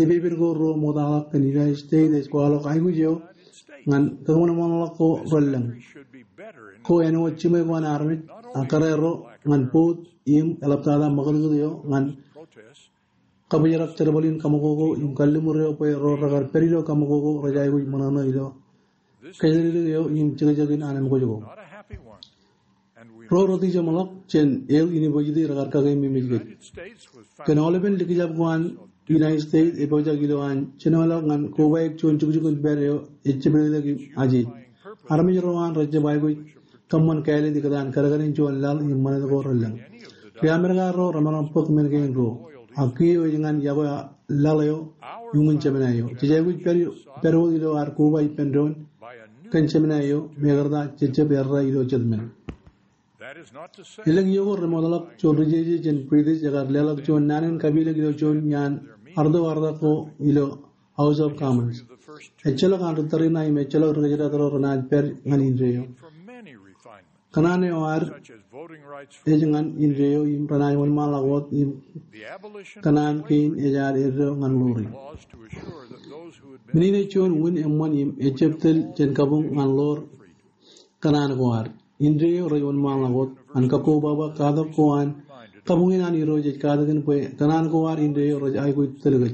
epepet ko ro ṃoktaḷọk kōn United States ej kwaḷọk aikuj eo ñan kōṃanṃanḷọk ko relōñ. Ko āinwōt jiṃwe ko an armej ak kōrā ro ñan boot im eḷaptata ṃakūtkūt eo ñan kabōjrak jerbal in kaṃakoko im kalliṃur eo bwe ro rekar pād ilo kaṃakoko rej aikuj ṃōṇōṇō ilo kōjatdikdik eo im jekjekin anemkwōj ko. Ro rej tijeṃḷọk jān Yale University rekar kakeememej kōj. Kōn aolepen likjab ko an United States epojak ilo an jenoḷọk ñan kobaik juon jukjuk in pād eo ejjab letok im ajej. Armej ro an rejjab aikuj kōṃṃan kāālōt ikōtaan kadkadin juon laḷ im ṃanit ko relōñ. Ri Amerika ro remaroñ bōk men kein ruo. Ak kiiō ej ñan yokwe laḷ eo iuṃwin jemān eo. Jej aikuj pād, pād wōt ilo ad koba ippān doon kōn jemān eo, mekarta jejjab errā ilo jet men. Elōñ iiō ko remootḷọk juon ri jeje jān British ekar leḷọk juon naan in kapilōk ilo juon iaan arto artak ko ilo House of Commons. Ejjeḷọk an ri tariṇae im ejjeḷọk ri kōjdat ro renaaj pād ñan indeeo. Kōṇaan eo ad ej ñan indeeo im renaaj wōnṃaanḷọk wōt im kōṇaan kein ej ad eddo ñan ḷoori. Men in ej juon wūn eṃṃan im ejjab tōl jān kabuñ ñan ḷoor kōṇaan ko ad. Indeeo rej wōnṃaanḷọk wōt an kakkobaba katak ko an kabuñ in an Irooj ej katakin bwe kōṇaan ko ad indeeo rej aikuj tōl kōj.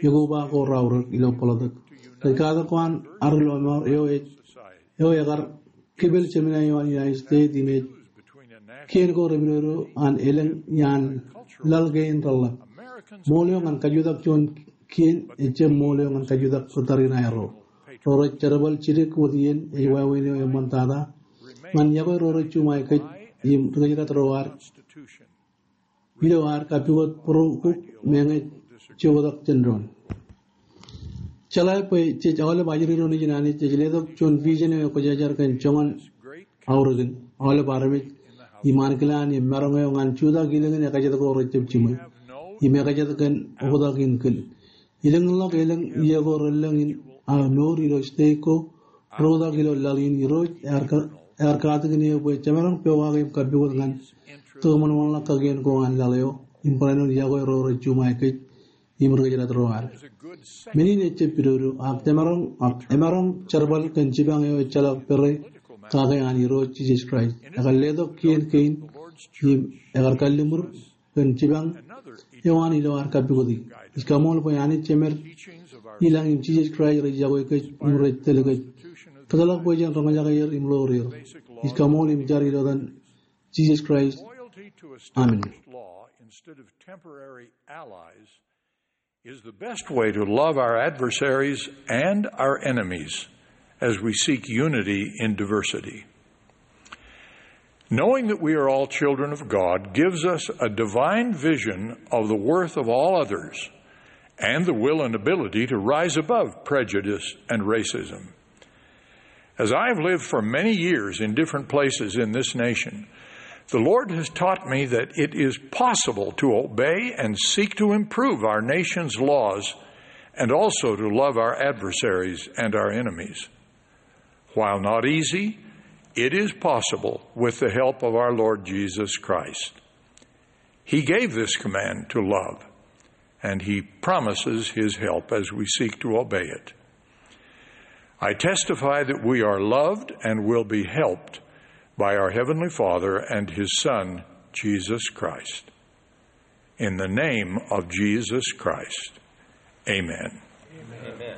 Ekoba ko raorōk ilo bōḷōtōk. Rej katak ko an arūḷ eo ej, eo ekar kipel jemān eo an United States im ej kien ko repidodo an elōñ iaan laḷ kein reḷḷap. Ṃool eo ñan kajutak juon kien ejjab ṃool eo ñan kajutak ri tariṇae ro. Ro rej jerbal jidik wōt iien ej wāween eo eṃṃantata ñan yokwe ro rej juṃae kōj im ri kōjdat ro ad ilo ad kappukot būruokuk meñe jej oktak jān doon. Jeḷā bwe jej aolep ajri ro nejin Anij, jej letok juon vision eo ekwōjarjar kōn joñan aorōkin aolep armej im ankilaan im maroñ eo ñan jutak ilōñin ekajet ko rejjab jiṃwe im ekajet kōn oktak in kil. Ilōñḷọk elōñ iiō ko relōñ in aō mour ilo state ko reoktak ilo laḷ in. Irooj ear ka-, ear katakin eō bwe jemaroñ pokake im kappukot ñan kōṃanṃanḷọk kakien ko an laḷ eo im barāinwōt yokwe ro rej juṃae kōj im ri kōjdat ro ad. Men in ejjab pidodo, ak jemaroñ, ak emaroñ jerbal kōn jipañ eo ejjeḷọk pere kake an Irooj Jisōs Kraist. Ekar letok kien kein im ekar kalliṃur kōn jipañ eo an ilo ad kappukoti. Ij kaṃool bwe Anij Jemed ilañ im Jisōs Kraist rej yokwe kōj im rej tōl kōj. Kōtḷọk bwe jen roñjake er im ḷoor er. Ij kaṃool im jar ilo etan Jisōs Kraist. Loyalty to established law instead of temporary allies is the best way to love our adversaries and our enemies as we seek unity in diversity. Knowing that we are all children of God gives us a divine vision of the worth of all others and the will and ability to rise above prejudice and racism. As I have lived for many years in different places in this nation, the Lord has taught me that it is possible to obey and seek to improve our nation's laws and also to love our adversaries and our enemies. While not easy, it is possible with the help of our Lord Jesus Christ. He gave this command to love, and he promises his help as we seek to obey it. I testify that we are loved and will be helped by our Heavenly Father and his Son, Jesus Christ. In the name of Jesus Christ, amen. Amen.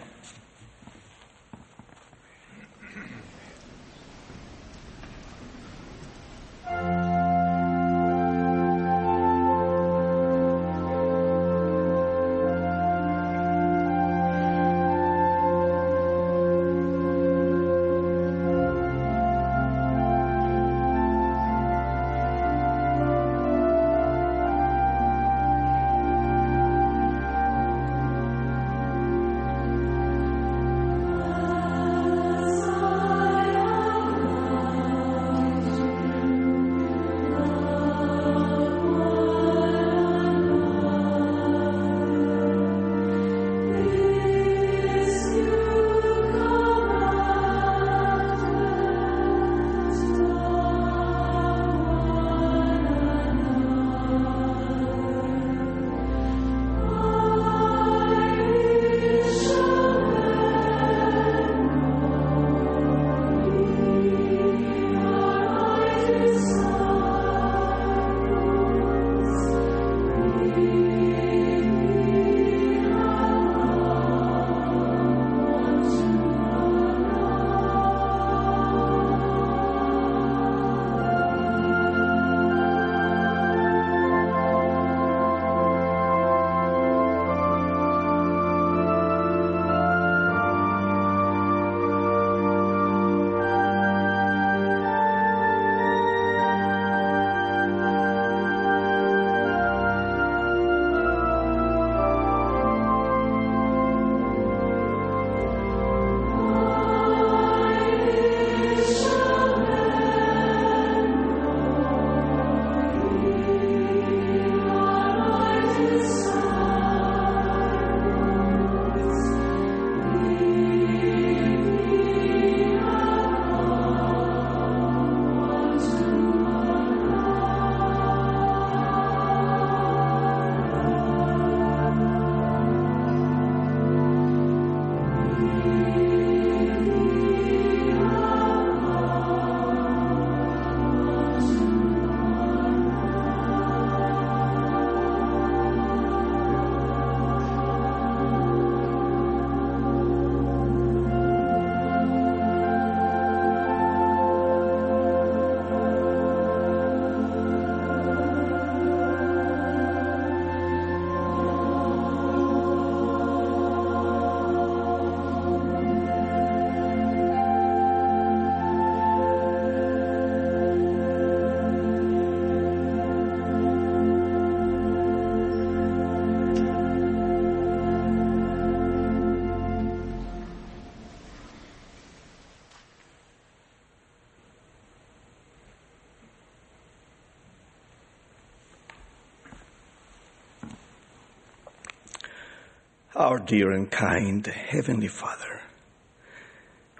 Our dear and kind Heavenly Father,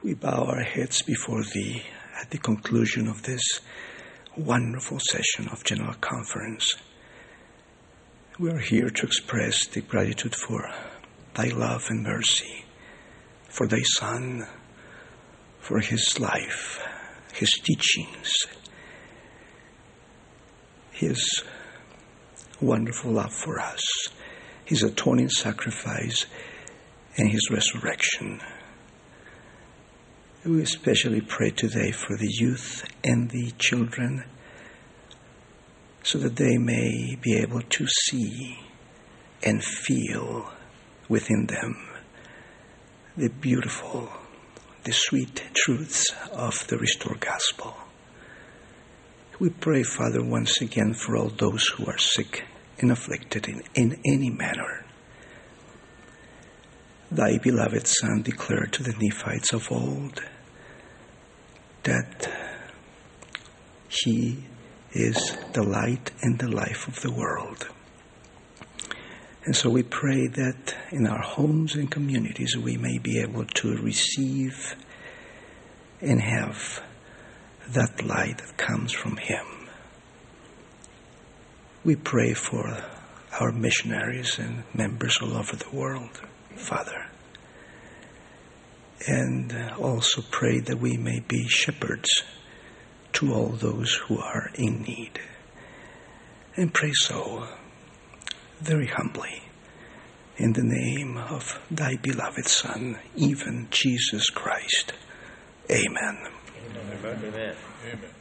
we bow our heads before Thee at the conclusion of this wonderful session of General Conference. We are here to express deep gratitude for Thy love and mercy, for Thy Son, for His life, His teachings, His wonderful love for us, His atoning sacrifice, and His resurrection. We especially pray today for the youth and the children so that they may be able to see and feel within them the beautiful, the sweet truths of the restored gospel. We pray, Father, once again for all those who are sick and afflicted in, in any manner. Thy beloved Son declared to the Nephites of old that he is the light and the life of the world. And so we pray that in our homes and communities we may be able to receive and have that light that comes from him. We pray for our missionaries and members all over the world, Father. And uh, also pray that we may be shepherds to all those who are in need. And pray so very humbly in the name of thy beloved Son, even Jesus Christ. Amen. Amen. Amen.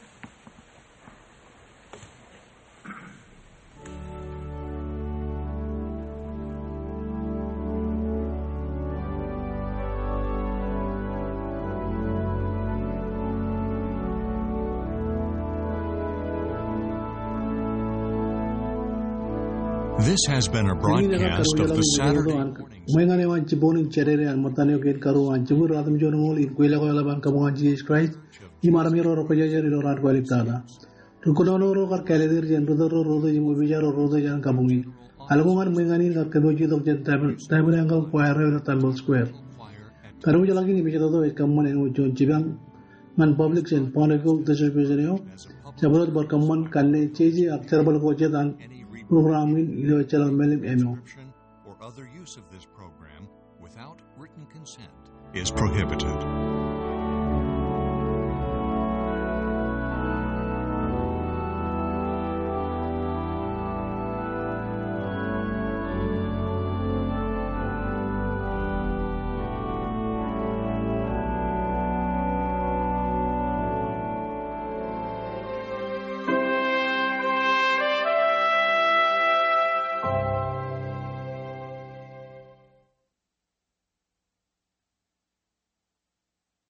This has been a broadcast of the Saturday morning. Ṃōñā eo an jibboñ in jādede an ṃōttan eo kein karuo an jibwid ratimjuonñoul in kweilọk eo eḷap an kabuñ an Jisōs Kraist im armej ro rekwōjarjar ilo raan kwaḷọk tata. Ri kōnono ro kar kāālōt er jān ri tōl ro, ri tōl im opijaer ro, ri tōl jān kabuñ in. Alko ñan ṃōñā in kar kōnono itok jān Tabernacle Choir eo ilo Temple Square. Kar wōjḷọk in im ej tok ej kōṃṃan āinwōt juon jipañ ñan public jān Bountiful Distribution eo. Jabdewōt bar kōṃṃan kanne jeje ak jerbal ko jet an program in ilo ejjeḷọk mālim āinwōt. Or other use of this program without written consent is prohibited.